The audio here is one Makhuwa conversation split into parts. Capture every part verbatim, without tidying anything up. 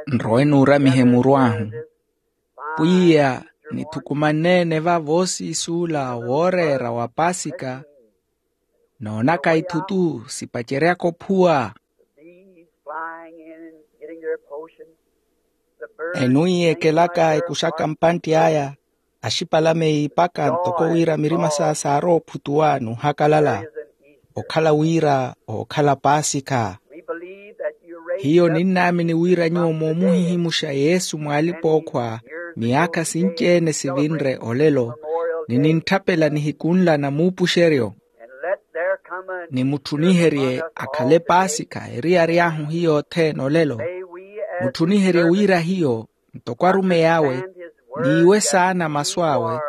Nrowe nuuramihe muru ahu. Pwiya, nithukumanneene va voosiisuula wooreera wa paasika, noonaka ithutu sipaceryaka ophuwa. Enwiiyekelaka ekuxaka mpantti aya, axipalame yiipaka ntoko wira mirima saa saarowa ophutuwa n'uhakalala. Okhala wira ookhala paasikha. Hiyo ninnaamini wira nyuwo moomuhihimuxa yesu mw'alipa-ookhwa miyaakha sinci-ene sivinre olelo, ni nintthapela nihiku nla na muupuxeryo. Ni mutthuniherye akhale paasikha eriyari ahu hiyo othene olelo. Mutthuniherye wira hiyo ntoko arumeyi awe, niiwe saana masu awe,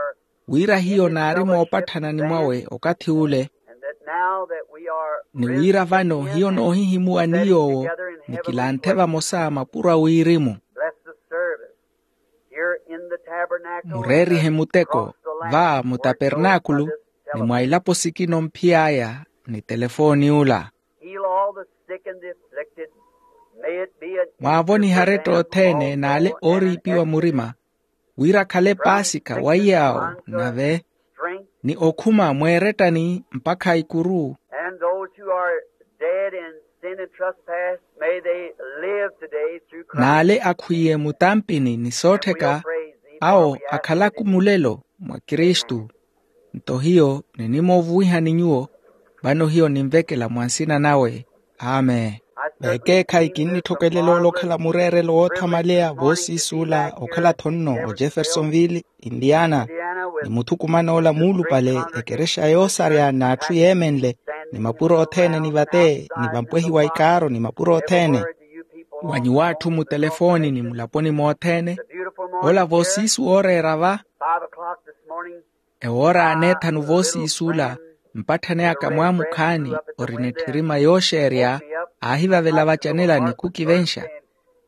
wira hiyo naari moopatthana ni mwawe okathi ule. Ni wira vano hiyo noohihimuwa ni yoowo, nikilanthe vamosa mapuro a wirimu. Mureerihe muteko va mutapernaakulu, ni mwa ilapo sikina omphiy'aya ni telefooni ula. Mwaavoniha aretta othene n'ale ooriipiwa murima, wira akhale paasikha wa iyaawo nave, ni okhuma mweerettani mpakha ikuru. N'ale akhwiiye mutampini ni soottheka, awo akhalaka mulelo mwa kristu. Nto hiyo ninimoovuwihani nyuwo, vano hiyo ninvekela mwa nsina nawe. Amen. Vekeekhayi kinnitthokwelela ole okhala mureerelo woothamaleya voosiisuula okhala-tho nno ojeffersonville, indiana, ni muthukumana ola muulupale, ekerexa yoosarya n'atthu yeemenle, ni mapuro othene ni vate ni vampwehi wa ikaaro ni mapuro othene. Wa nyuw'atthu mutelefooni ni mulaponi mothene, ola voosiisu wooreera va. Ewoora aneethanu voosiisuula, mpatthani aka mwaamukhaani orina etthirima yooxeerya, aahivavela vacanela ni khukivenxa.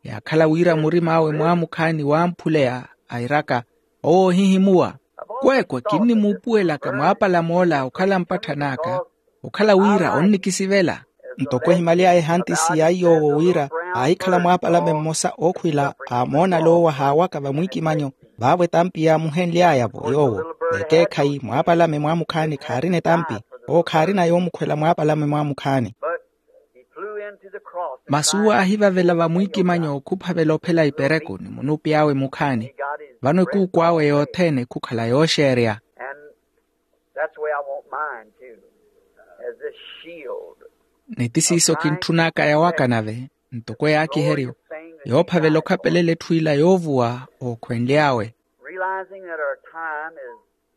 Yaakhala wira murim'awe mwaamukhaani waamphuleya, airaka, owo ohihimuwa. Kweekwe kinnimuupuwelaka mwaapalame ola okhala mpatthani aka, okhala wira onnikisivela. Ntoko ehimaly'aya ehantisi ya iy'owo wira aahikhala mwaapalame mmosa ookhwila, aamoonale owo ahaawaka vamwiikimanyo, vaavo etampi yaamuhenly'aya-vo yoowo. Vekeekhayi mwaapalame mwaamukhaani khaarina etampi. Owo khaarina yoomukhwela mwaapalame mwaamukhaani. Masu aahivavela vamwiikimanyo khuphavela ophela ipereku ni munuup'iy'awe mukhaani. Vano ekuukw'awe yothene khukhala yooxeerya. Ni ti siiso kintthun'aka yawaka nave, ntoko yaakiheryo, yoophavela okhapelela etthu ila yoovuwa ookhwenly'awe.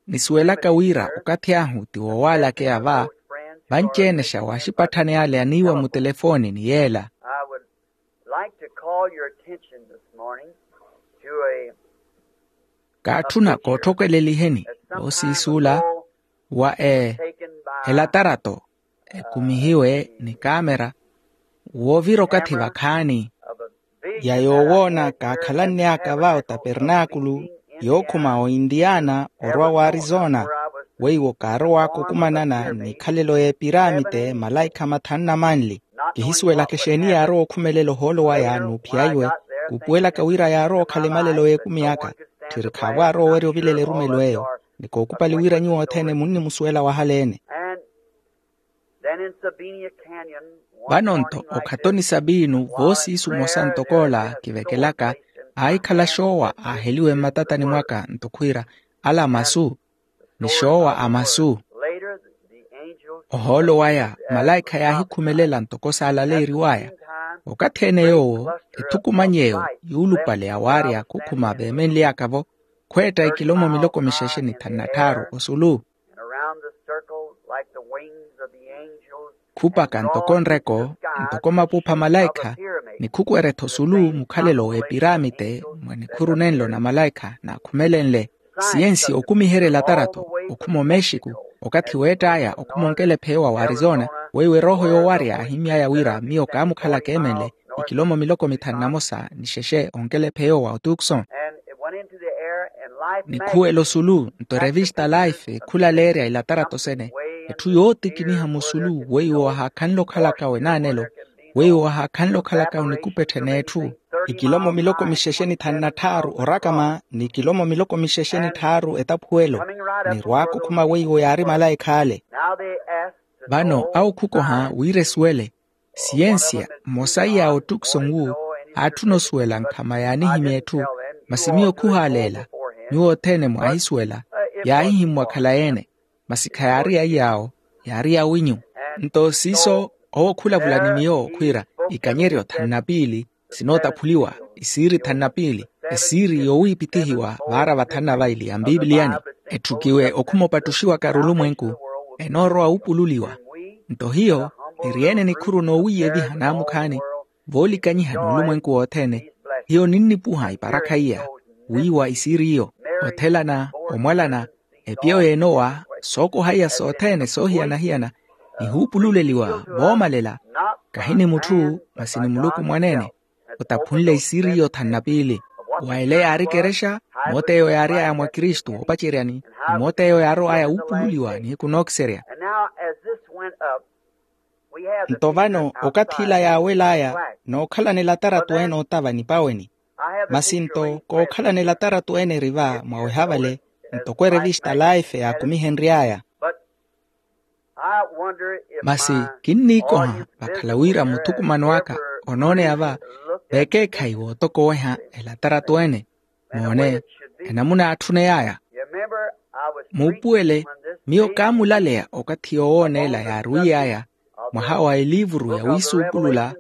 Nisuwelaka wira okathi ahu ti woowalakeya va, vanci-enexa wa axipatthani ale aniiwa mutelefooni ni yeela. Kaatthuna kootthokeleliheni voosiisuula wa e elatarato ekumihiwe ni kaamera, woovira okathi vakhaani. Ya yoowoona kaakhalanne aka va otapernaakulu yookhuma oindiana orwa waarizona, weiwo kaarow'aka okumanana n'ikhalelo y'epiramite malaikha mathanu na manli. Kihisuwelaka exeeni yaarowa okhumelela ohoolo waya n'uphiya iwe, kuupuwelaka wira yaarowa okhala emalelo y'ekumi aka. Tthiri khaavo aarowa owerya ovilela erumelo eyo. Ni kookupali wira nyuwo othene munnimusuwela wahaleene. Vano nto okhatoni sabiinu voosiisu mmosa ntok'ola kivekelaka, aahikhala xoowa aaheliwe mmatatani mwaka nto khwiira, ala masu ni xoowa a masu. Ohoolo waya malaikha yaahikhumelela ntoko saalaleeriw'aya. Okathi-ene yoowo ethukumany'eyo yuulupale ya waarya khukhuma veemenly'aka-vo, khweetta ikilomo miloko mixexe ni thanu na tthaaru osulu. Khupaka ntoko nreko, ntoko mapupha malaikha, ni khukwerya-tho sulu mukhalelo w'epiramite mwa nikhuru nenlo na malaikha naakhumelenle. Siyensi okumiherya elatarato okhuma omexiku, okathi weett'aya okhuma onkelepheyo wa arizona, weiwo erooho yoowarya aahimy'aya wira miyo kaamukhala keemenle ikilomo miloko mithanu na mosa ni xexe onkelepheyo wa otukson. Nikhuwela osulu nto erevista life khulaleerya ilatarato sene, etthu yootikiniha musulu weiwo ahaakhanle okhalaka wenaanelo. Weiwo wahaakhanle okhalaka onikupetthe n'etthu ikilomo miloko mixexe ni thanu na tthaaru orakama ni ikilomo miloko mixexe ni tthaaru etaphuwelo. Nirwaakukhuma weiwo yaari malaikha ale. Vano awo khukoha wira esuwele. Siyensiya mmosa iy'awo ottukson wu aatthuna osuwela nkhama yaanihimya etthu. Masi miyo khuhaaleela. Nyuwo othene mwaahisuwela yaahihimmwa khalayi-ene. Masi khayaari ya iy'awo, yaari yawinyu. Nto siiso owo khulavula ni miyo khwiira ikanyeryo thanu na piili sinootaphuliwa, isiiri thanu na piili, esiiri yowiipithihiwa vaara vathanu na vaili ya mpipiliyani. Etthukiwe okhuma opattuxiwaka arulumwenku enoorowa wuupululiwa. Nto hiyo niri-ene nikhuru noowiiyeviha naamukhaani voolikanyiha n'ulumwenku wothene. Hiyo ninnipuha iparakha iya wiiwa isiiri iyo, othelana, omwalana, epiyo y'enowa, sookoha iya sothene soohiyana-hiyana nihuupululeliwa voomalela. Kahi ni mutthu masi ni muluku mwaneene otaphunle isiiri iyo thanu na piili. Wa ele yaari ekerexa, moot'eyo yaary'aya mwa kristu woopaceryani, ni moot'eyo yaarow'aya wuupululiwa nihiku nookiserya. Nto vano okathi ila yaawel'aya nookhalanela ataratu ene ootava nipaweni. Masi nto kookhalanela ataratu ene eri va mwaweha vale, ntoko erevista life yaakumihenry'aya. Masi kinniikoha vakhala wira muthukumano aka onooneya va vekeekhayi wootokoweha elataratu ene. Moone enamuna aatthuney'aya. Muupuwele, miyo kaamulaleya okathi yoowooneela yaarwiy'aya mwaha wa eliivuru ya wiisuupulula,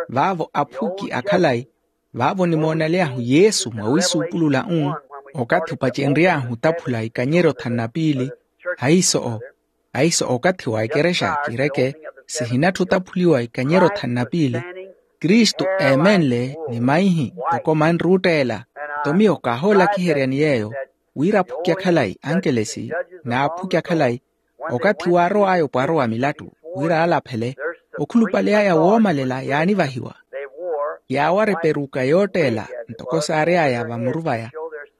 vaavo aphuki akhalayi vaavo nimoonalyahu yesu mwa wiisuupulula-u. Okathi opacenry'ahu otaphula ikanyeryo thanu na piili, ahiiso-o ahiiso okathi wa ekerexa kireke sihinattha otaphuliwa ikanyeryo thanu na piili. Kristu eemenle ni maihi ntoko manri otteela. Nto miyo kaahoolakiheryani yeeyo wira aphuki akhalayi ankelesi n'aphuki akhalayi okathi waarow'aya opwarowa milattu wira aalaphele. Okhulupale aya woomalela yaanivahiwa yaawara eperuka yootteela ntoko saary'aya vamuru vaya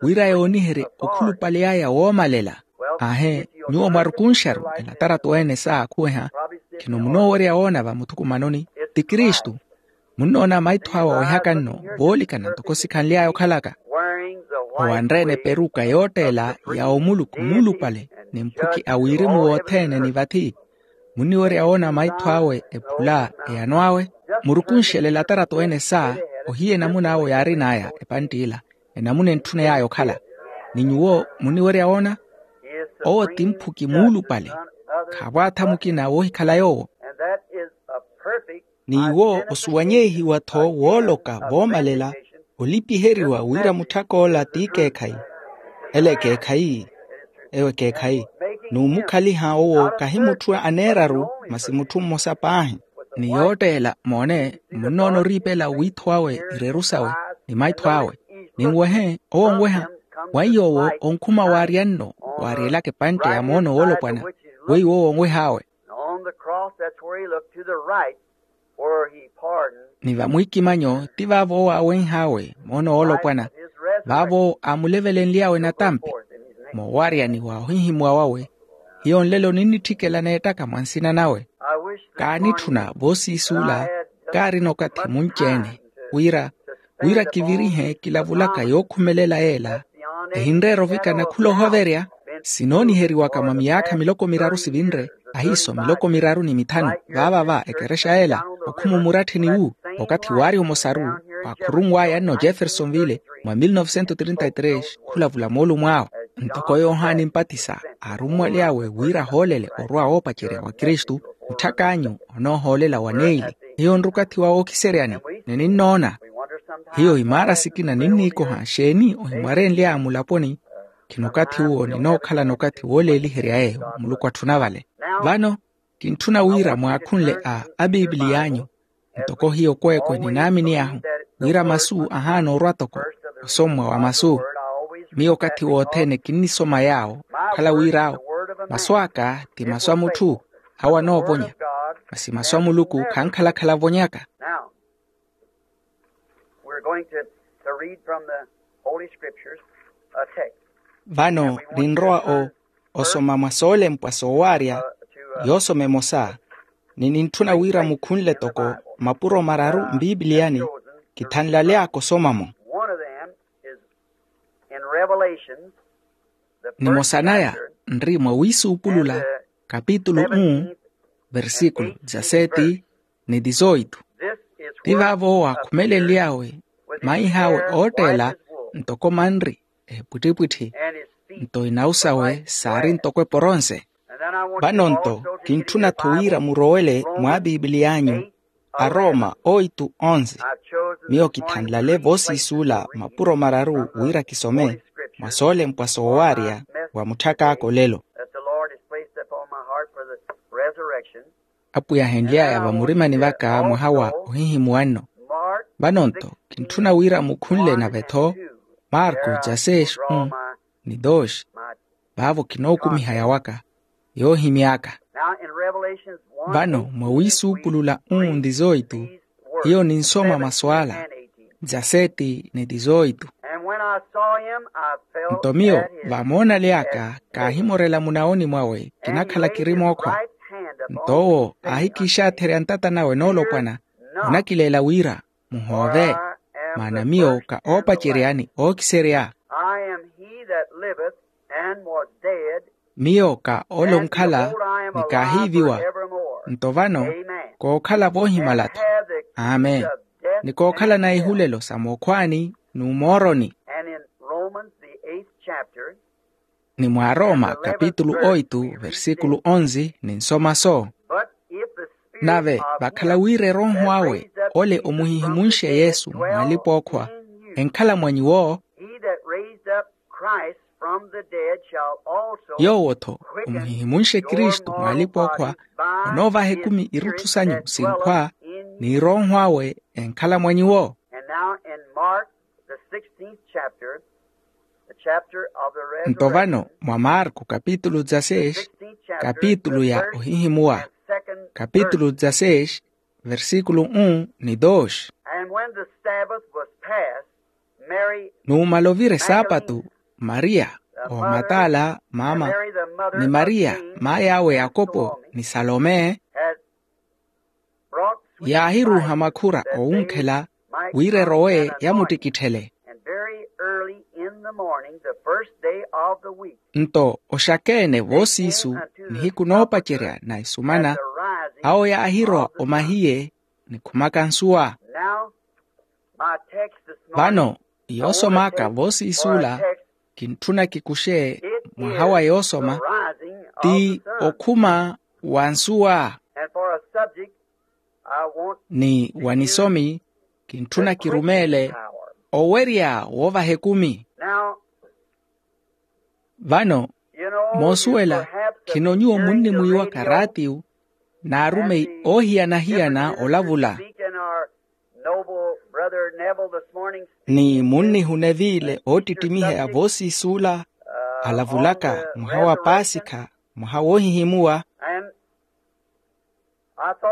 wira yooniherye okhulupale aya woomalela. Aahe, nyuwo mwarukunxaru elataratu ene saakhuweha khino munoowerya woona va muthukumanoni ti kristu. Munnoona maitho awe awehaka nno voolikana ntoko sikhanly'aya okhalaka owanre-ene eperuka yootteela ya omuluku muulupale ni mphuki a wirimu wothene ni vathi. Munniwerya woona maitho awe ephula eyano awe. Murukunxele elataratu ene saa ohiya enamuna awe yaarin'aya epantt'ila enamuna entthuney'aya okhala. Ni nyuwo munniwerya woona owo ti mphuki muulupale khaavo atha mukina woohikhala yoowo. Ni iwo osuwanyehiwa-tho wooloka voomalela olipiheriwa wira mutthak'ola ti ekeekhayi. Ela ekeekhayi eyo ekeekhayi n'umukhaliha owo kahi mutthu aneeraru masi mutthu mmosa paahi. Ni yootteela moone munnoona oriipela wiitho awe ireru sawe ni maitho awe. Ninwehe owo onweha mwa iy'owo onkhuma waarya nno waaryelaka epantte ya moono woolopwana weiwo owo onweh'awe. Ni vamwiikimanyo ti vaavo owo aawenh'awe moono woolopwana vaavo aamulevelenly'awe natampi moowaryani wa ohihimuwa wawe. Hiyo nlelo ninnitthikela neettaka mwa nsina nawe. Kaanitthuna voosiisuula kaarina okathi munci-ene wira wira kivirihe kilavulaka yookhumelela yeela ehinreera ovikana khula ohoverya. Sinooniheriwaka mwa miyaakha miloko miraru sivinre ahiiso miloko miraru ni mithanu vaavava ekerexa yeela okhuma omurattheni wu okathi waari omosaru waakhurunw'aya nno jeffersonville mwa mil novecentos trinta y tres khulavula moolumo awe. Ntoko yohani mpatisa aarummwaly'awe wira ahoolele orwa woopacerya wa kristu mutthak'anyu onoohoolela wa neili. Hiyo nrukathi wa wookiseryani ni ninnoona hiyo imaara sikina ninniikoha xeeni ohimwarenly'aya mulaponi. Khino okathi uwo ninookhalana okathi wooleeliherya yeeyo muluku atthuna vale. Vano kintthuna wira mwaakhunle a apipiliy'anyu ntoko hiyo kweekwe ninaamini ahu wira masu ahaana orwa toko osommwa wa masu. Miyo okathi wothene kinnisoma yaawo okhala wir'awo masu aka ti masu a mutthu awo anoovonya masi masu a muluku khankhalakhala ovonyaka. Now we're going to, to read from the Holy Scriptures a text. Vano ninrowa o osoma mwa soolempwa soowaarya yoosoma emosa. ni nintthuna wira mukhunle toko mapuro mararu mpiipiliyani. Kithanlaly'aka osoma-mo. Nimosa naya nri mwa wiisuupulula kapitulu um, versíkulu dezaseti ni dizoitu. Ti vaavo waakhumelenly'awe maih'awe ootteela ntoko manri ehipwittipwitthi, nto inawu sawe saari ntoko eporonse. Vano-nto kintthuna-tho wira murowele mwa piipiliy'anyu, arooma oitu onze. Miyo kithanlale voosiisuula mapuro mararu wira kisome mwa soolempwa soowaarya wa mutthak'aka olelo. That the Lord has placed upon my heart for the resurrection. Apwiya ahenly'aya vamurimani vaka mwaha wa ohihimuwa nno. Vano-nto kintthuna wira mukhunle nave-tho marko dezaseti um ni dosi. Vaavo kinookumiha yawaka yoohimy'aka. Vano mwa wiisuupulula um ni dizoitu hiyo ninsoma masu ala dezaseti ni dizoitu. Nto miyo vamoonaley'aka kaahimorela munawoni mwawe kinakhala kiri mookhwa. Nto owo aahikiixaatherya ntata nawe noolopwana onakileela wira muhoove, maana miyo ka oopacerya ni ookiserya. I am he that liveth and was dead. Miyo ka ole onkhala ni kaahiiviwa. Nto vano kookhala voohimala-tho. Amen. Ni kookhala na ihulelo sa mookhwaani n'umooroni. And in Romans, the eighth chapter, ni mwa arooma kapitulu oitu versikulu onze ninsoma so. But if the Spirit nave of vakhala him wira erooho that awe raised up ole Jesus from omuhihimunxe the dead yesu dwell mwaalipookhwa in you, enkhala mwa nyuwo. He that raised up Christ from the dead shall also yoowo-tho quicken omuhihimunxe your kristu mortal mwaalipookhwa bodies by onoovaha his ekumi irutthu Spirit sanyu that sinkhwa dwelleth in you. Ni erooho awe enkhala mwa nyuwo. And now in Mark, the sixteenth chapter, the chapter of the nto vano resurrection, mwa marko kapitulu dezasesi, the sixteenth chapter, kapitulu the ya first ohihimuwa, and second kapitulu verse. Dezasesi, versikulu um ni dosi. And when the Sabbath was past, Mary nuumala ovira esaapatu, Magdalene, mariya the mother, omatala and maama, Mary the mother ni of mariya James, maay'awe and yakopo Salome, ni salome, had brought sweet yaahiruuha spices makhura that they oowunkhela might wira erowe anoint him. Yamuttikitthele. And very early in the morning, the first day of the week, nto oxakeene voosiisu nihiku noopacerya na isumana, awo yaahirowa omahiye ni khumaka nsuwa. Now, my text this morning, vano yoosomaka voosiisuula kintthuna kikuxe mwaha wa yoosoma ti okhuma wa nsuwa. And for a subject, I want ni wa nisomi kintthuna kirumeele owerya woovaha ekumi. Now, vano moosuwela khino nyuwo munnimwiiwaka raatiyu n'arumeyi oohiyana-hiyana olavula. Ni munnihuna eviile oottittimiheya voosiisuula alavulaka mwaha wa paasikha, mwaha woohihimuwa.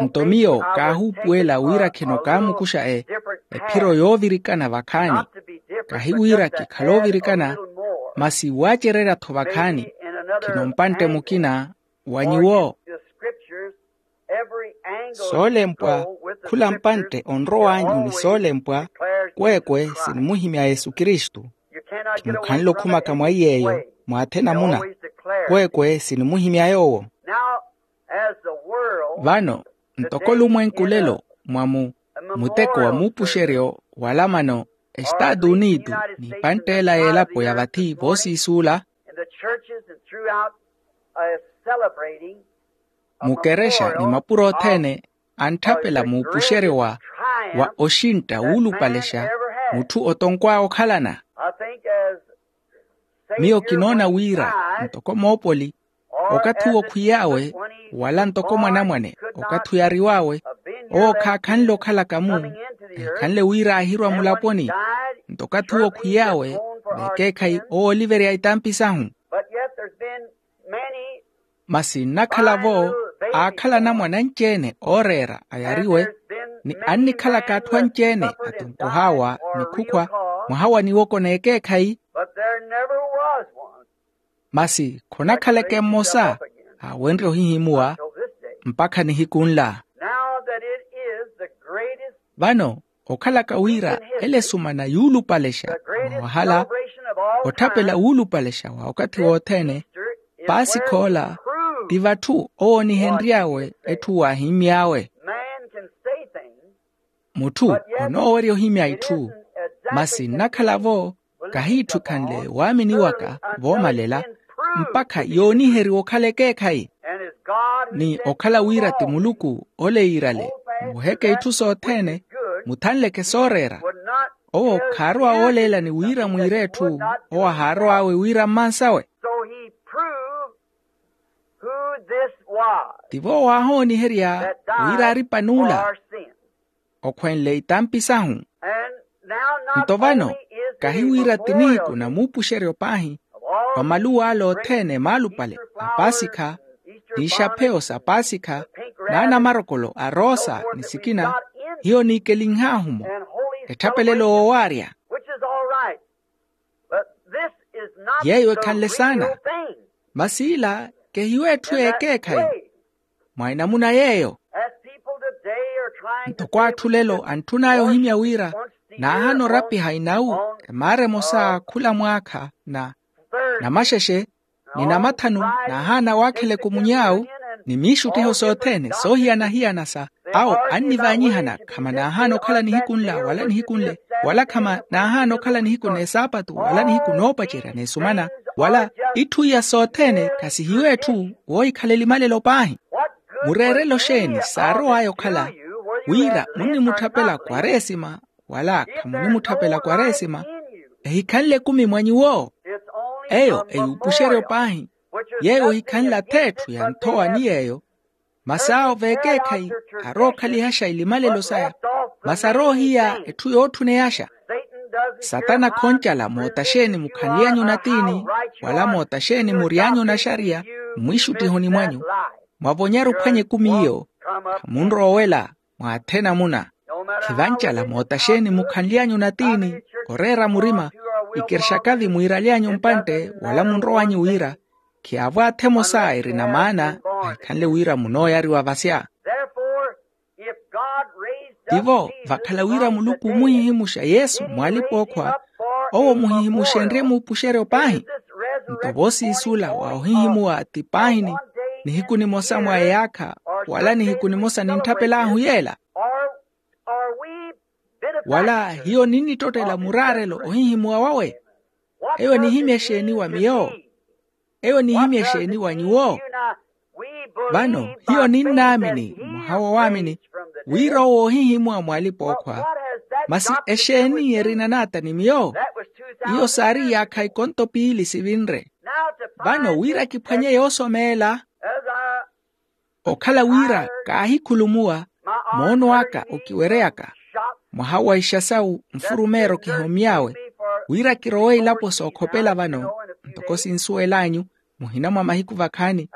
Nto miyo kaahuupuwela wira khino kaamukuxa ephiro yoovirikana vakhaani. Kahi wira kikhala oovirikana, masi waacererya-tho vakhaani khino mpantte mukina wa nyuwo. Soolempwa khula mpantte onrow'anyu ni soolempwa kweekwe sinimuhimya yesu kristu. Khimukhanle okhumaka mwa iy'eyo mwaathi enamuna kweekwe sinimuhimya yoowo. Vano ntoko olumwenku lelo mwa mu muteko wa muupuxeryo walamano, estaatu unitu n'ipantt'ela y'elapo ya vathi voosiisuula mukerexa ni mapuro othene antthapela muupuxeryo wa oxintta wuulupalexa mutthu otonkw'awe okhalana. Miyo kinoona wira ntoko moopoli okathi owo khwiy'awe wala ntoko mwanamwane okathi oyariw'awe owo khaakhanle okhalaka-mu enkhanle wira aahirwa mulaponi. Nto okathi owo khwiy'awe veekeekhayi owo oliverya itampi sahu. Masi nnakhala-vo aakhala anamwane anci-ene ooreera ayariwe ni annikhalaka atthu anci-ene atonkoh'awa ni khukhwa mwaha wa niwoko n'ekeekhayi. Masi khonakhaleke mmosa aawenrye ohihimuwa mpakha nihiku nla. Now that it is the greatest vano okhalaka wira ele esumana yuulupalexa mwawahala, otthapela wuulupalexa wa okathi wothene. Paasikha ola ti vatthu owoonihenry'awe etthu waahimmy'awe. Mutthu onoowerya ohimya itthu, masi nnakhala-vo kahiitthukhanle waamini waka voomalela mpakha yooniheriwa okhala ekeekhayi. Ni okhala wira ti muluku ole yiirale muheke itthu sothene, muthanleke sooreera. Owo khaarowa wooleelani wira mwiire etthu owo ahaarow'awe wira mmansawe. Tivo waahooniherya wira aari pan'ula okhwenle itampi sahu. Nto vano kahi wira ti nihiku na muupuxeryo paahi wa maluw'ala othene maalupale a paasikha, n'ixapheyo sa paasikha n'anamarokolo a roosa ni sikina, hiyo niikelinh'ahu-mo etthapelelo woowaarya. Yeeyo ekhanle saana. Masi ila kehiyo etthu y'ekeekhayi mwa enamuna yeeyo. Ntoko atthu lelo antthun'aya ohimya wira naahana orapiha inawu emaara emosa khula mwaakha na namaxexe ni namathanu, naahaana waakheleke omuny'awu ni miixuttiho sothene soohiyana-hiyana sa awo annivaanyihana khama naahaana okhala nihiku nla wala nihiku nle, wala khama naahaana okhala nihiku n'esaapatu wala nihiku noopacerya n'esumana, wala itthu iya sothene khasihiwe etthu woohikhala elimalelo paahi. Mureerelo xeeni saarow'aya okhala wira munnimutthapela kwaresima wala khamunimutthapela kwaresima ehikhanle ekumi mwa nyuwo? Eyo eyuupuxeryo paahi yeeyo ohikhanle ath'etthu ya nthowa ni yeeyo. Masi awo veekeekhayi arookhalihaxa elimalelo saya masi aroohiya etthu yootthuneyaxa. Satana khoncala mootaxeeni mukhanly'anyu natiini wala mootaxeeni mury'anyu naxariya mmwiixuttihoni mwanyu mwavonyari ophwanya ekumi iyo khamunrowa owela mwa athe namuna. Khivancala mootaxeeni mukhanly'anyu natiini oreera murima ikirixakavi mwiiraly'anyu mpantte wala munrow'anyu wira khiyaavo athe emosa erina maana ahikhanle wira munooyariwa vasya. Tivo vakhala wira muluku omuhihimuxa yesu mw'alipa-ookhwa owo muhihimuxenrye muupuxeryo paahi. Nto voosiisula wa ohihimuwa ti paahini nihiku nimosa mwa eyaakha wala nihiku nimosa nintthapel'ahu yeela. Wala hiyo ninnittottela muraarelo ohihimuwa wawe? Eyo enihimya exeeni wa miyo? Eyo enihimya exeeni wa nyuwo? Vano hiyo ninnaamini mwaha wa waamini wira owo oohihimuwa mw'alipa-ookhwa. Masi exeeni erina n'ata ni miyo? Iyo saari iyaakha ikonto piili sivinre. Vano wira kiphwanye yoosomeela okhala wira kaahikhulumuwa moono aka okiwereyaka mwaha wa ixasawu nfurumeero kihomy'awe wira kirowe ilapo sookhopela vano ntoko sinsuwel'anyu muhina mwa mahiku vakhaani.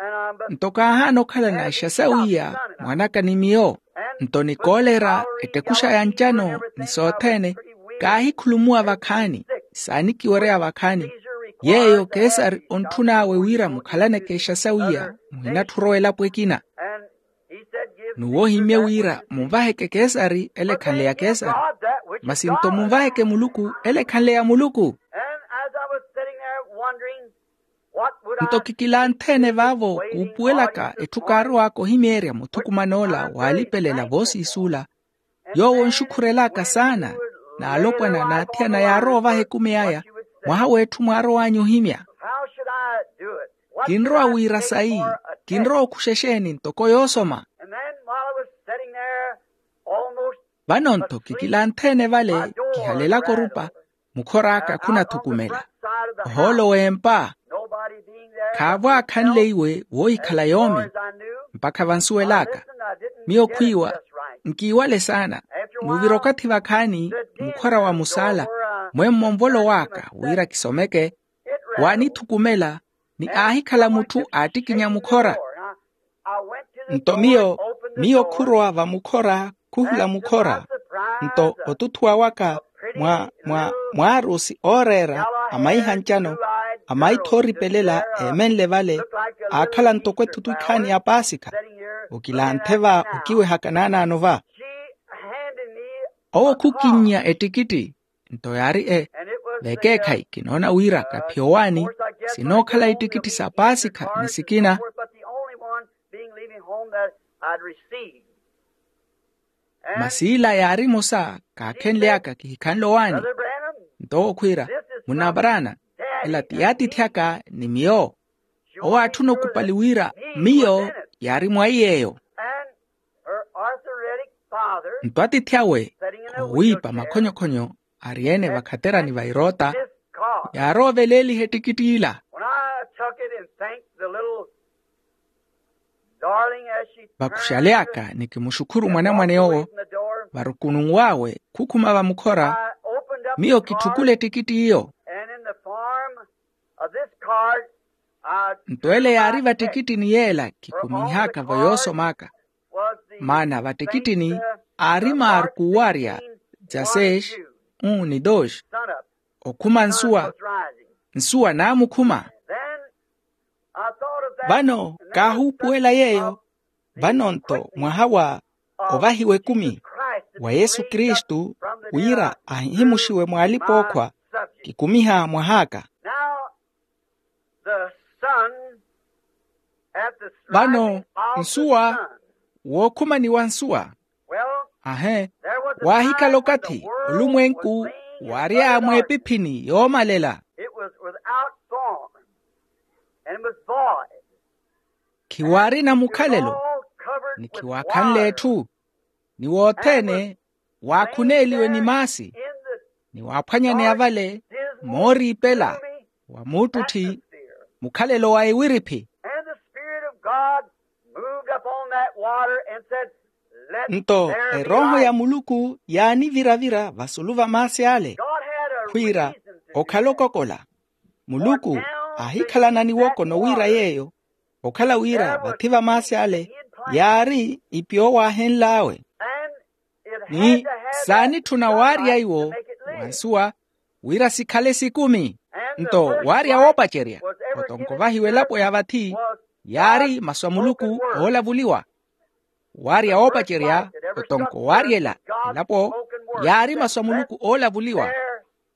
Nto kaahaana okhalana ixasawu iya mwanaka ni miyo. Nto ni koolera ettekuxa ya ncano ni sothene kaahikhulumuwa vakhaani saanikiwereya vakhaani. Yeeyo kesari ontthun'awe wira mukhalaneke exasawu iya muhinatthi orowa elapo ekina. N'uwo ohimmye wira munvaheke kesari ele ekhanle ya kesari. Masi nto munvaheke muluku ele ekhanle ya muluku. Nto kikilanthe-ene vaavo kuupuwelaka etthu kaarow'aka ohimeerya muthukuman'ola waalipelela voosiisula yoowo onxukhurelaka saana n'alopwana n'athiyana yaarowa ovaha ekumi aya mwaha w'etthu mwaarow'anyu ohimya. Kinrowa wira sayi? Kinrowa okhuxa exeeni ntoko yoosoma? Vano-nto kikilanthe-ene vale kihalelaka orupa mukhor'aka khunathukumela ohoolo w'empa. Khaavo aakhanleiwe woohikhala yoomi mpakha vansuwel'aka. Miyo khwiiwa nkiiwale saana. Muuvira okathi vakhaani mukhora wa musaala mwemmo nvolo w'aka wira kisomeke waanithukumela ni aahikhala mutthu aattikinya mukhora. Nto miyo miyo khurowa vamukhora khuhula mukhora. Nto otuthuwa waka mwa mwa mwaarusi ooreera amaiha ncano amaitha ooripelela eemenle vale aakhala ntoko ethutu ikhaani ya paasikha. okilanthe va okiwehaka naanaano va. Owo khukinnya ettikitti. Nto yaari e vekeekhayi kinoona wira kaphiya owaani sinookhala ittikitthi sa paasikha ni sikina. Masi ila yaari emosa kaakhenly'aka kihikhanle owaani. Nto owo khwiira, munna paraana, ela ti yaatiithi aka ni miyo. Owo aatthuna okupali wira miyo yaari mwaiy'eyo. Nto atiithi awe owiipa makhonyokhonyo ari-ene vakhaterani va iroota, yaarooveleeliha ettikitti ila. Vakuxaly'aka ni kimuxukhuru mwanamwane owo varukununw'awe khukhuma vamukhora, miyo kitthukule ettikitti iyo. Nto ele yaari vattikittini yeela kikuminh'aka vo yoosom'aka. Maana vattikittini aari marku owarya dyaseis, un ni dos. Okhuma nsuwa, nsuwa naamukhuma. Vano kaahuupuwela yeeyo. Vano-nto mwaha wa ovahiwa ekumi wa yesu kristu, wira ahihimuxiwe mw'alipa-ookhwa kikumiha mwah'aka. Vano nsuwa, wookhumaniwa nsuwa. Ahe, waahikhala okathi olumwenku waary'aya mweepiphini yoomalela. Khiwaarina mukhalelo, ni khiwaakhanle etthu, ni wothene waakhuneeliwe ni maasi, ni waaphwanyaneya vale mooriipela wa muuttutthi, mukhalelo wa iwiriphi. Nto erooho ya muluku yaanivira-vira vasulu va maasi ale, khwiira okhala okokola. Muluku aahikhalana niwoko nowiira yeeyo, okhala wira vathi va maasi ale yaari ipi owo aahenl'awe. Ni saanitthuna waarya iwo wa nsuwa wira sikhale sikumi. Nto waarya woopacerya otonko vahiwa elapo ya vathi, yaari masu a muluku oolavuliwa. Waarya woopacerya otonko waaryela elapo, yaari masu a muluku oolavuliwa.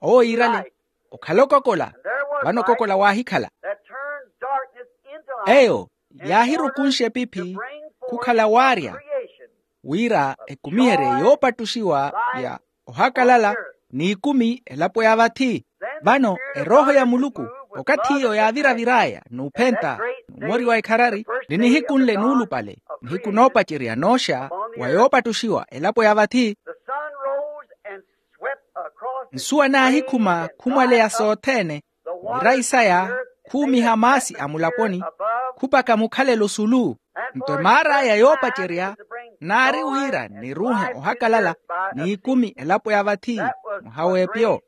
Owo yiirale, okhala okokola. Vano okokola waahikhala. Eyo yaahirukunxa epiphi khukhala waarya, wira ekumiherye yoopattuxiwa ya ohakalala n'ikumi elapo ya vathi. Vano erooho ya muluku, okathi iyo yaavira-vir'aya n'uphenta n'umori wa ikharari, ni nihiku nle nuulupale, nihiku noopacerya nooxa wa yoopattuxiwa elapo ya vathi. Nsuwa naahikhuma khumwaleya sothene, mirayi saya khuumiha maasi a mulaponi, khupaka mukhalelo sulu. Nto emaar'aya yoopacerya naari wira niruuhe ohakalala n'ikumi elapo ya vathi, mwaha w'epyo.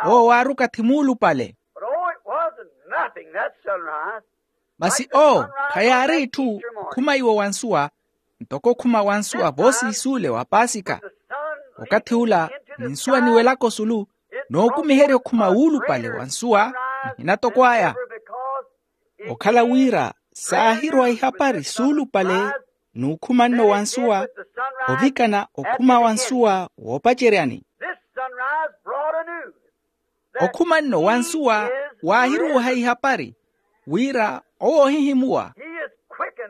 Owo waari okathi muulupale. Masi owo khayaari itthu okhuma iwo wa nsuwa, ntoko okhuma wa nsuwa voosiisuule wa paasika. Okathi ula ni nsuwa niwelaka osulu, nookumiherya okhuma wuulupale wa nsuwa, nihina toko aya. Okhala wira saahirwa ihapari suulupale n'ukhuma nno wa nsuwa, ovikana okhuma wa nsuwa woopaceryani. Okhuma nno wa nsuwa waahiruuha ihapari, wira owo ohihimuwa.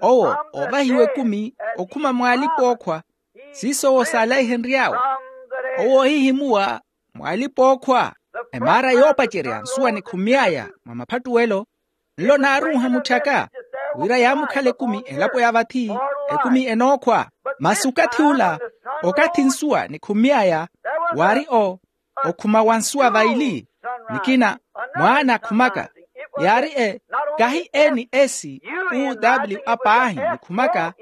Owo oovahiwa ekumi okhuma mw'alipa-ookhwa, siiso owo saalaihenry'awe. Owo ohihimuwa mw'alipa-ookhwa. Emaara yoopacerya nsuwa nikhumy'aya mwa maphattuwelo, nlo naaruuha mutthaka, wira yaamukhala ekumi elapo ya vathi, ekumi enookhwa. Masi okathi ula, okathi nsuwa nikhumy'aya, waari o okhuma wa nsuwa vaili. Nikina mwaana akhumaka, yaari e kahi n s u w a paahi nikhumaka,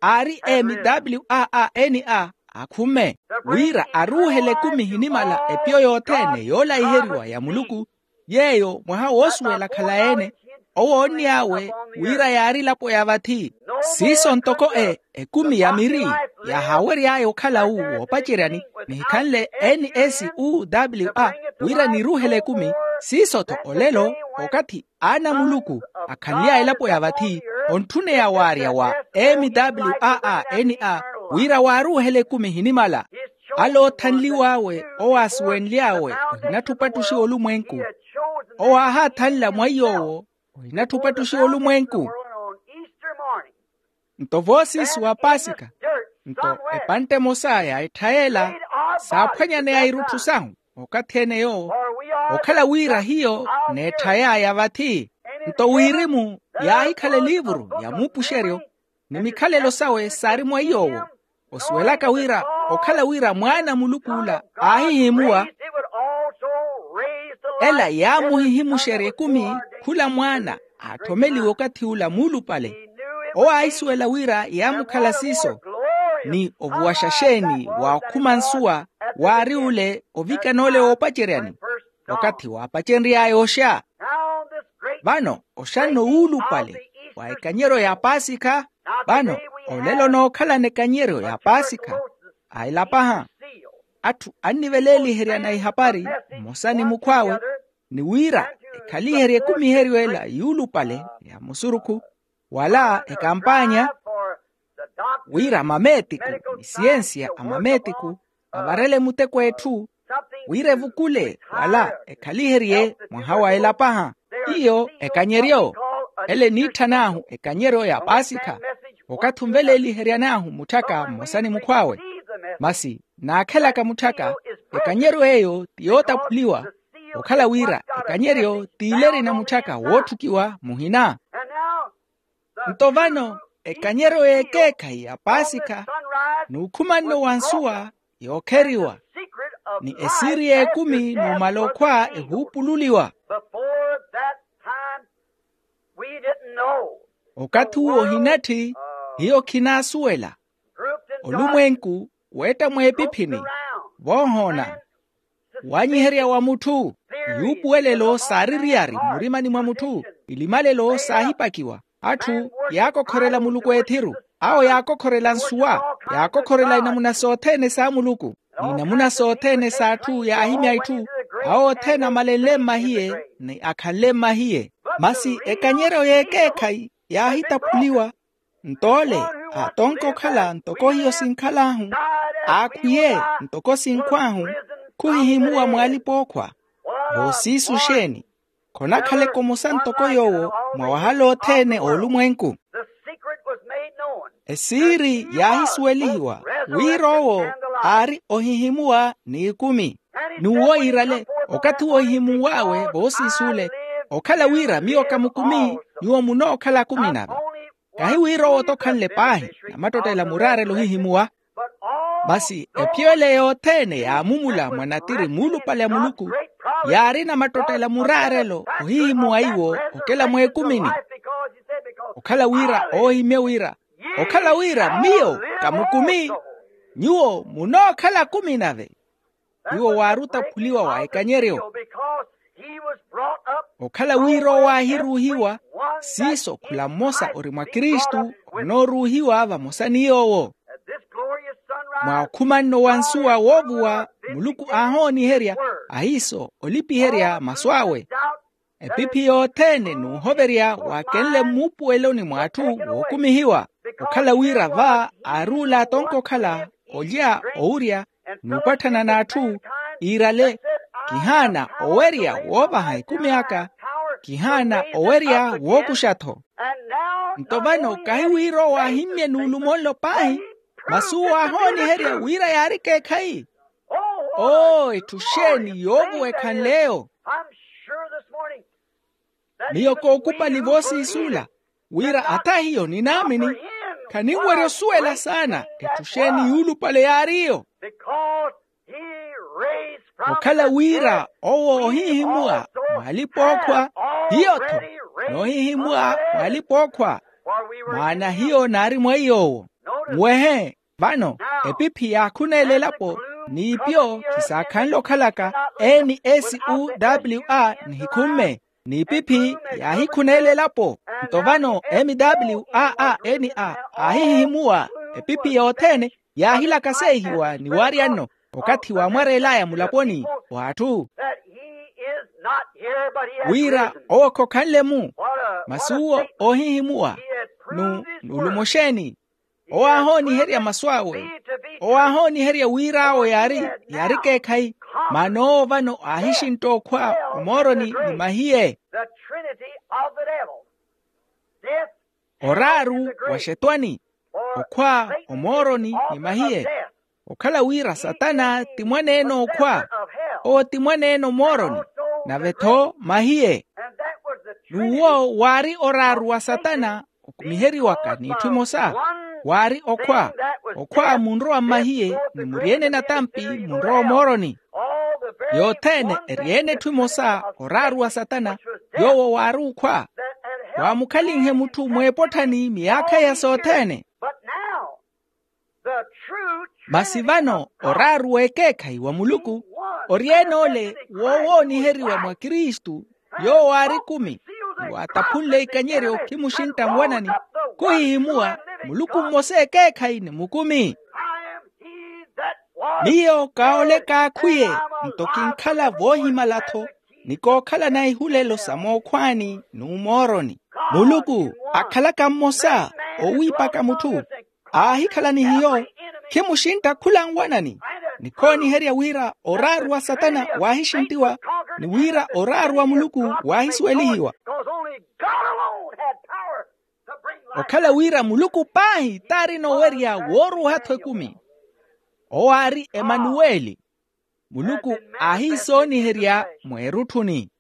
aari m w a a n a akhumme, wira aruuhele ekumi ehinimala epyo yothene yoolaiheriwa ya muluku. Yeeyo mwaha woosuwela akhala-ene, owo onny'awe wira yaari elapo ya vathi. Siiso ntoko e ekumi ya miri yahaawery'aya okhala wu woopaceryani, nihikhanle n s u w a wira niruuhele ekumi, Siiso-tho olelo, okathi aana a muluku akhanly'aya elapo ya vathi, ontthuneya waarya wa m w a a n a wira waaruuhela ekumi ehinimala. Ale oothanliw'awe, owo aasuwenly'awe, ohinatthi opattuxiwa olumwenku. Owo aahaathanla mwa iy'owo, ohinatthi opattuxiwa olumwenku. Nto voosiisi wa paasikha, nto epantte emosa ya etthayela saaphwanyaneya irutthu sahu. Okathi ene yoowo, okhala wira hiyo n'etthay'aya vathi. Nto wirimu yaahikhala eliivuru ya muupuxeryo, ni mikhalelo sawe saari mwa iy'owo. Osuwelaka wira okhala wira mwaana a muluku ola aahihimuwa, ela yaamuhihimuxerya ekumi khula mwaana aatthomeliwe okathi ula muulupale. Owo aahisuwela wira yaamukhala siiso, ni ovuwaxa xeeni wa okhuma nsuwa waari ule ovikana ole woopaceryani, okathi waapacenry'aya oxa. Vano oxanno wuulupale wa ekanyeryo ya paasikha. Vano olelo nookhalana ekanyeryo ya paasikha a elapaha. Atthu anniveleeliheryana ihapari mmosa ni mukhw'awe, ni wira ekhaliherye ekumiheryo ela yuulupale ya musurukhu, wala ekampaanya, wira mameetiku ni siyensiya a mameetiku avarele muteko a etthu, wira evukule wala ekhaliherye mwaha wa elapaha. Iyo ekanyeryo, ele eniitthan'ahu ekanyeryo ya paasikha. Okathi onveleeliheryan'ahu mutthaka mmosa ni mukhw'awe. Masi naakhelaka mutthaka, ekanyeryo eyo ti yootaphuliwa, okhala wira ekanyeryo ti ile erina mutthaka wootthukiwa muhina. Nto vano ekanyeryo y'ekeekhayi ya paasikha, n'ukhumanno wa nsuwa yookheriwa, ni esiiri y'ekumi numala okhwa ehuupululiwa. Okathi uwo ohinatthi, hiyo khinaasuwela. Olumwenku weetta mweepiphini, voohoona, wanyiherya wa mutthu, yuupuwelelo saari riyari mmurimani mwa mutthu, ilimalelo saahipakiwa. Atthu yaakokhorela muluku ethiru, awo yaakokhorela nsuwa, yaakokhorela inamuna sothene sa muluku, n'inamuna sothene s'atthu yaahimya itthu. Awo othene amalenle mmahiye ni akhanle mmahiye. Masi ekanyeryo y'ekeekhayi yaahitaphuliwa. Nto ole aatonka okhala ntoko hiyo sinkhal'ahu, aakhwiye ntoko sinkhw'ahu, khuhihimuwa mwaalipa ookhwa. Voosiisu xeeni? Khonakhaleke omosa ntoko yoowo mwa wahala othene a olumwenku. Esiiri yaahisuwelihiwa wira owo aari ohihimuwa n'ikumi. N'uwo iirale, okathi woohihimuw'awe voosiis'ule, okhala wira miyo kamukumi, nyuwo munookhala akumi nave. Kahi wira owo-tho khanle paahi namattottela muraarela ohihimuwa, masi ephiyo ele yothene yaamumula mwa natiri muulupale a muluku, yaari namattottela muraarelo ohihimuwa iwo okela mweekumini. Okhala wira oohimye wira, okhala wira miyo kamukumi, nyuwo munookhala akumi nave. Iwo waari otaphuliwa wa ekanyeryo. Okhala wira owo aahiruuhiwa, siiso khula mmosa ori mwa kristu, onooruuhiwa vamosa ni yoowo. Mwa okhumanno wa nsuwa woovuwa, muluku aahooniherya ahiiso olipiherya masu awe. Epiphi yothene n'uhoverya waakenle mmuupuweloni mw'atthu wookumihiwa. Okhala wira va aari ula atonka okhala, olya, owurya, n'upatthana n'atthu, iirale, kihaana owerya woovaha ekumi aka, kihaana owerya wookuxa-tho. Nto vano kahi wira owo aahimmye n'ulumo nlo paahi, masi owo aahooniherya wira yaari ekeekhayi. Oo, etthu xeeni yoovuwa ekhanle eyo? Miyo kookupali voosiis'ula wira ata hiyo ninaamini. Khaninwerya osuwela saana etthu xeeni yuulupale yaariyo. Okhala wira owo ohihimuwa mwaalipa-ookhwa, hiyo-tho noohihimuwa mwaalipa-ookhwa, maana hiyo naari mwa iy'owo. Muwehe. Vano epiphi yaakhuneela elapo, n'ipyo khisaakhanle okhalaka, n s u w a nihikhumme. N'ipiphi yaahikhuneela elapo. Nto vano m w a a n a aahihihimuwa, epiphi yothene yaahilaka seehiwa ni waarya-nno, okathi waamwareel'aya mulaponi w'atthu. Wira owo khokhanle-mu. Masi uwo oohihimuwa. Nuulumo xeeni? Owo aahooniherya masu awe. Owo aahooniherya wira awo yaari yaari ekeekhayi. Maana owo vano aahixintta okhwa omooroni ni mahiye. Oraaru wa xetwani, okhwa omooroni ni mahiye. Okhala wira satana ti mwaneene okhwa, owo ti mwaneene omooroni, nave-tho mahiye. N'uwo waari oraaru wa satana okumiheriwaka n'itthu emosa. Waari okhwa, okhwa munrowa mmahiye ni muryeene natampi munrowa omooroni. Yothene eryeene etthu emosa, oraaru wa satana yoowo waari okhwa, waamukhalinhe mutthu mweepotthani miyaakha iya sothene. Masi vano oraaru w'ekeekhayi wa muluku oryeene ole woowooniheriwa mwa kristu, yoowo aari ekumi, ni waataphunle ikanyeryo khimuxintta nwanani, khuhihimuwa muluku mmosa ekeekhayi ni mukumi. Miyo kaole kaakhwiye, nto kinkhala voohimala-tho, ni kookhalana ihulelo sa mookhwaani n'umooroni. Muluku akhalaka mmosa, owiipaka mutthu aahikhala ni hiyo, khimuxintta khula nwanani, ni khooniherya wira oraaru wa satana waahixinttiwa, ni wira oraaru wa muluku waahisuwelihiwa. Okhala wira muluku paahi t'arina owerya wooruuha-tho ekumi. Owo aari emanuweli. Muluku aahiisooniherya mweerutthuni.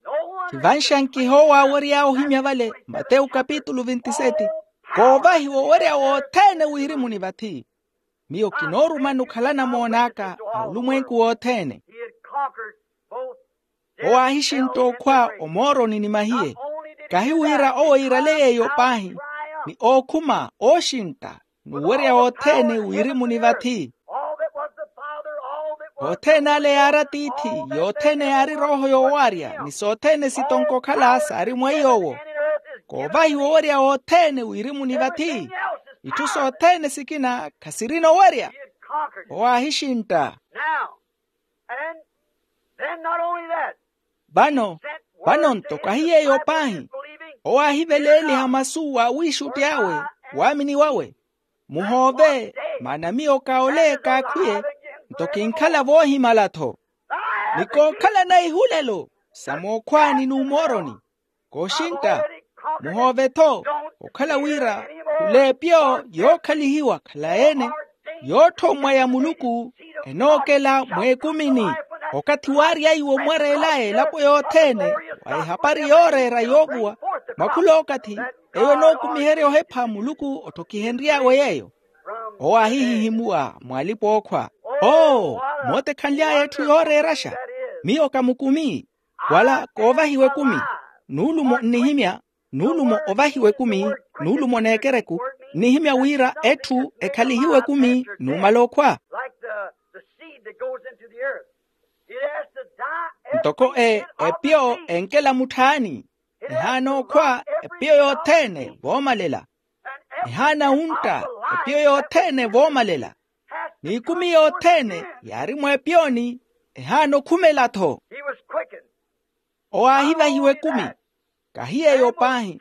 Khivanxankiha owo aawery'awe ohimya vale, matewu kapitulu vintiseti, koovahiwa owerya wothene wiirimuni vathi. Miyo kinoorumani okhalana moon'aka a olumwenku wothene. Owo aahixintta okhwa omooroni ni mahiye. Kahi wira owo iirale yeeyo paahi, ni ookhuma ooxintta n'uwerya wothene wiirimuni vathi. Othene ale yaari atiithi, yothene yaari erooho yoowarya ni sothene sitonko okhala saari mwa iy'owo. Koovahiwa owerya wothene wiirimuni vathi. Itthu sothene sikina khasirina owerya. Owo aahixintta. Vano, vano nto kahi yeeyo paahi, owo aahiveleeliha masu wa wiixutti awe, waamini wawe. Muhoove, maana miyo kaole kaakhwiye, nto kinkhala voohimala-tho. Ni kookhalana ihulelo sa mookhwaani n'umooroni. Kooxintta, muhoove-tho, okhala wira khul'epiyo yookhalihiwa khalayi-ene, yoothommwa ya muluku, enookela mweekumini. Okathi waaryaiwe omwareelaye elapo yothene, wa ehapari yooreera yoovuwa, mwa khul'okathi eyo enookumiherya ohepha muluku otthokihenry'awe yeeyo. Owo aahihihimuwa mw'alipa-ookhwa. Oo, mootekhanly'aya etthu yooreeraxa. Miyo ka mukumi, wala koovahiwa ekumi. Nuulumo nnihimya, nuulumo ovahiwa ekumi, nuulumo n'ekereku, nnihimya wira etthu ekhalihiwe ekumi numala okhwa. Ntoko e epiyo enkela mutthaani, ehaana okhwa epiyo yothene voomalela. Ehaana wuntta epiyo yothene voomalela. N'ikumi yothene yaari mw'epiyoni, ehaana okhumela-tho. Owo aahivahiwa ekumi. Kahi yeeyo paahi,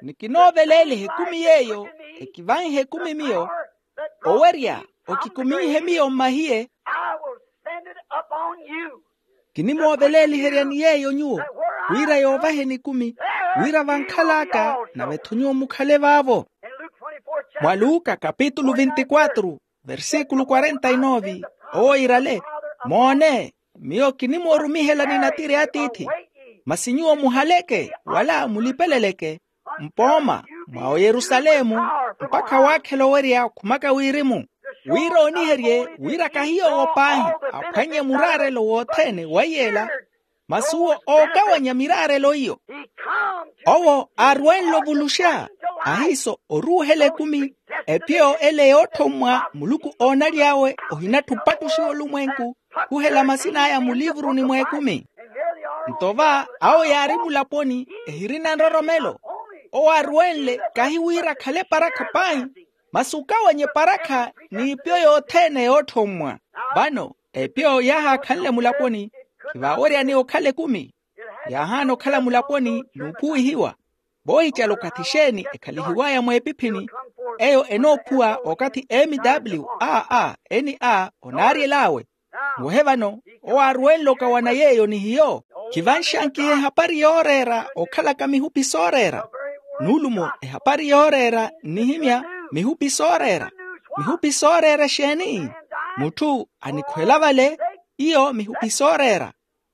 ni kinooveleeliha ekumi yeeyo ekivanhe ekumi miyo, owerya okikuminhe miyo mmahiye. Kinimooveleeliheryani yeeyo nyuwo, wira yoovaheni ekumi, wira vankhal'aka nave-tho nyuwo mukhale vaavo. Mwa luka kapitulu vinti quatru, versíkulu quarenta y nove, owo iirale, moone, miyo kinimoorumihelani natiri a tiithi. Masi nyuwo muhaleke wala mulipeleleke mpooma mwa oyerusalemu, mpakha waakhela owerya okhumaka wirimu, wira ooniherye wira kahi yoowo paahi aphwannye muraarelo wothene wa iy'ela. Masi uwo ookawanya miraarelo iyo. Owo aarwenle ovuluxa ahiiso oruuhela ekumi, epiyo ele yoothommwa muluku oonaly'awe ohinattha opattuxiwa olumwenku, khuhela masin'aya mulivuruni mw'ekumi. Nto va awo yaari mulaponi ehirina nroromelo. Owo aarwenle kahi wira akhale eparakha paahi, masi okawanya eparakha n'ipiyo yothene yoothommwa. Vano epiyo yaahaakhanle mulaponi, khivaaweryani okhala ekumi. Yaahaana okhala mulaponi n'ukhuwihiwa. Voohicala okathi xeeni ekhalihiwaya mweepiphini, eyo enoophuwa okathi m w a a n a onaaryel'awe. Nwehe vano, owo aaruwenle okawana yeeyo ni hiyo. Khivanxankiha ehapari yooreera okhalaka mihupi sooreera. Nuulumo, ehapari yooreera nnihimya mihupi sooreera. Mihupi sooreera exeeni? Mutthu anikhwela vale, iyo mihupi sooreera.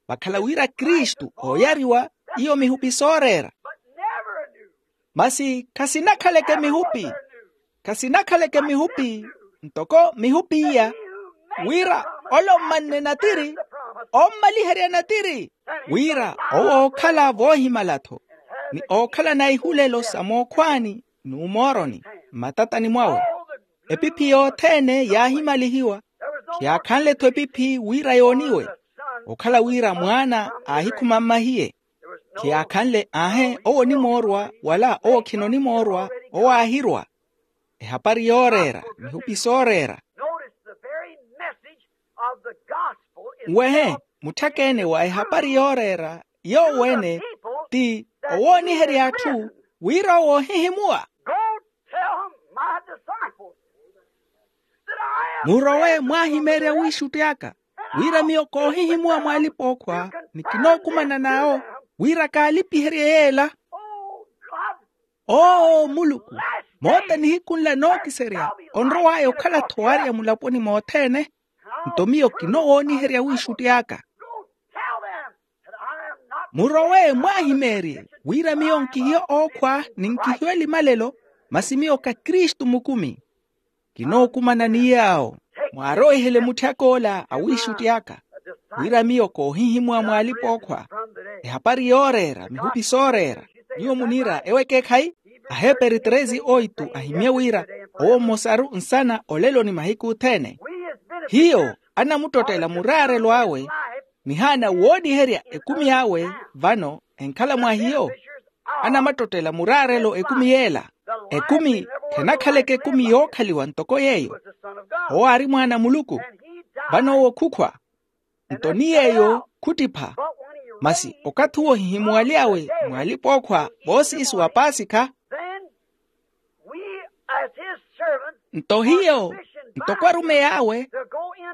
Vakhala wira kristu ooyariwa, iyo mihupi sooreera. Masi khasinakhaleke mihupi. Khasinakhaleke mihupi, ntoko mihupi iya, wira ole ommanne natiri, ommaliherya natiri, wira owo ookhala voohimala-tho, ni ookhala na ihulelo sa mookhwaani n'umooroni mmatatani mwawe. Epiphi yothene yaahimalihiwa. Khiyaakhanle-tho epiphi wira yooniwe, okhala wira mwaana aahikhuma mmahiye. Khiyaakhanle aahe owo onimoorwa wala owo khina onimoorwa, owo aahirwa. Ehapari yooreera, mihupi sooreera. Notice the very message of the gospel is nwehe, mutthaka-ene wa ehapari yooreera yoowo-ene ti owooniherya atthu wira owo ohihimuwa. Go tell my disciples that I am murowe mwaahimeerya wiixutti aka, wira miyo koohihimuwa mw'alipa-ookhwa, ni kinookumana n'awo wira kaalipiherye yeela. Oh God, oo muluku, moota nihiku nla nookiserya onrow'aya okhala-tho waarya mulaponi mothene. Nto miyo kinowooniherya wiixutti aka. Murowe mwaahimeerye wira miyo nkihiyo ookhwa ni nkihiyo elimalelo, masi miyo ka kristu mukumi. Kinookumana ni yaawo, mwaarowihele mutthaka ola a wiixutti aka, wira miyo koohihimuwa mw'alipa-ookhwa. Ehapari yooreera mihupi sooreera. Nyuwo muniira ewo ekeekhayi? Aheperi treze oitu ahimye wira, owo mmosaru nsana olelo ni mahiku othene. Hiyo anamuttottela muraarelo awe, nihaana wooniherya ekumi awe. Vano enkhala mwa hiyo, anamattottela muraarelo ekumi yeela. Ekumi khenakhaleke ekumi yookhaliwa ntoko yeeyo. Owo aari mwaana a muluku. Vano owo khukhwa, nto ni yeeyo khuttipha. Masi okathi owo ohihimuwaly'awe mw'alipa-ookhwa voosiisi wa paasikha. Nto hiyo, ntoko arumeyi awe,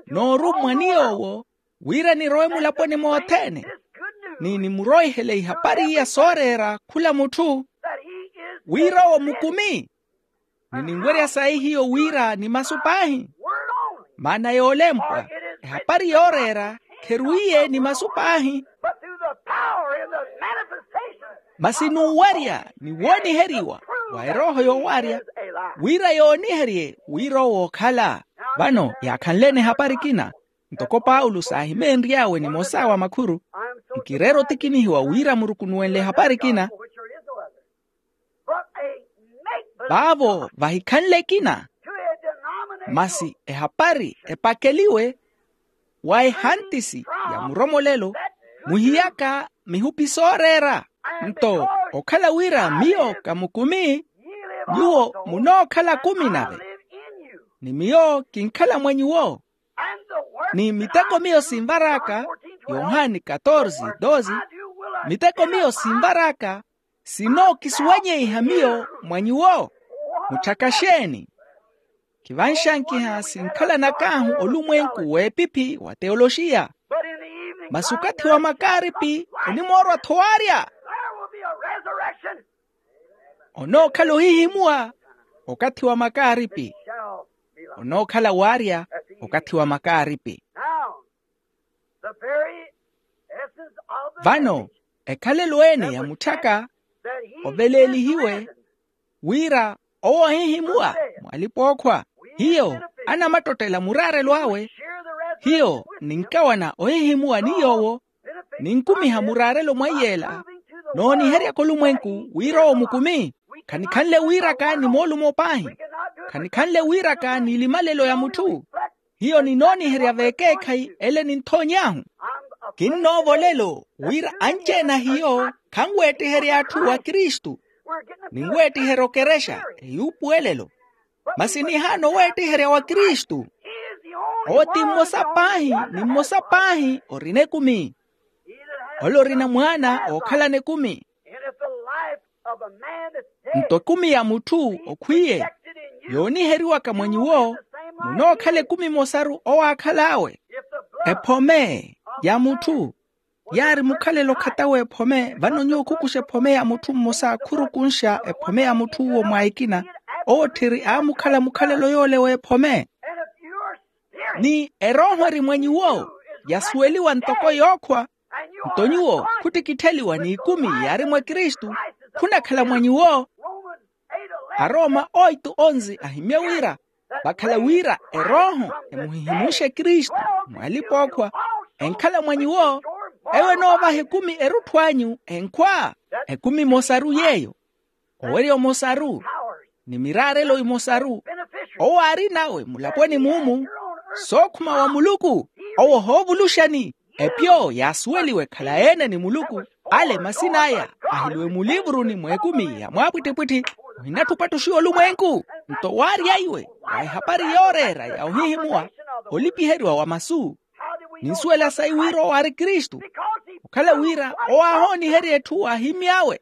noorummwa ni yoowo wira nirowe mulaponi mothene, ni nimurowihele ihapari iya sooreera khula mutthu, wira owo mukumi. Ni ninwerya sayi hiyo wira ni masu paahi. Maana yoolempwa, ehapari yooreera kherwiiye ni masu paahi, masi n'uwarya ni wooniheriwa wa erooho yoowarya, wira yooniherye wira owo ookhala. Vano yaakhanle-ene ehapari ekina, ntoko paulo saahimeenry'awe nimosa wa makhuru, nkireera otikinihiwa wira murukunuwenle ehapari ekina. Vaavo vahikhanle ekina, masi ehapari epakeliwe wa ehantisi ya muromolelo, muhiyaka mihupi sooreera. Nto okhala wira miyo ka mukumi, nyuwo munookhala kumi nave, ni miyo kinkhala mwa nyuwo, ni miteko miyo sinvar'aka, yohani katorze doze, miteko miyo sinvar'aka sinookisuwanyeiha miyo mwa nyuwo. Mutthaka xeeni? Khivanxankiha sinkhalanak'ahu olumwenku w'epiphi wa teoloxiya. Masi okathi wa makaaripi onimoorwa-tho waarya. Onookhala ohihimuwa okathi wa makaaripi. Onookhala waarya okathi wa makaaripi. Vano ekhalelo ene ya mutthaka oveleelihiwe wira owo ohihimuwa mw'alipa-ookhwa. Hiyo anamattottela muraarelo awe. Hiyo ninkawana ohihimuwa ni yoowo, ninkumiha muraarelo mwa iy'ela, nooniheryaka olumwenku wira owo mukumi. Khanikhanle wiiraka ni moolumo paahi. Khanikhanle wiiraka ni elimalelo ya mutthu. Hiyo ninooniherya v'ekeekhayi ele ninthoony'ahu. Kinnoovolelo wira anci-ene a hiyo khanweettiherya atthu wa kristu. Ninweettiherya okerexa eyuupuwelelo. Masi nihaana oweettiherya wa kristu. Owo ti mmosa paahi, ni mmosa paahi orina ekumi. ole orina mwaana ookhalana ekumi. Nto ekumi ya mutthu okhwiye yooniheriwaka mwa nyuwo munookhala ekumi emosaru owaakhal'awe. Ephome ya mutthu yaari mukhalelo khatawe ephome vano nyuwo khukuxa ephome ya mutthu mmosa khurukunxa ephome ya mutthu uwo mwa ekina. Owo tthiri aamukhala mukhalelo yoole w'ephome ni erooho eri mwa nyuwo yasuweliwa ntoko yookhwa. Nto nyuwo khuttikittheliwa n'ikumi yaari mwa kristu khunakhala mwa nyuwo. Arooma oitu onzi ahimye wira vakhala wira erooho emuhihimunxe kristu mwalipa okhwa enkhala mwa nyuwo. Eyo enoovaha ekumi erutthu anyu enkhwa ekumi emosaru yeeyo owerya omosaru ni miraarelo emosaru. Owo aari nawe mulaponi mumu sookhuma wa muluku owo ohoovuluxani. Epyo yaasuweliwe ekhala ene ni muluku ale masin'aya ahiliwe mulivuruni mw'ekumi ya mwaapwittipwitthi. Ohinatthupattuxiwa olumwenku nto waarya iwe wa ehapari yooreera ya ohihimuwa olipiheriwa wa masu. Ninsuwela sayi wira owo aari kristu okhala wira owo aahooniherya etthu aahimy'awe.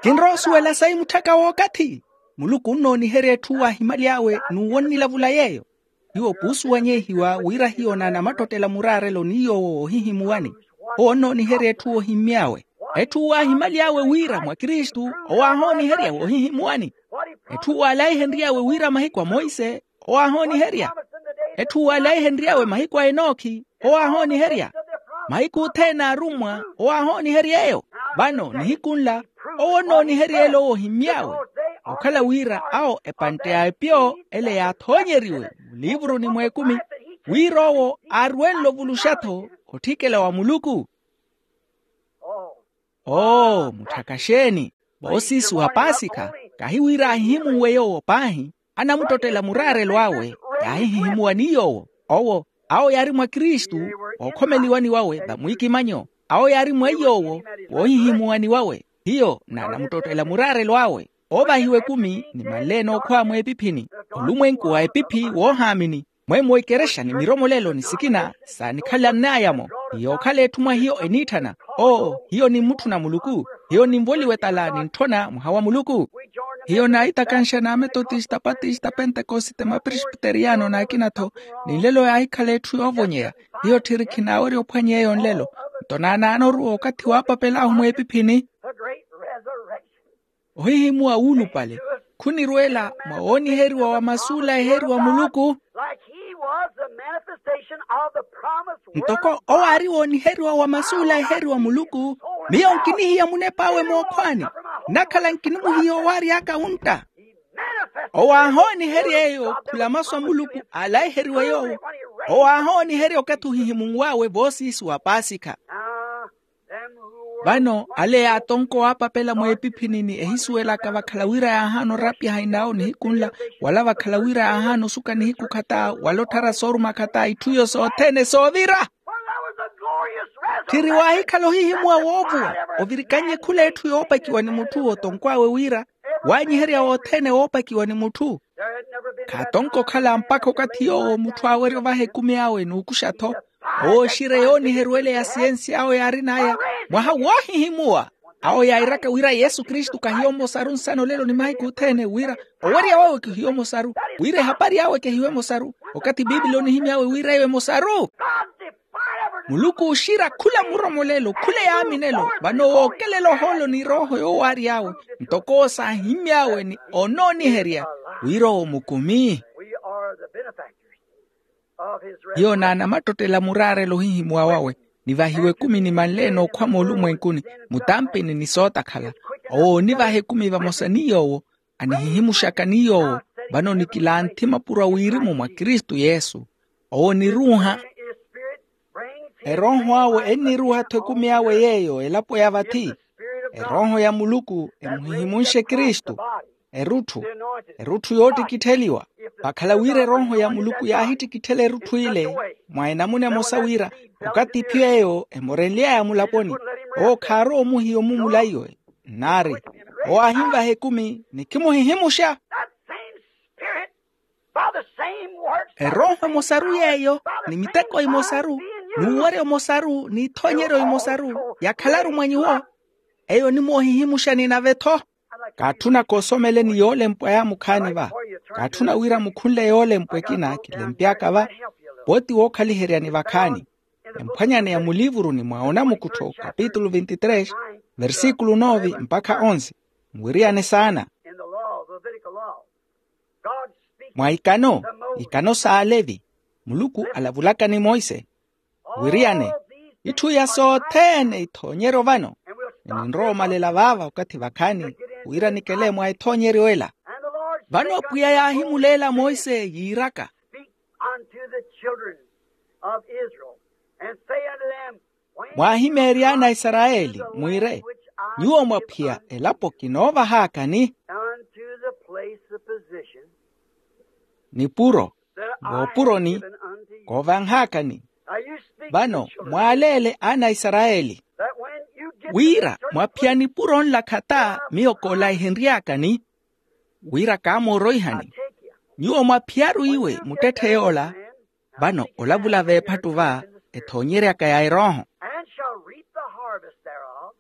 Kinrowa osuwela sayi mutthaka w'okathi muluku onnooniherya etthu aahimyaly'awe n'uwo onnilavula yeeyo. Hiyo puusuwanyehiwa wira hiyo naanamattottela muraarelo ni yoowo woohihimuwani owo onnooniherya etthu woohimmy'awe. Etthu waahimaly'awe wira mwa kristu owo aahooniherya woohihimuwani. Etthu waalaihenry'awe wira mahiku a monse owo aahooniherya. Etthu waalaihenry'awe mahiku a enookhi owo aahooniherya. Mahiku othene a arummwa owo aahoonihery'eyo. Vano nihiku nla owo onnoonihery'ele owo ohimmy'awe okhala wira awo epantte ya epyo ele yaathoonyeriwe muliivuruni mw'ekumi wira owo aaruwenle ovuluxa-tho otthikela wa muluku. Oo mutthaka xeeni voosiisi wa paasikha kahi wira ahihimuwe yoowo paahi anamuttottela muraarelo awe yaahihihimuwa ni yoowo. Owo awo yaari mwa kristu wookhomeliwani wawe vamwiikimanyo awo yaari mwa iyoowo woohihimuwani wawe hiyo naanamuttottela muraarelo awe. Oovahiwa ekumi ni manleene okhwa mw'epiphini olumwenku wa epiphi woohaamini mwemmo ikerexa ni miromolelo ni sikina saanikhalann'aya-mo ni yookhala etthu mwa hiyo eniitthana. Oo hiyo nimmutthuna muluku hiyo ninvoliwa etala nintthona mwaha wa muluku. Hiyo naahitakanxa n'ametotista patista pentekosite mapresbiteriyano n'akina-tho ni nlelo yaahikhala etthu yoovonyeya. Hiyo tthiri khinaawerya ophwanya eyo nlelo nto naanaana oruwa okathi waapapel'ahu mw'epiphini. Ohihimuwa wuulupale khunirweela mwa wooniheriwa wa masu olaheriwa muluku. Ntoko owo aari wooniheriwa wa masu olaheriwa muluku miyo nkinihiya munep'awe mookhwaani nnakhala nkinimuhiya owaary'aka wuntta. Owo aahooniherya eyo khula masu a muluku aalaiheriwe yoowo owo aahooniherya okathi ohihimunw'awe voosiisi wa paasikha. Vano ale yaatonko waapapela mweepiphini ni ehisuwelaka vakhala wira yaahaana orapya hainaawo nihiku nla wala vakhala wira yaahaana osuka nihiku khata wala otthara sooruma khata itthu iyo sothene soovira. Tthiri waahikhala ohihimuwa woovuwa ovirikannye khula etthu yoopakiwa ni mutthu otonkw'awe wira waanyiherya wothene woopakiwa ni mutthu. Khaatonko okhala mpakha okathi yoowo mutthu aawerya ovaha ekumi awe n'ukuxa-tho owo oxirya yooniheriwele ya siyensi awo yaarin'aya mwaha woohihimuwa. Awo yairaka wira yesu kristu kahiyo mmosaru nsana olelo ni mahiku othene wira owerya wawe kihiyo mmosaru wira ehapari awe kehiyo emosaru okathi piipili onihimy'awe wira eyo emosaru. Muluku ooxira khula muromolelo khula eyaaminelo vano wookelela ohoolo ni erooho yoowary'awe ntoko owo saahimmy'awe ni onooniherya wira owo mukumi. Hiyo naanamattottela muraarelo ohihimuwa wawe nivahiwa ekumi ni manleene okhwa moolumwenkuni mutampini ni sootakhala owo onivaha ekumi vamosa ni yoowo anihihimuxaka ni yoowo vano nikilanthi mapuro a wirimu mwa kristu yesu. Owo oniruuha erooho awe enniruuha-tho ekumi awe yeeyo elapo ya vathi erooho ya muluku emuhihimunxe kristu. Erutthu erutthu yoottikittheliwa vakhala wira erooho ya muluku yaahittikitthela erutthu ile mwa enamuna emosa wira okathi iphiyo eyo emorenly'aya mulaponi owo khaarowa omuhiya omumulaiwe nnaari owo aahinvaha ekumi ni khimuhihimuxa. Erooho emosaru yeeyo, ni miteko emosaru, n'uweryo omosaru n'ithoonyeryo emosaru yakhalaru mwa nyuwo. Eyo onimoohihimuxani nave-tho. Kaatthuna koosomeleni yoolempwa yaamukhaani va. Kaatthuna wira mukhunle yoolempwa ekina kilempy'aka va. Pooti wookhaliheryani vakhaani. Emphwanyani ya muliivuruni mwa onamukuttho kapitulu veintitrês, versikulu nove mpakha onze. Nwiriyane saana. Mwa ikano, ikano s'alevi, muluku alavulaka ni monse. Wiriyane, itthu iya sothene ithoonyeryo vano. Ni ninrowa omalela vaava okathi vakhaani, wira nikele mwa ethoonyeryo ela. Vano pwiya yaahimuleela monse yiiraka, speak unto the children of Israel, and say unto them, when mwaahimeerya ana a isarayeli mwiire, nyuwo mwaphiya elapo kinoovahaakani, unto the place of position, nipuro, voopuroni koovanhaakani. Vano mwaaleele ana a isarayeli, wira mwaphiya nipuro nlakha ta miyo koolaihenry'akani, wira kaamooroihani. Nyuwo mwaphiyaru iwe muttetthe yoola. Vano olavula veephattu va ethoonyeryaka ya erooho, and shall reap the harvest thereof.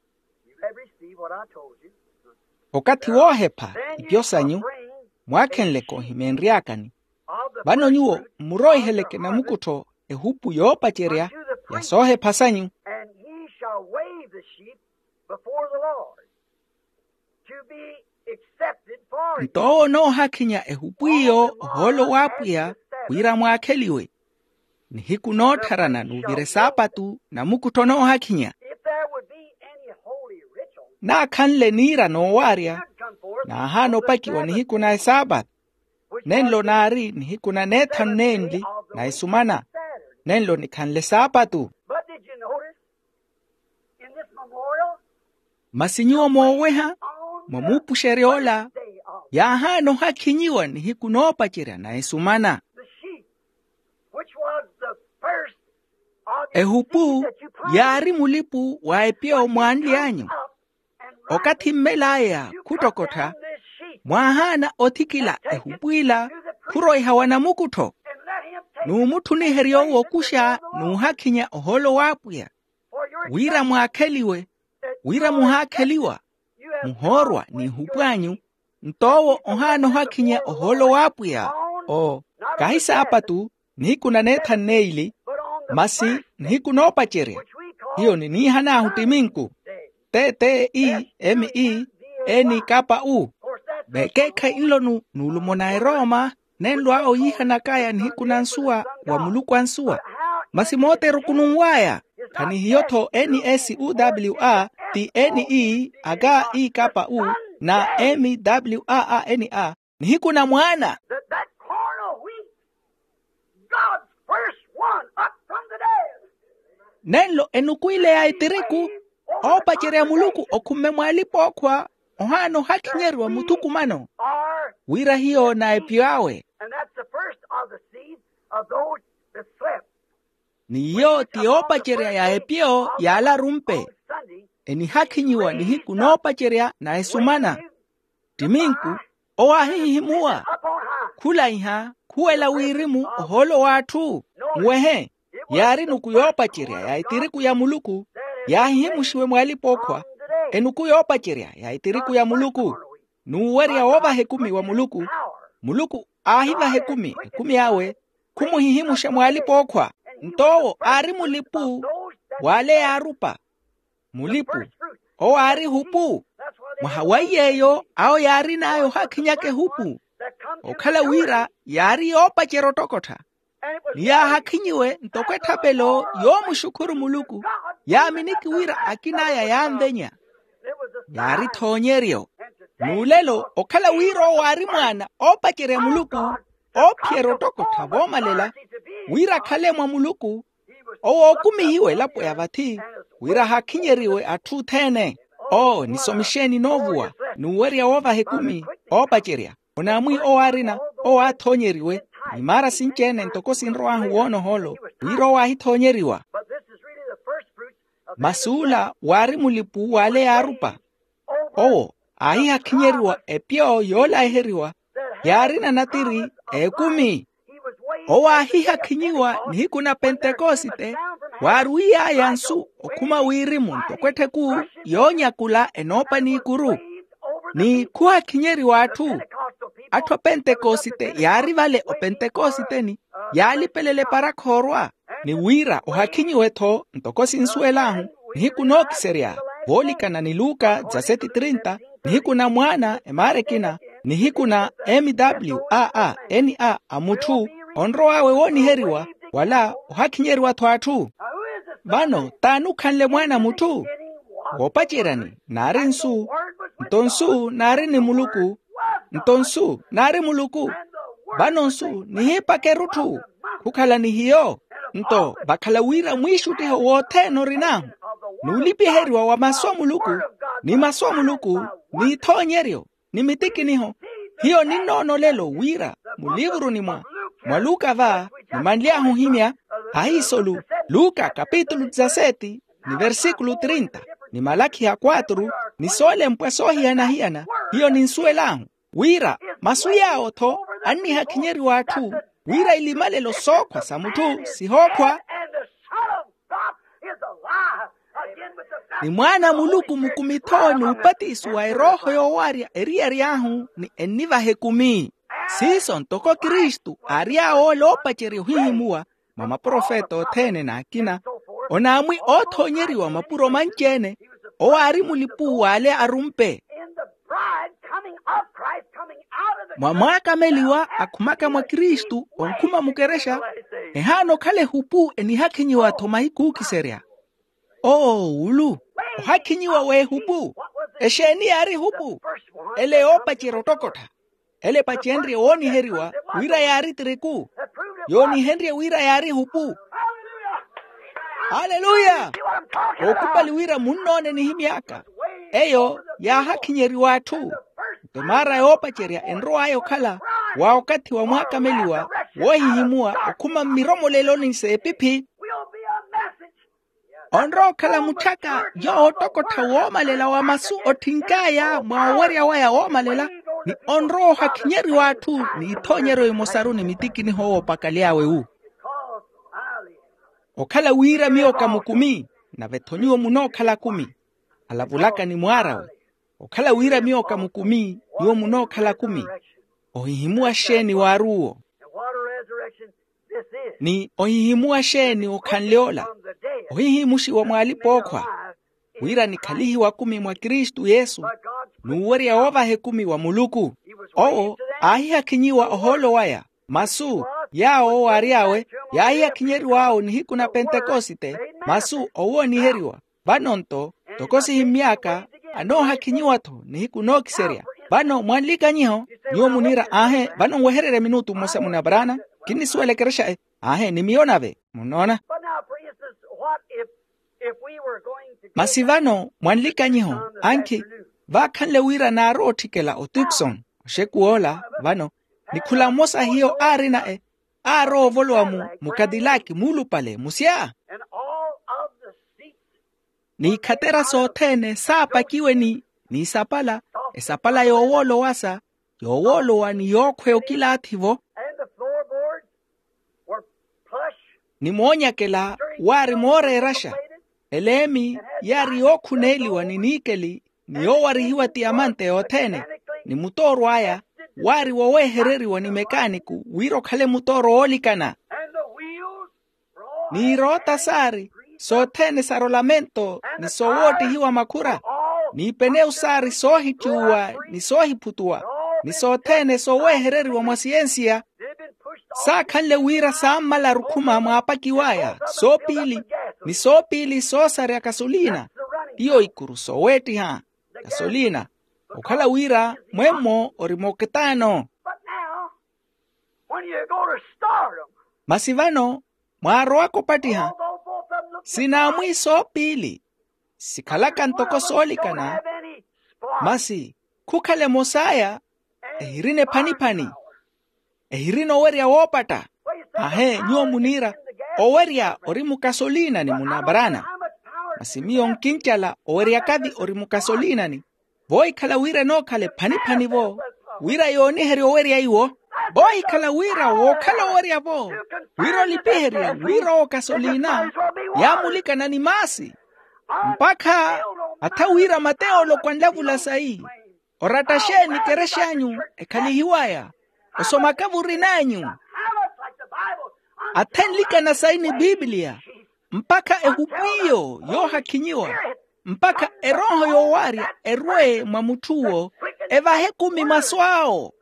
You have received what I told you. Okathi woohepha ipyo sanyu mwaakhenleke ohimeenry'akani. Vano nyuwo mmuroiheleke namukuttho ehupu yoopacerya ya soohepha sanyu. And he shall wave the sheep before the Lord, to be accepted for you. Nto owo onoohakhinya ehupu iyo ohoolo w'apwiya, wira mwaakheliwe. Nihiku noottharana n'uvira esaapatu namukuttho onoohakhinya. If there would be any holy ritual, naakhanle niira noowaarya, naahaana opakiwa nihiku na esaapatu. Nenlo naari nihiku na neethanu nenli na esumana. Nenlo nikhanle saapatu. But did you notice in this memorial, masi nyuwo mooweha, mwa muupuxeryo ola yaahaana ohakhinyiwa nihiku noopacerya na esumana. The sheep, which was the first of your ehupu, yaari mulipu wa epyo mwaanly'anyu. Okathi mmel'aya khuttokottha, mwaahaana othikila ehupu ila khuroiha wa namukuttho, n'umutthuniherya owo okuxa n'uhakhinya ohoolo w'apwiya, wira mwaakheliwe, wira muhaakheliwa, muhoorwa n'ihupu anyu. Nto owo ohaana ohakhinya ohoolo w'apwiya. Oo, kahi saapatu nihiku na neethanu neili, masi nihiku noopacerya, hiyo niniihan'ahu ttiminku, tte tte i m e n k p u. Vekeekhayi nlo nu nuulumo na erooma, nenlo awo yiihanak'aya nihiku na nsuwa wa muluku a nsuwa. Masi mooteru khununw'aya, khanihiyo-tho n s u w a ti n e a k i k p u na m w a a n a. Nihiku na mwaana. That, that corn of wheat, God's first one up from the dead. Nenlo enuku ile ya etiriku, oopacerya muluku okhumme mw'alipa ookhwa, ohaana ohakhinyeriwa muthukumano, wira hiyo na epyo awe. And that's the first of the seed of those that slept. N'iyo ti yoopacerya ya epyo y'alarumpe, enihakhinyiwa nihiku noopacerya na esumana. Ttiminku owo aahihimuwa, khulaiha, khuwela wirimu ohoolo w'atthu. Muwehe, yaari nuku yoopacerya ya etiriku ya muluku, yaahihimuxiwe mw'alipa ookhwa. Enuku yoopacerya ya etiriku ya muluku, n'uwerya woovaha ekumi wa muluku. Muluku aahivaha ekumi, ekumi awe khumuhihimuxa mw'alipa ookhwa. Nto owo aari mulipu w'ale yaarupa. Mulipu, owo aari ehupu. Mwaha wa iy'eyo awo yaarin'aya ohakhinyaka ehupu, okhala wira yaari yoopacerya ottokottha. Ni yaahakhinyiwe ntoko etthapelo yoomuxukhuru muluku, yaaminiki wira akin'aya yaanvenya. Yaari ethoonyeryo. N'ulelo okhala wira owo aari mwaana oopacerya muluku, oophiyerya ottokottha voomalela, wira akhale mwa muluku. Owo ookumihiwe elapo ya vathi, wira ahakhinyeriwe atthu othene. Oo, nisomixeni noovuwa, n'uwerya woovaha ekumi, oopacerya. Onaamwi owo aarina, owo aathoonyeriwe, ni maara sinci-ene ntoko sinrow'ahu woona ohoolo, wira owo aahithoonyeriwa. Masi ula waari mulipu w'ale yaarupa. Owo aahihakhinyeriwa epyo yoolaheriwa, yaarina natiri ekumi. Owo aahihakhinyiwa nihiku na pentekosite, waarwiy'aya nsu okhuma wirimu ntoko ettheku yoonyakula enoopa n'ikuru. Ni khuhakhinyeriwa atthu. Atthu a pentekosite yaari vale opentekositeni, yaalipelela eparakha orwa. Ni wira ohakhinyiwe-tho ntoko sinsuwel'ahu, nihiku nookiserya, voolikana ni luka dizaseti trinta, nihiku na mwaana emaara ekina, nihiku na m w a a n a a mutthu onrow'awe wooniheriwa, wala ohakhinyeriwa-tho atthu. Vano t'ani okhanle mwaana a mutthu? Woopaceryani naari nsu, nto nsu naari ni muluku, nto nsu naari muluku. Vano nsu nihiipaka erutthu, khukhala ni hiyo. Nto vakhala wira mwiixuttiho wothene orin'ahu, n'ulipiheriwa wa masu a muluku, ni masu a muluku, n'ithoonyeryo, ni mitikiniho. Hiyo ninnoona olelo wira muliivuruni mwa, mwa luka va, nimanly'ahu ohimya, ahiisolu, luka kapitulu dizaseti, ni versikulu trinta, ni malakhi ya kwatru, ni soolempwa soohiyana-hiyana, hiyo ninsuwel'ahu wira masu yaawo-tho annihakhinyeriwa atthu, wira ilimalelo sookhwa sa mutthu sihookhwa. Ni mwaana a muluku mukumi-tho n'upatiso wa erooho yoowarya eriyari ahu, ni ennivaha ekumi. Siiso ntoko kristu aary'awe ole oopacerya ohihimuwa, mwa maprofeta othene n'akina, onaamwi oothoonyeriwa mapuro manci-ene. Owo aari mulipu w'ale arumpe. Mwa mwaakameliwa akhumaka mwa kristu onkhuma mukerexa, ehaana okhala ehupu enihakhinyiwa-tho mahiku ookiserya. Oo ulu, ohakhinyiwa w'ehupu. Exeeni yaari ehupu? Ele yoopacerya ottokottha. Ele epacenrye wooniheriwa wira yaari tiriku, yoonihenrye wira yaari ehupu. Aleluya. Ookupali wira munnoone nihimy'aka, eyo yaahakhinyeriwa atthu. Nto emaara yoopacerya enrow'aya okhala wa okathi wa mwaakameliwa woohihimuwa okhuma mmiromoleloni s'epiphi. Onrowa okhala mutthaka yoowo ottokottha woomalela wa masu otthink'aya mwa owerya waya woomalela, ni onrowa ohakhinyeriwa atthu n'ithoonyeryo imosaru ni mitikiniho oopakaly'awe wu. Okhala wira miyo ka mukumi, nave-tho nyuwo munookhala akumi. Alavulaka ni mwaar'awe. Okhala wira miyo ka mukumi, nyuwo munookhala akumi. Ohihimuwa xeeni waaruwo? Ni ohihimuwa xeeni okhanle ola? Ohihimuxiwa mw'alipa-ookhwa, wira nikhalihiwe akumi mwa kristu yesu, n'uwerya woovaha ekumi wa muluku. Owo aahihakhinyiwa ohoolo waya, masu yaawo owo aary'awe, yaahihakhinyeriw'awe nihiku na pentekosite, masu owooniheriwa. Vano nto ntoko sihimmy'aka, anoohakhinyiwa-tho nihiku nookiserya. Vano mwanlikanyiho, nyuwo muniira aahe vano nwehererye minutu mmosa munaparaana, kinnisuwela ekerexa e. Aahe ni miyo nave munnoona. Masi vano mwanlikanyiho, ankhi vaakhanle wira naarowa otthikela otukson oxekuw'ola. Vano ni khula mmosa hiyo aarina e, aarowa ovolowa mu mukatilaki muulupale musya. Ni ikhatera sothene saapakiwe ni ni isapala, esapala yoowoolowasa, yoowoolowa ni yookhweya okilaathi-vo. Ni moonyakela waari mooreeraxa, eleemi yaari yookhuneeliwa ni niikeli ni yoowarihiwa tiyamante yothene, ni mutooro aya waari woweehereriwa ni mekaaniku wira okhale mutooro woolikana. Ni iroota saari sothene sa rolamento ni sowoottihiwa makhura, ni ipenewu saari soohicuuwa ni soohiphutuwa, ni sothene soweehereriwa mwa siyensiya. Saakhanle wira saammalaru khuma mwaapakiw'aya soopiili, ni soopiili soosarya kasoliina. Iyo ikuru soweettiha kasoliina, okhala wira mwemmo ori moketaano. Masi vano mwaarowaka opattiha, sinaamwi soopiili sikhalaka ntoko soolikana. Masi khukhala emos'aya ehirina ephaniphani, ehirina owerya woopatta. Ahe nyuwo muniira owerya ori mukasoliinani munaparaana. Masi miyo nkincala owerya kathi ori mukasoliinani, vohikhala wira enookhala ephaniphani-vo wira yooniherye owerya iwo. Oohikhala wira wookhala owerya-vo wira olipiherya wira owo kasolina yaamulikana ni maasi. Mpakha atha wira mateyo olokwanlavula sayi oratta xeeni kerex'anyu ekhalihiwaya osomaka vurin'anyu athenlikana sayi ni bibliya mpakha ehupu iyo yoohakhinyiwa mpakha erooho yoowarya erwe mwa mutth'uwo evahe ekumi masu awo.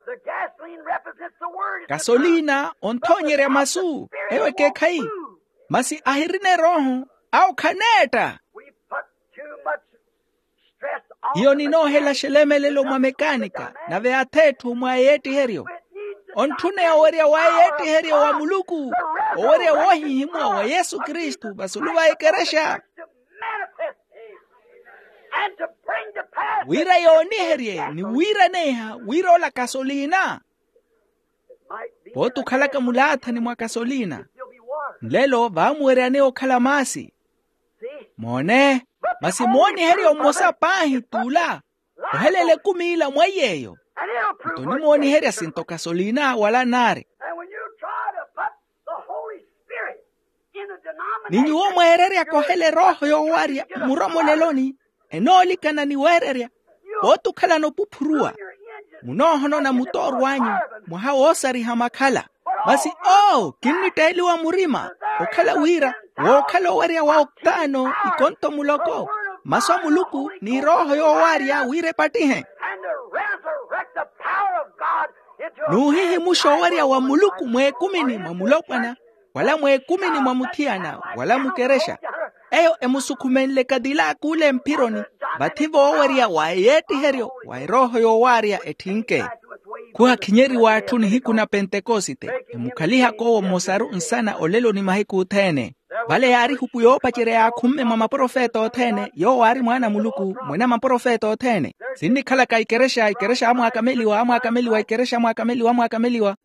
Kasolina onthoonyerya masu eyo ekeekhayi masi ahirina erooho awo khaneetta. Hiyo ninoohela xelemelelo mwa mekaanika nave ath'etthu mwa eyeettiheryo. Ontthuneya owerya wa eyeettiheryo wa muluku owerya woohihimuwa wa yesu kristu vasulu va ekerexa wira yooniherye ni wiiraneha wira ola kasolina. Pooti okhalaka mulaathani mwa kasolina nlelo vaamuweryaneya okhala maasi. Moone, masi mooniheryo mmosa paahi t'ula ohelela ekumi ila mwa iy'eyo. Nto onimooniherya sinto kasolina wala naari. Ni nyuwo mweereryaka ohela erooho yoowarya mmuromoleloni enoolikana ni weererya. Pooti okhalana opuphuruwa munoohonona mutooro anyu mwaha woosariha makhala. Masi oo kinnitteeliwa murima okhala wira wookhala owerya wa oktaano ikonto muloko masu a muluku ni erooho yoowarya wira epattihe n'uhihimuxa owerya wa muluku mweekumini mwa mulopwana wala mweekumini mwa muthiyana wala mukerexa. Eyo emusukhumenle kadilaka ule mphironi vathi voowerya wa eyeettiheryo wa erooho yoowarya etthinke. Khuhakhinyeriwa atthu nihiku na pentekosite emukhalihaka owo mmosaru nsana olelo ni mahiku othene. Vale yaari ehupu yoopacerya yaakhumme mwa maprofeta othene yoowo aari mwaana a muluku mwene a maprofeta othene. Sinnikhalaka ikerexa ikerexa amwaakameliwa amwaakameliwa ikerexa amwaakameliwa amwaakameliwa.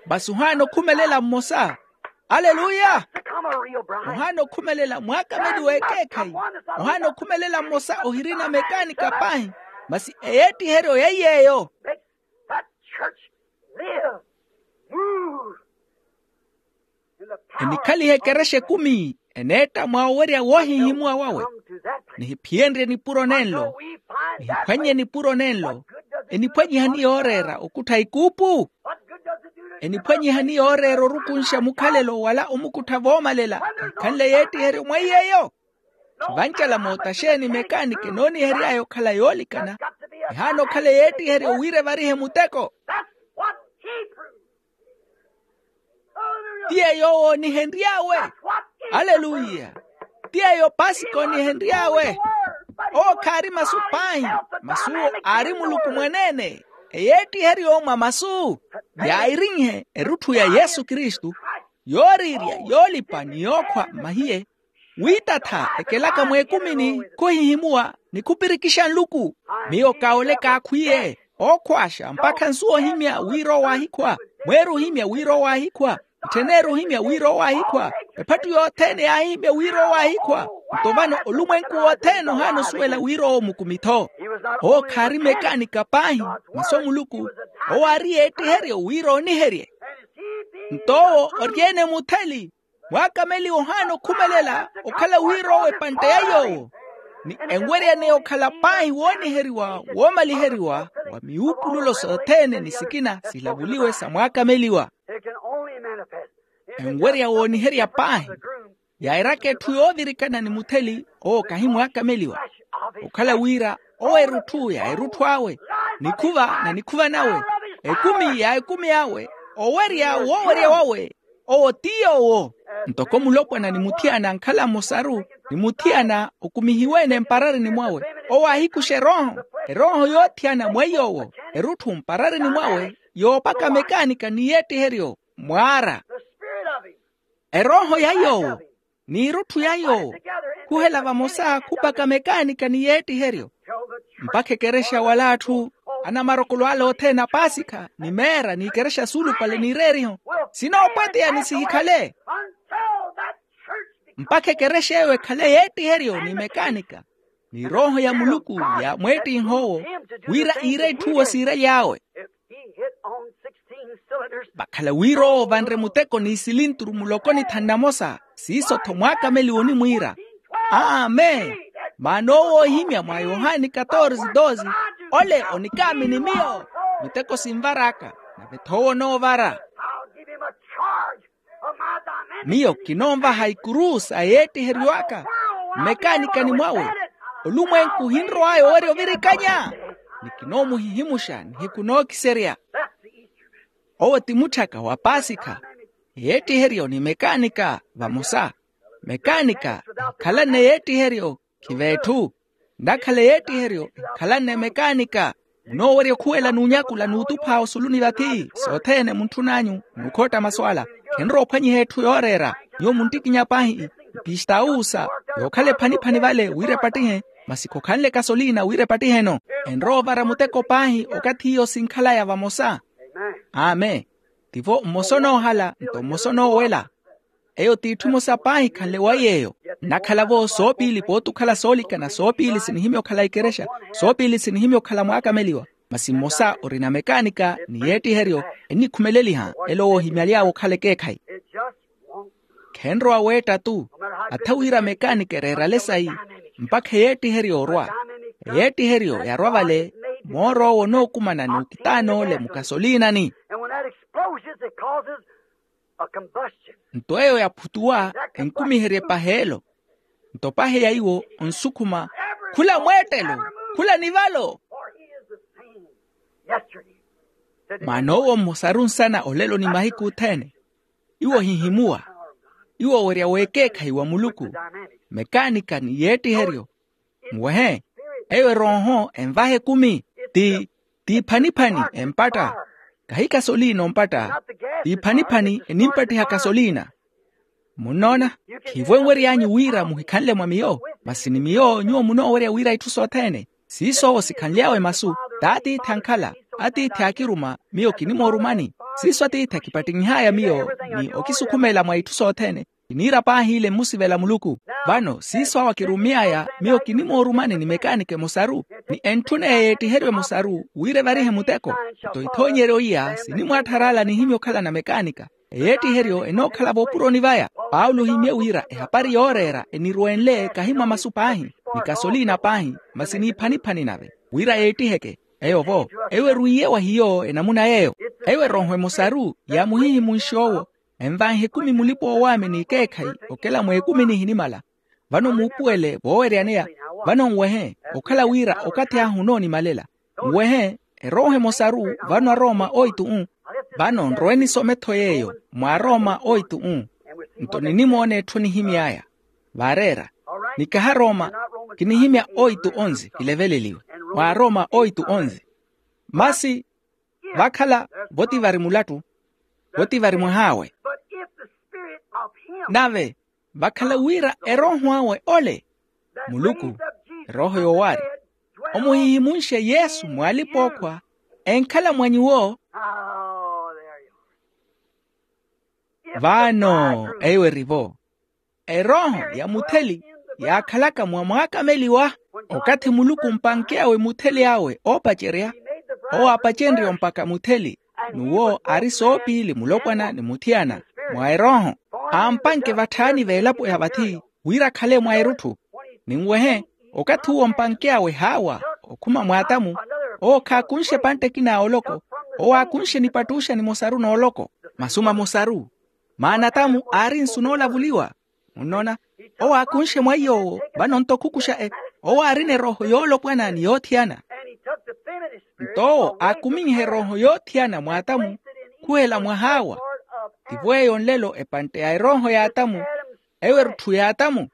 Masi ohaana okhumelela mmosa. Aleluya. Ohaana okhumelela mwaakameliwa ekeekhayi. Ohaana okhumelela mmosa ohirina mekaanika paahi. Masi eyeettiheryo yeiy'eyo enikhalihe ekerexa ekumi eneetta mwa owerya woohihimuwa wawe. Nihiphiyenrye nipuro nenlo nihiphwannye nipuro nenlo. Eniphwanyihani yooreera okuttha ikuupu? Eniphwanyihani yooreera orukunxa mukhalelo wala omukuttha voomalela? Enkhanle yeettiheryo mwa iy'eyo. Khivancala moota xeeni mekaaniki enoonihery'aya okhala yoolikana. Ehaana okhala eyeettiheryo wira evarihe muteko. Ti yeeyo owo oonihenry'awe. Aleluya. Ti yeeyo pasikha oonihenry'awe. Owo khaari masu paahi. Masi owo aari muluku mwaneene. Eyeettiheryo mwa masu yaayirinhe erutthu ya yesu kristu yooriirya yoolipa ni yookhwa mmahiye. Wiitatha ekelaka mweekumini khuhihimuwa ni khupirikixa nluku. Miyo kaole kaakhwiye ookhwaaxa mpakha nsu ohimya wira owo aahikhwa. Mweeri ohimya wira owo aahikhwa. Nttheneeri ohimya wira owo aahikhwa. Ephattu yothene yaahihimya wira owo aahikhwa. Nto vano olumwenku wothene ohaana osuwela wira owo mukumi-tho. Owo khaari mekaanika paahi. Masu a muluku owo aari yeettiheryo wira ooniherye. Nto owo ori-ene mutheli. Mwaakameliwa ohaana okhumelela okhala wira owo epantte ya yoowo. Ni enweryaneya okhala paahi wooniheriwa woomaliheriwa wa miwuupululo sothene ni sikina silavuliwe sa mwaakameliwa. Enwerya wooniherya paahi yairaka etthu yoovirikana ni mutheli owo kahi mwaakameliwa. Okhala wira owo erutthu ya erutthu awe nikhuva na nikhuva nawe ekumi ya ekumi awe owerya woowerya wawe. Owo ti yoowo ntoko mulopwana ni muthiyana ankhala mmosaru ni muthiyana okumihiwe-ene mpararini mwawe. Owo aahikuxa erooho erooho yoothiyana mweiy'owo erutthu mpararini mwawe yoopaka mekaanika ni yeettiheryo mwaara. Erooho ya yoowo n'irutthu ya yoowo khuhela vamosa khupaka mekaanika ni yeettiheryo mpakha ekerexa wala atthu anamarokolo ale othene a paasikha ni meera n'ikerexa suulupale n'ireeriho sinoopweteya ni sihikhale mpakha ekerexa eyo ekhale yeettiheryo ni mekaanika. ni erooho ya muluku yaamweettinha owo wira iire itthu owo siiraly'awe. Vakhala wira owo ovanre muteko ni isilinturu mulokoni tha nnamosa, siiso-tho mwaakameliwa onimwiira. Amen. Maana owo oohimya mwa yohani katorze doze, ole onikaamini miyo, miteko sinvar'aka, nave-tho owo onoovara. Miyo kinoonvaha ikuru sa yeettiheryo aka mmekaanikani mwawe. Olumwenku ohinrow'aya owerya ovirikanya. Ni kinoomuhihimuxa nihiku nookiserya. Owo ti mutthaka wa paasikha. Yeettiheryo ni mekaanika vamosa. Mekaanika ehikhalanne yeettiheryo, khiveetthu. Nnakhala yeettiheryo ehikhalanne mekaanika. Munoowerya okhuwela n'unyakula n'utupha osuluni vathi sothene muntthun'anyu. N'ukhootta masu ala khenrowa ophwanyiha etthu yooreera. Nyuwo munttikinya paahi epistawusa yookhala ephaniphani vale wira epattihe. Masi khokhanle kasolina wira epattihe-no. Enrowa ovara muteko paahi okathi iyo sinkhalaya vamosa. Amen. Tivo mmosa onoohala nto mmosa onoowela. Eyo t'itthu emosa paahi ekhanle wa yeeyo. Nnakhala-vo soopiili pooti okhala soolikana soopiili sinihimya okhala ikerexa. Soopiili sinihimya okhala mwaakameliwa. Masi mmosa orina mekaanika ni yeettiheryo ennikhumeleliha. Elo woohimyaly'awe okhala ekeekhayi. Khenrowa weetta-tu. Atha wira mekaanika ereerale sayi mpakha eyeettiheryo orwa. Eyeettiheryo yarwa vale mooro owo onookumana n'ukitaan'ole mukasolinani. Nto eyo yaphutuwa enkumiherye paheelo. Nto pahe ya iwo onsukhuma khula mweettelo khula nivalo. Maana owo mmosaru nsana olelo ni mahiku othene. Iwo ohihimuwa. Iwo owerya w'ekeekhayi wa muluku. Mekaanika ni yeettiheryo. Nwehe. Eyo erooho envaha ekumi. Ti ti iphaniphani empatta. Kahi kasolina ompatta. Ti iphaniphani enimpattiha kasolina. Munnoona? Khiivo enwery'anyu wira muhikhanle mwa miyo. Masi ni miyo nyuwo munoowerya wira itthu sothene. Siiso owo sikhanly'awe masu. T'atiithi ankhala. Atiithi aakiruma. Miyo kinimoorumani. Siiso atiithi akipattinyih'aya miyo ni okisukhumela mwa itthu sothene. Kiniira paahi ile mmusivela muluku. Vano siiso awo akirumy'aya miyo kinimoorumani ni mekaanika emosaru. Ni entthuna eyeettiheryo emosaru wira evarihe muteko. Nto ithoonyeryo iya sinimwaatthar'ala nihimya okhalana mekaanika. Eyeettiheryo enookhala voopuroni vaya. Paulo ohimye wira ehapari yooreera enirwenle kahi mwa masu paahi ni kasolina paahi. Masi n'iphaniphani nave wira yeettiheke. Eyo-vo eyo erwiiye wa hiyo enamuna yeeyo. Eyo erooho emosaru yaamuhihimunxe owo. Envanhe ekumi mulipa-owaamini ekeekhayi okela mweekumi nihinimala. Vano muupuwele vooweryaneya. Vano nwehe okhala wira okathi ahu onoonimalela. Nwehe erooho emosaru vano arooma oitu-u. Vano nrowe nisome-tho yeeyo mwa arooma oitu-u. Nto ninimoona etthu onihimy'aya vaareera. Ni kaha arooma kinihimya oitu onze kileveleliwe mwa arooma oitu onze. Masi vakhala vo ti vari mulattu vo ti vari mwah'awe. Nave vakhala wira erooho awe ole muluku erooho yoowaari omuhihimunxe yesu mw'alipa-ookhwa enkhala mwa nyuwo. Vano eyo eri-vo erooho ya mutheli yaakhalaka mwa mwaakameliwa. Okathi muluku ompankey'awe mutheli awe oopacerya owo aapacenrye ompaka mutheli. N'uwo aari soopiili mulopwana ni muthiyana mwa erooho aampanke vatthaani v'elapo ya vathi wira akhale mwa erutthu. Ninwehe okathi uwo ompankey'awe haawa okhuma mw'atamu owo khaakunxe epantte ekina ya oloko. Owo aakunxe nipattuxa nimosaru n'oloko masu mamosaru. Maana atamu aari nsu noolavuliwa. Munnoona owo aakunxe mwaiy'owo vano nto khukuxa e owo aarina erooho yoolopwana ni yoothiyana. Nto owo aakuminyiha erooho yoothiyana mw'atamu khuhela mwa haawa. Tivo eyo nlelo epantte ya erooho y'atamu eyo erutthu y'atamu.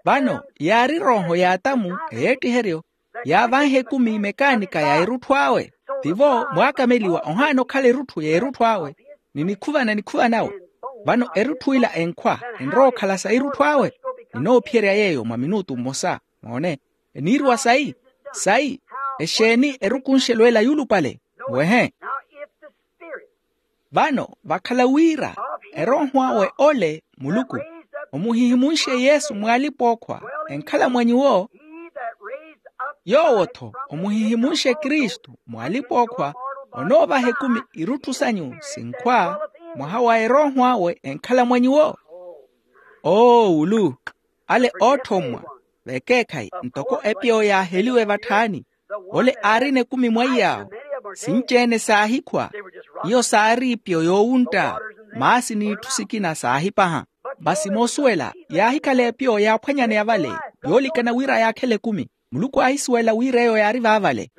Vano yaari erooho y'atamu eyeettiheryo yaavanha ekumi mekaanika ya erutthu awe. Tivo mwaakameliwa ohaana okhala erutthu ya erutthu awe ni nikhuvana nikhuvanawe. Vano erutthu ila enkhwa enrowa okhala sa erutthu awe. Ninoophiyerya yeeyo mwa minutu mmosa moone eniiruwa sayi sayi exeeni erukunxelo ela yuulupale. Wehe. Vano vakhala wira erooho awe ole muluku omuhihimunxe yesu mw'alipa-ookhwa enkhala mwa nyuwo. Yoowo-tho omuhihimunxe kristu mwalipa okhwa, onoovaha ekumi irutthu sanyu sinkhwa mwaha wa erooho awe enkhala mwa nyuwo. Oowulu, ale oothommwa vekeekhayi ntoko epiyo yaaheliwe vatthaani. Ole aarina ekumi mwa iyaawo, sinci-ene saahikhwa. Iyo saari ipiyo yoowuntta, maasi n'itthu sikina saahipaha. Masi moosuwela yaahikhala epiyo yaaphwanyaneya vale, yoolikana wira yaakhela ekumi. Muluku aahisuwela wira eyo yaari vaavale.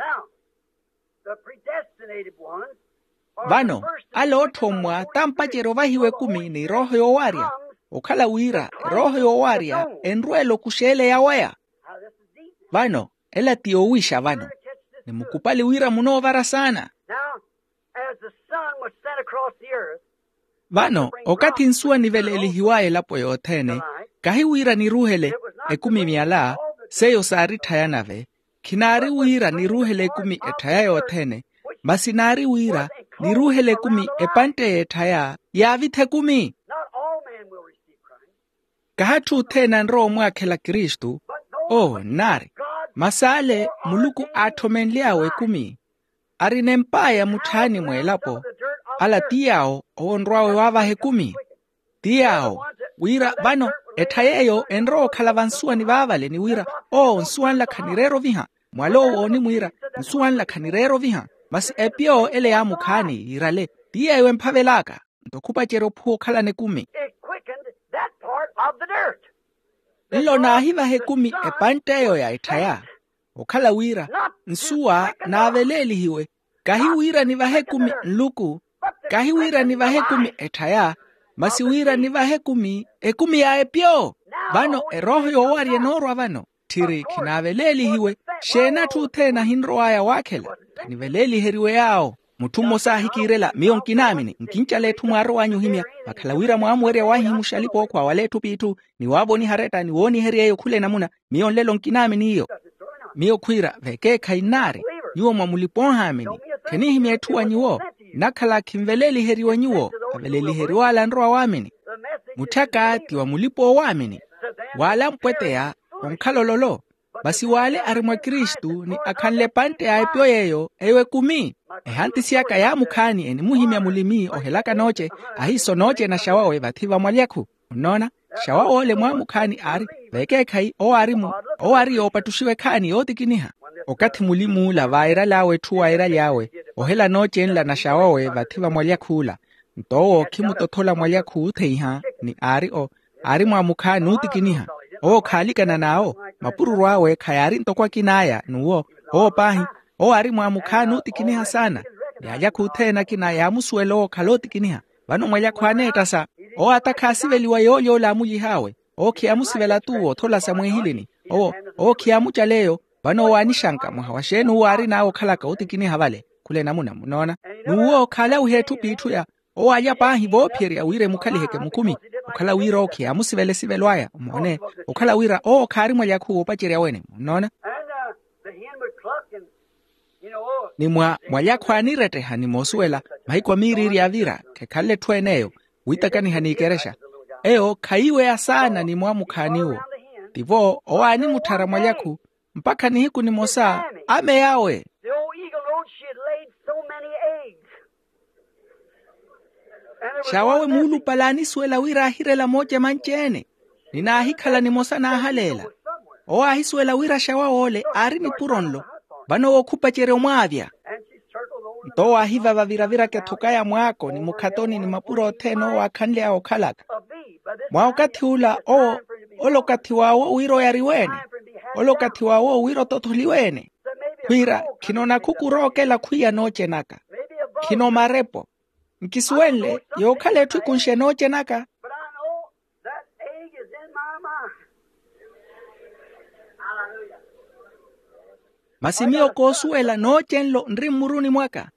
Vano, ale oothommwa tampacerya ovahiwa ekumi ni erooho yoowarya, okhala wira erooho yoowarya enrweela okuxa ele ya waya. Vano, ela ti yoowiixa vano. Ni mukupali wira munoovara saana. Vano, okathi nsuwa niveleelihiwaya elapo yothene, kahi wira niruuhele ekumi myala, seiyo saaritthaya nave. Khinaari wira niruuhele ekumi etthaya yothene, masi naari wira niruuhele ekumi epantte y'etthaya yaavitha ekumi. Kahatthu othene anrowa omwaakhela kristu. Oo nnaari, masi ale muluku aatthomenly'awe ekumi, arina emp'aya mutthaani mw'elapo. Ala ti yaawo owo onrw'awe waavaha ekumi. Ti yaawo, wira vano etthaya eyo enrowa okhala vansuwani vaavale ni wira, oo nsuwa nla khanireera oviha. Mwal'owo oonimwiira, nsuwa nla khanireera oviha. Masi epiyo ele yaamukhaani yiirale, ti yeeyo emphavel'aka. Nto khupacerya ophuwa okhalana ekumi. Nlo naahivaha ekumi epantt'eyo ya etthaya. Okhala wira nsuwa naaveleelihiwe, kahi wira nivahe ekumi nluku, kahi wira nivahe ekumi etthaya, masi wira nivahe ekumi ekumi ya epyo. Vano erooho yoowarya enoorwa vano, tthiri khinaaveleelihiwe. Xeeni atthu othene ahinrow'aya waakhela? Khaniveleeliheriwe yaawo. Mutthu mmosa aahikiirela, miyo nkinaamini nkincala etthu mwaarow'anyu ohimya. Vakhala wira mwaamuwerya waahihimuxa alipa ookhwa wala etthu p'itthu, ni waavoniha aretta ni wooniherya eyo khula enamuna. Miyo nlelo nkinaamini iyo. Miyo khwiira vekeekhayi nnaari, nyuwo mwa mulipa-oohaamini. Khenihimya etthu wa nyuwo. Nnakhala khinveleeliheriwe nyuwo, aveleliheriw'ale anrowa waamini. Mutthaka ti wa mulipa-oowaamini. W'ale ampweteya onkhala ololo. Masi w'ale ari mwa kristu ni akhanle epantte ya epyo yeeyo eyo ekumi. Ehantisi aka yaamukhaani enimuhimya mulimi ohelaka nooce, ahiiso nooce naxawawe vathi va mwalyakhu. Munnoona? Xawaw'ole mwaamukhaani aari, vekeekhayi owo aari mu owo aari yoopattuxiwa ekhaani yootikiniha. Okathi mulim'ula vaairal'awe etthu waairaly'awe, ohela noocenla naxaw'awe vathi va mwalyakhuula. Nto owo khimutothola mwalyakhu ootheiha ni aari o aari mwaamukhaani ootikiniha. Owo khaalikana n'awo, mapururu awe khayaari ntoko akin'aya n'uwo. Owo paahi, owo aari mwaamukhaani ootikiniha saana. Ni alyakhu othene akina yaamusuwela owo okhala ootikiniha. Vano mwalyakhu aneettasa, owo ata khaasiveliwa yoolya ole aamulyih'awe. Owo khiyaamusivela t'uwo othola sa mweehilini. Owo owo khiyaamucala eyo. Vano owo aanixanka mwaha wa xeeni uwo aarin'awe okhalaka ootikiniha vale. Khula enamuna munnoona. N'uwo khaalawiha etthu p'itthu ya owo alya paahi voophiyerya wira emukhaliheke mukumi. Okhala wira owo khiyaamusivela esivelo aya moone. Okhala wira owo khaari mwalyakhu woopacerya wene munnoona. Ni mwa mwalyakhu aaniretteha ni moosuwela, mahiku a miiriiri yaavira khekhanle etthu en'eyo, wiitakaniha n'ikerexa. Eyo khayiiweya saana ni mwaamukhaaniwo. Tivo owo aanimutthara mwalyakhu mpakha nihiku nimosa ameyawe. The old eagle knowed she had laid so many eggs. Xawawe muulupale aanisuwela wira aahirela mooce manci-ene. Ni naahikhala nimosa naahaleela. Owo aahisuwela wira xawaw'ole aari nipuro nlo. Vano owo khupacerya omwaavya. Nto owo aahivava viraviraka ethokaya mwaako ni mukhatoni ni mapuro othene owo aakhanly'awe okhalaka. Mwa okathi ula owo, ole okathi wawe wira oyariwe-ene. Ole okathi wawe wira ototholiwe-ene. Khwiira khino nakhuku rookela khwiya noocenaka. Khino marepo. Nkisuwenle yookhala etthu ekunxe noocenaka. Masi miyo koosuwela nooce nlo nri mmuruni mwaka.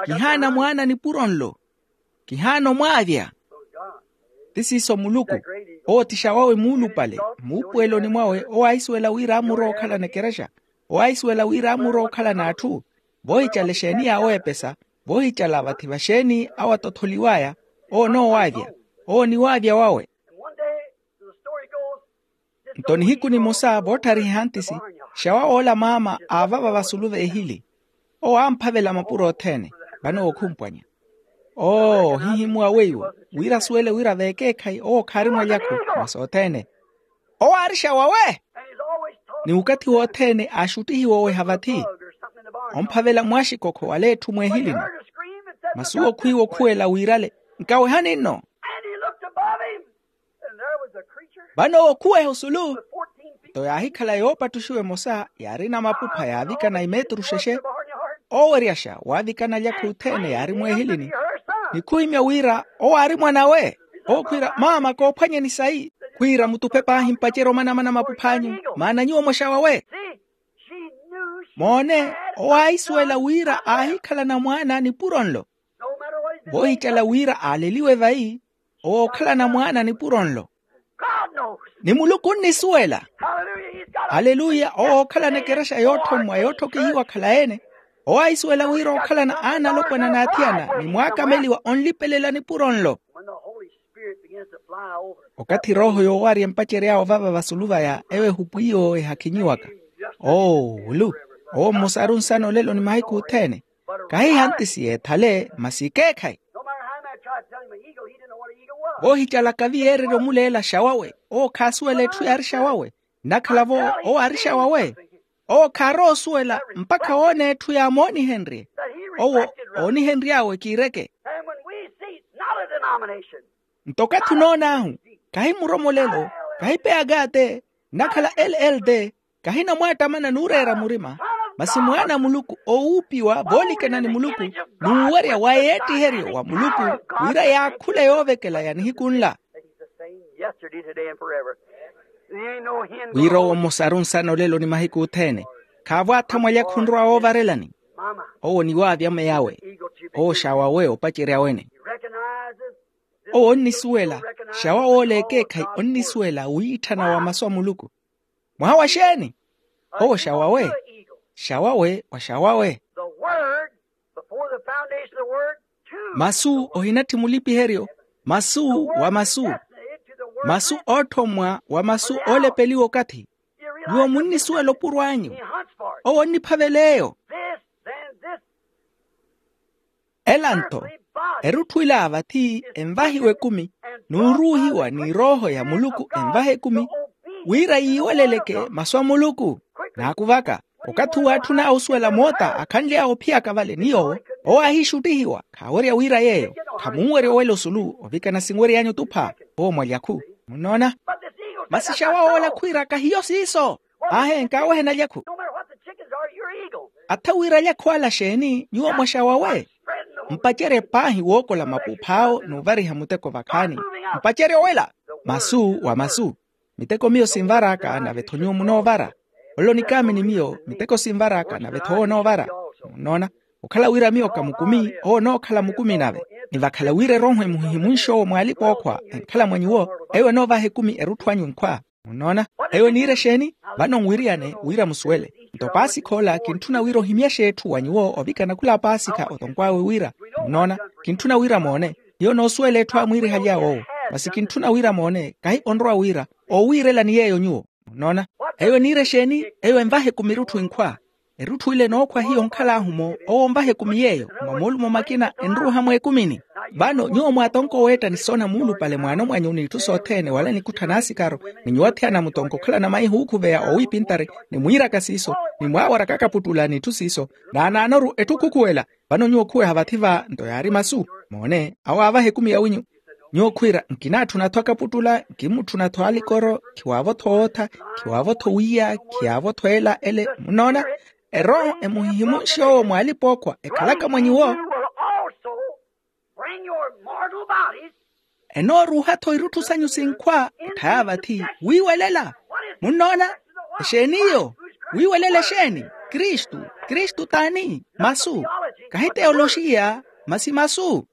Kihaana mwaana nipuro nlo. Kihaana omwaavya. Ti siiso muluku. Owo ti xawawe muulupale. Muupuweloni mwawe owo aahisuwela wira aamurowa okhalana ekerexa. Owo aahisuwela wira aamurowa okhalana atthu. Voohicala exeeni yaawo epesa. Voohicala vathi vaxeeni awo atotholiw'aya. Owo onoowaavya. Owo oniwaavya wawe. Nto nihiku nimosa vootthariha ehantisi. Xawaw'ola maama aavava vasulu v'ehili. Owo amphavela mapuro othene. Vano wookhumpwanya. Oo ohihimuwa weiwo wira asuwele wira v'ekeekhayi owo khaari mwalyaku. Mwa sothene. Owo aari xawawe. Ni wukathi wothene aaxuttihiwa oweha vathi. Omphavela mwaxikokho wala etthu mweehilini. Masi owo khwiiwa okhuwela wiirale. Nkawehani nno. Vano owo okhuweha osulu. Nto yaahikhala yoopattuxiwa emosa yaarina mapupha yaavikana imeeturu xexe. Ooweryaxa waavikana alyakhu othene yaari mweehilini. Ni khuhimya wira owo aari mwan'awe. Owo khwiira maama koophwanyeni sayi. Khwiira mutuphe paahi mpacerye omanamana mapuph'anyu. Maana nyuwo mwaxaw'awe. Moone, owo aahisuwela wira aahikhalana mwaana nipuro nlo. Voohicala wira aaleliwe vayi, owo ookhalana mwaana nipuro nlo. Ni muluku onnisuwela. Aleluya. Owo ookhalana ekerexa yootthommwa yootthokihiwa akhala ene. Owo aahisuwela wira ookhalana aana alopwana n'athiyana ni mwaakameliwa onlipelela nipuro nlo. Okathi erooho yoowarya empacery'awe ovava vasulu vaya ewo ehupwiyo ehakhinyiwaka. Oo wulu. Owo mmosa aari onsana olelo ni mahiku othene. Kahi hantisi yeethale masi ekeekhayi. Voohicalaka viyeererya omuleela xawawe. Owo khaasuwela etthu yaari xawawe. Nnakhala-vo owo aari xawawe. Owo khaarowa osuwela mpakha woona etthu yaamoonihenrye. Owo oonihenry'awe kiireke. Nto okathi onoon'ahu, kahi muromolelo, kahi peyaka te, nnakhala l l t, kahi namwaattamana n'ureera murima, masi mwaana a muluku oowuupiwa voolikana ni muluku, n'uwerya wa yeettiheryo wa muluku, wira yaakhule yoovekela ya nihiku nla. Wira owo mmosa aari onsana olelo ni mahiku othene. Khaavo aatha mwalyakhu onrowa woovarelani. Owo ni waavi ameyawe. Owo xawawe opacerya wene. Owo onnisuwela. Xawaw'ola ekeekhayi onnisuwela wiitthana wa masu a muluku. Mwaha wa xeeni? Owo xawawe. Xawawe wa xawawe. Masu ohinatthi mulipiheryo. Masu wa masu. Masu ootthommwa wa masu oolepeliwa okathi. Nyuwo munnisuwela opuro anyu. Owo onniphavela eyo. Ela nto erutthu ila vathi envahiwa ekumi, n'uruuhiwa ni erooho ya muluku envaha ekumi, wira yiiweleleke masu a muluku. Naaku vaka, okathi uwo aatthun'awe osuwela moota akhanly'awe ophiyaka vale ni yoowo, owo aahiixuttihiwa. Khaawerya wira yeeyo. Khamunwerya owela osulu ovikana sinwery'anyu otupha. Owo mwalyakhu. Munnoona? Masi xawaw'ola khwiira kahiyo siiso. Aahe nkaawehena alyakhu. Attha wira alyakhu ala xeeni nyuwo mwaxawawe. Mpacerye paahi wookola mapuuph'awo n'uvariha muteko vakhaani. Mpacerye owela. Masu wa masu. Miteko miyo sinvar'aka nave-tho nyuwo munoovara. Olelo nikaamini miyo miteko sinvar'aka nave-tho owo onoovara. Munnoona? Okhala wira miyo kamukumi owo onookhala mukumi nave. Ni vakhala wira erooho emuhihimunxe owo mw'alipa ookhwa enkhala mwa nyuwo, eyo enoovaha ekumi erutthu anyu nkhwa. Munnoona? Eyo eniira exeeni? Vano nwiriyane wira musuwele. Nto paasikha ola kintthuna wira ohimyaxe etthu wa nyuwo ovikana khula paasikha otonkw'awe wira. Munnoona? Kintthuna wira moone. Hiyo noosuwela etthu aamwiirihaly'awe owo. Masi kintthuna wira moone kahi onrowa wira oowiirelani yeeyo nyuwo. Munnoona? Eyo eniira exeeni? Eyo envaha ekumi erutthu inkhwa. Erutthu ile enookhwa hiyo onkhal'ahu-mo owo onvaha ekumi yeeyo. Mwa moolumo makina enruuha mweekumini. Vano nyuwo mwaatonka oweetta ni soona muulupale mwaano mwanyu n'itthu sothene wala nikutthana asikaro, ni nyuwo athiyana mutonka okhalana maihi ookhuveya owiipintari ni mwiiraka siiso, ni mwaawaraka akaputtula n'itthu siiso. Naanaanoru etthu khukhuwela. Vano nyuwo khuweha vathi va nto yaari masu. Moone awo aavaha ekumi yawinyu. Nyuwo khwiira nkinaatthuna-tho akaputtula, nkimmutthuna-tho alikoro, khiwaavo-tho ootha, khiwaavo-tho wiiya, khiyaavo-tho ela ele. Munnoona? Erooho emuhihimunxe owo mw'alipa ookhwa ekhalaka mwa nyuwo. Enooruuha-tho irutthu sanyu sinkhwa etthaya vathi wiiwelela. Munnoona? Exeeni iyo? Wiiwelela exeeni? Kristu. Kristu t'ani? Masu. Kahi teyoloxiya, masi masu.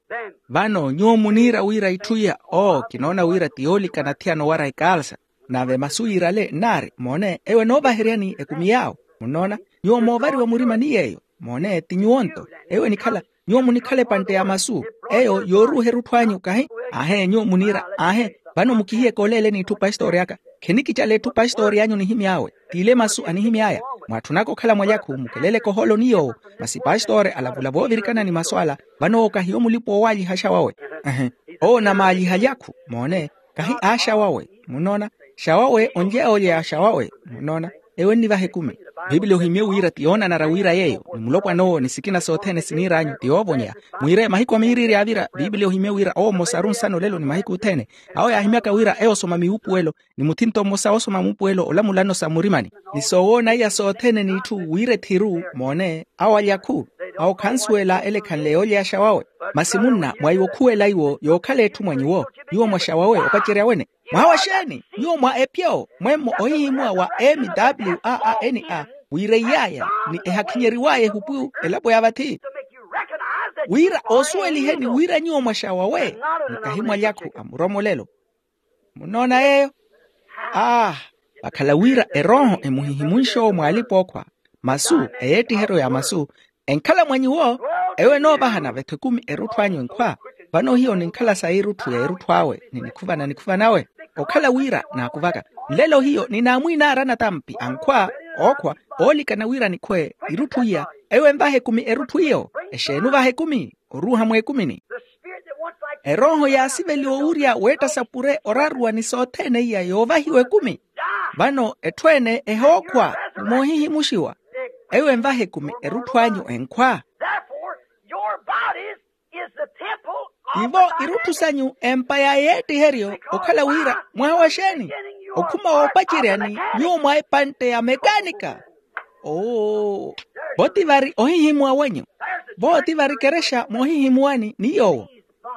Vano nyuwo muniira wira itthu iya oo kinoona wira ti yoolikana athiyana owara ekaalsa. Nave masu yiirale nnaari moone eyo enoovaheryani ekumi yaawo. Munnoona? Nyuwo moovariwa murima ni yeeyo. Moone ti nyuwo-nto. Eyo enikhala nyuwo munikhala epantte ya masu. Eyo yooruuha erutthu anyu kahi. Aahe nyuwo muniira aahe. Vano mukihiyeke oleele n'itthu pastori aka. Khenikicala etthu pastori anyu onihimy'awe. T'ile masu anihimy'aya. Mwaatthunaka okhala mwalyakhu mukeleleke ohooloni yoowo. Masi pastori alavula voovirikana ni masu ala. Vano owo kahiyo mulipa owaaliha axawawe. Ehe. Owo namaalyiha lyakhu moone. Kahi aaxawawe. Munnoona? Xawawe onlyeya olyeya xawawe. Munnoona? Eyo ennivaha ekumi. Piipiliya ohimye wira ti yoonanara wira yeeyo ni mulopwan'owo ni sikina sothene siniir'anyu ti yoovonya. Mwiire mahiku a miiriiri yaavira piipiliya ohimye wira owo mmosa aari onsana olelo ni mahiku othene. Awo yaahimyaka wira eyo osoma miwuupuwelo ni muthinto mmosa woosoma muupuwelo olamulano sa murimani. Ni soowoona iya sothene n'itthu wira ethiru moone. Awo alyakhu. Awo khansuwela ele ekhanle yoolyeya xawawe. Masi munna mwa iwo khuwela iwo yookhala etthu mwa nyuwo. Nyuwo mwa xawawe opacerya wene. Mwaha wa xeeni? Nyuwo mwa epyo mwemmo ohihimuwa wa m w a a n a. Wiireiy'aya ni ehakhinyeriw'aya ehupu elapo ya vathi. Wira osuweliheni wira nyuwo mwa xawawe. Mukahi mwalyakhu a muromolelo. Munnoona yeeyo? Ah. Vakhala wira erooho emuhihimunxe owo mwaalip'okhwa. Masu eyeettiheryo ya masu enkhala mwa nyuwo. Eyo enoovahana vetho ekumi erutthu anyu enkhwa. Vano hiyo ninkhala sa irutthu ya erutthu awe ni nikhuva na nikhuva nawe. Okhala wira naakuvaka nlelo hiyo ninaamwiinaara natampi ankhwa. Ookhwa oolikana wira nikhwe irutthu iya. Eyo envaha ekumi erutthu iyo. Exeeni ovaha ekumi oruuha mweekumini. Erooho yaasiveliwa owurya weetta sapure oraruwa ni sothene iya yoovahiwa ekumi. Vano etthu ene ehookhwa ni moohihimuxiwa. Eyo envaha ekumi erutthu anyu enkhwa. Ivo irutthu sanyu empa ya yeettiheryo okhala wira mwaha wa xeeni? Okhuma woopaceryani nyuwo mwa epantte ya mekaanika. Oo. Vo ti vari ohihimuwa wenyu. Vo ti vari kerexa moohihimuwani ni yoowo.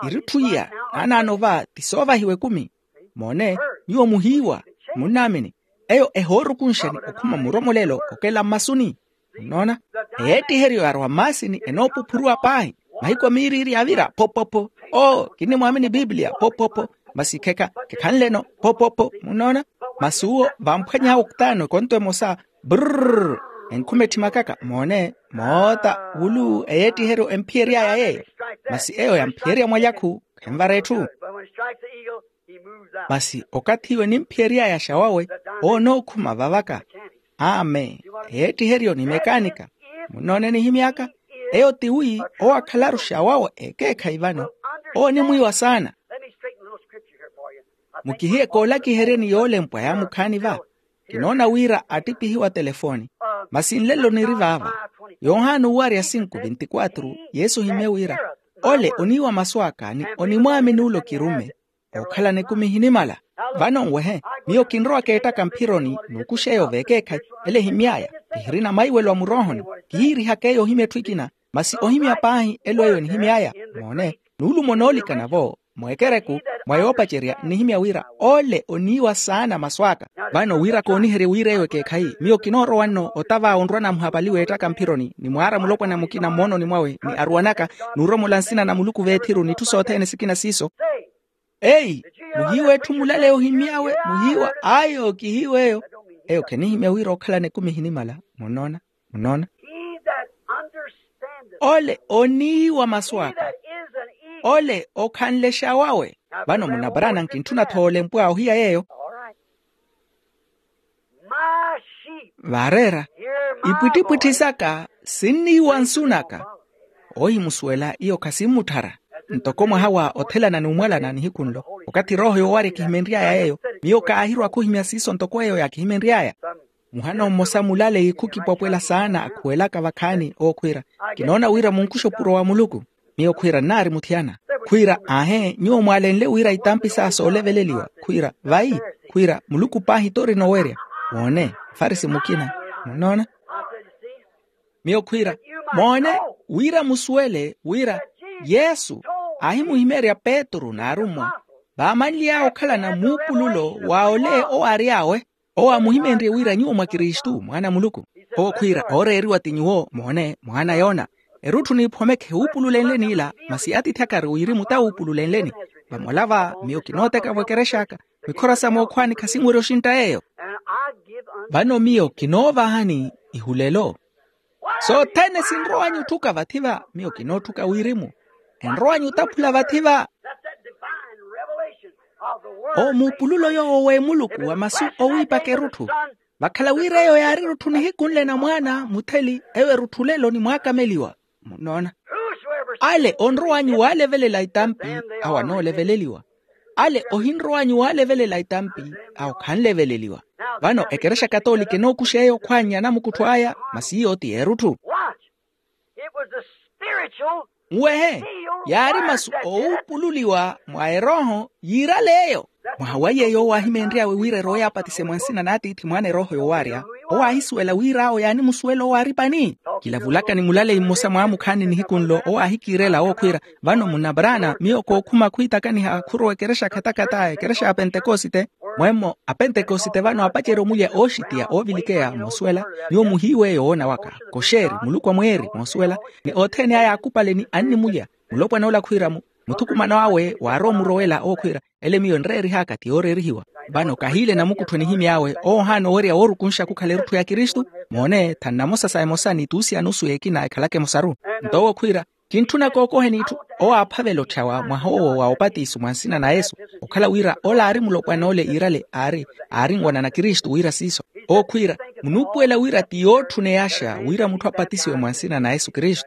Irutthu iya naanaano va ti soovahiwa ekumi. Moone, nyuwo muhiiwa. Munnaamini. Eyo ehoorukunxani okhuma muromolelo okela mmasuni. Munnoona? Eyeettiheryo yaarowa mmaasini enoopuphuruwa paahi. Mahiku a miiriiri yaavira phophopho. Oo, kinnimwaamini piipiliya phophopho. Masi khekha khekhanleno phophopho munnoona. Masi uwo vamphwany'awe oktaano ekonto emosa. Brrr. Enkhuma etthimakaka moone moota wulu eyeettiheryo emphiyery'aya yeeyo. Masi eyo yamphiyerya mwalyakhu khenvara etthu. Masi okathi iwe nimphiyery'aya xawawe oonookhuma vavaka. Amen. Eyeettiheryo ni mekaanika. Munnoone nihimy'aka. Eyo ti wi owo akhalaru xawawe ekeekhayi vano. Owo onimwiiwa saana. Mukihiye koolakiheryeni yoolempwa yaamukhaani va. Kinoona wira attiphihiwa telefooni. Masi nlelo niri vaava. Yohana owarya sinku vintikwatru yesu ohimye wira ole oniiwa masu aka ni onimwaamini ole okirumme. Ookhalana ekumi ehinimala. Vano nwehe. Miyo kinrowaka ettaka mphironi n'ukuxa eyo veekeekhayi. Ele ehimy'aya. Kihirina maiwelo a muroohoni. Kihiirihaka eyo ohimya etthu ekina. Masi ohimya paahi elo eyo enihimy'aya. Moone. Nuulumo noolikana-vo mweekereku mwa yoopacerya nnihimya wira ole oniiwa saana masu aka. Vano wira kooniherye wira eyo ekeekhayi miyo kinoorowa nno otava onrwa namuhapali w'ettaka mphironi ni mwaara mulopwana mukina mmoononi mwawe ni aruwanaka n'uromola nsina na muluku v'ethiru n'itthu sothene sikina siiso. Eyi muhiiwa etthu mulaleya ohimy'awe muhiiwa ayo kihiiwa eyo. Eyo khenihimya wira okhalana ekumi ehinimala. Munnoona? Munnoona? Ole oniiwa masu aka. Ole okhanle xawawe. Vano munaparaana nkintthuna-tho olempwa ohiya yeeyo. Vareera ipwittipwitthi saka sinniiwa nsu naka. Ohimusuwela iyo khasinmutthara. Ntoko mwaha wa othelana n'umwalana nihiku nlo okathi erooho yoowarya kihimenry'aya yeeyo. Miyo kaahirwa khuhimya siiso ntoko eyo yaakihimenry'aya. Muhana mmosa mulaleyi khukipwapwela saana akhuwelaka vakhaani owo khwiira, kinoona wira munkuxa opuro wa muluku. Miyo khwiira nnaari muthiyana. Khwiira aahe nyuwo mwaalenle wira itampi saa sooleveleliwa khwiira vayi. Khwiira muluku paahi t'orina owerya. Woone, mfarisi mukina. Munnoona? Miyo khwiira moone wira musuwele wira yesu aahimuhimeerya petru n'arummwa vaamanly'aya okhalana muupululo wa ole owo aary'awe. Owo aamuhimenrye wira nyuwo mwa kristu mwaana a muluku. Owo khwiira ooreeriwa ti nyuwo moone mwaana a yoona. Erutthu n'iphomekhe wuupululenleni ila masi atiithi akari wirimu ta wuupululenleni. Vamola va miyo kinooteka v'ekerex'aka mikhora sa mookhwaani khasinwerya oxintta yeeyo. Vano miyo kinoovahani ihulelo. Sothene sinrow'anyu otthuka vathi va miyo kinootthuka wirimu. Enrow'anyu otaphula vathi va. Owo muupululo yoowo w'emuluku wa masu owiipaka erutthu. Vakhala wira eyo yaari erutthu nihiku nle na mwaana mutheli, eyo erutthu lelo ni mwaakameliwa. Munnoona? Ale onrow'anyu waalevelela itampi, awo anooleveleeliwa. Ale ohinrow'anyu waalevelela itampi, awo khanleveleliwa. Vano ekerexa katoolika enookuxa eyo okhwannya anamukuttho aya, masi iyo ti yeerutthu. Nwehe, yaari masu owuupululiwa mwa erooho yiirale eyo. Mwaha wa yeeyo owo aahimeenry'awe wira erowe yaapatise mwa nsina n'atiithi mwaana erooho yowaarya. Owo aahisuwela wira awo yaanimusuwela owo aari pani. Kilavulaka ni mulaleyi mmosa mwaamukhaani nihiku nlo owo aahikiirela owo khwiira, vano munna braana miyo kookhuma khwiitakaniha khurowa ekerexa khatakata ekerexa ya pentekosite. Mwemmo apentekosite vano apacerya omulya ooxitiya oovilikeya moosuwela. Nyuwo muhiiweeyo woona waka, koxeeri muluku a mweeri moosuwela. Ni othene aya aakupale ni annimulya. Mulopwana ola khwiira-mu, muthukumano awe waarowa omurowela owo khwiira, ele miyo nreerih'aka ti yooreerihiwa. Vano kahiile namukuttho enihimy'awe owo ohaana owerya woorukunxa khukhala erutthu ya kristu. Moone thannamosa sa emosa ni tuusi a nusu y'ekina ekhalaka emosaru. Nto owo khwiira, kintthuna kookoheni itthu. Owo aaphavela otthyawa mwaha owo wa opatiso mwa nsina na yesu, okhala wira ola aari mulopwana ole iirale aari, aari nwanana kristu wira siiso. Owo khwiira, munuupuwela wira ti yootthuneyaxa wira mutthu apatisiwe mwa nsina na yesu kristu.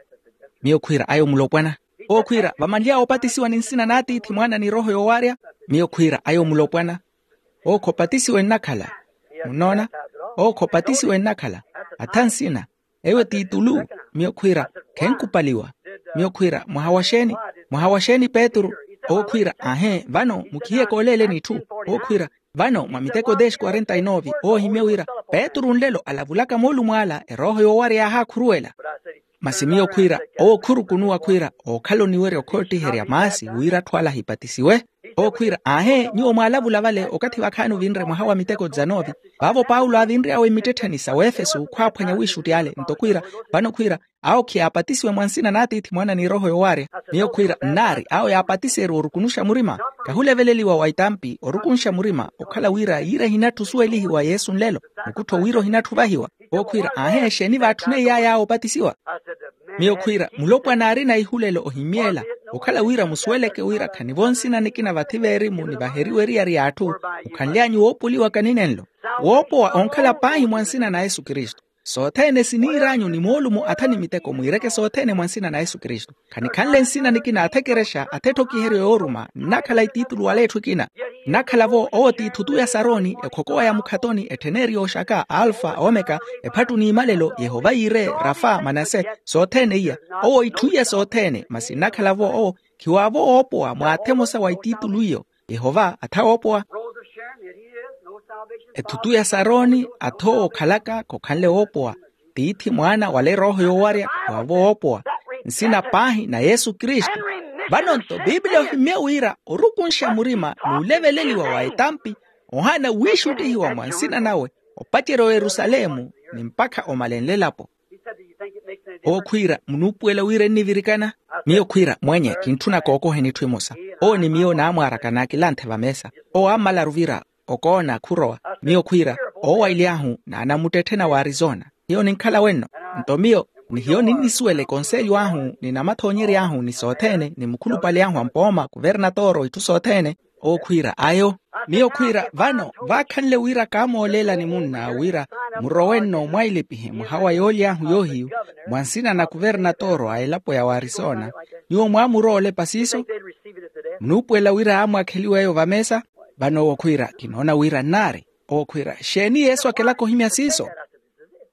Miyo khwiira ayo mulopwana. Owo khwiira vamanly'awe opatisiwa ni nsina n'atiithi mwaana ni erooho yoowaarya. Miyo khwiira ayo mulopwana. Owo khopatisiwe nnakhala. Munnoona? Owo khopatisiwe nnakhala. Atha nsina. Eyo ti itulu. Miyo khwiira, khenkupaliwa. Miyo khwiira mwaha wa xeeni? Mwaha wa xeeni petru? Owo khwiira aahe vano mukhihiye kooleeleni itthu. Owo khwiira, vano mwa miteko dez quarenta y nove owo ohimye wira, petru nlelo alavulaka moolumo ala erooho yoowarya yaahaakhuruwela. Masi miyo khwiira, owo khurukunuwa khwiira, ookhala oniwerya okhoottiherya maasi wira atthu ala ahipatisiwe. Owo khwiira aahe nyuwo mwaalavula vale okathi vakhaani ovinre mwaha wa miteko dizanove. Vaavo paulo aavinry'awe mmittettheni sa wefesu khwaaphwanya wiixutti ale nto khwiira, vano khwiira, awo khiyaapatisiwe mwa nsina n'atiithi mwaana ni erooho yoowaarya. Miyo khwiira nnaari awo yaapatiserye orukunuxa murima, kahuleveleliwa wa itampi orukunxa murima okhala wira yiira ehinatthu osuwelihiwa yesu nlelo, mukuttho wira ohinatthu ovahiwa. Owo khwiira aahe exeeni vaatthuneiye aya awo opatisiwa? Miyo khwiira mulopwana aarina ihulelo ohimyeela, okhala wira musuweleke wira khanivo nsina nikina vathi veerimu ni vaheriwe eriyari y'atthu, mukhanly'anyu woopoliwaka ninenlo. Woopowa onkhala paahi mwa nsina na yesu kristu. Sothene siniir'anyu ni moolumo atha ni miteko mwiireke sothene mwa nsina na yesu kristu. Khanikhanle nsina nikina atha ekerexa atha etthokiheryo yooruma nnakhala itiitulu wala etthu ekina. Nnakhala-vo owo ti ithutu ya saroni ekhokowa ya mukhatoni ettheneeri yooxaka alfa omeka, ephattu n'imalelo yehova yiire, rafa manase, sothene iya. Owo itthu iya sothene masi nnakhala-vo owo, khiwaavo woopowa mwaatha emosa wa itiitulu iyo. Yehova atha woopowa. Ethutu ya saroni atha owo okhalaka khokhanle woopowa. Tiithi mwaana wala erooho yoowarya waavo woopowa. Nsina paahi na yesu kristu. Vano-nto biiblia ohimye wira orukunxa murima n'uleveleliwa wa etampi, ohaana wiixuttihiwa mwa nsina nawe, opacerya oyerusalemu ni mpakha omalenle elapo. Owo khwiira munuupuwela wira ennivirikana. Miyo khwiira mwenye kintthuna kookoheni itthu emosa. Owo ni miyo naamwaaraka naakilanthe vameesa. Owo aammalaru vira okoona khurowa. Miyo khwiira, oowaily'ahu n'anamuttetthena wa arizona. Hiyo ninkhala wenno. Nto miyo ni hiyo ninnisuwela ekonselyo ahu ni namathoonyery'ahu ni sothene ni mukhulupale ahu a mpooma kuvernatoro itthu sothene. Owo khwiira ayo. Miyo khwiira vano vaakhanle wira kaamooleelani munna wira murowe-nno mwailipihi mwaha wa yooly'ahu yoohiyu, mwa nsina na kuvernatoro a elapo ya warisona. Nyuwo mwaamurowa olepa siiso? Munuupuwela wira aamwaakheliwa eyo vameesa? Vano owo khwiira kinoona wira nnaari. Owo khwiira xeeni yesu akelaka ohimya siiso?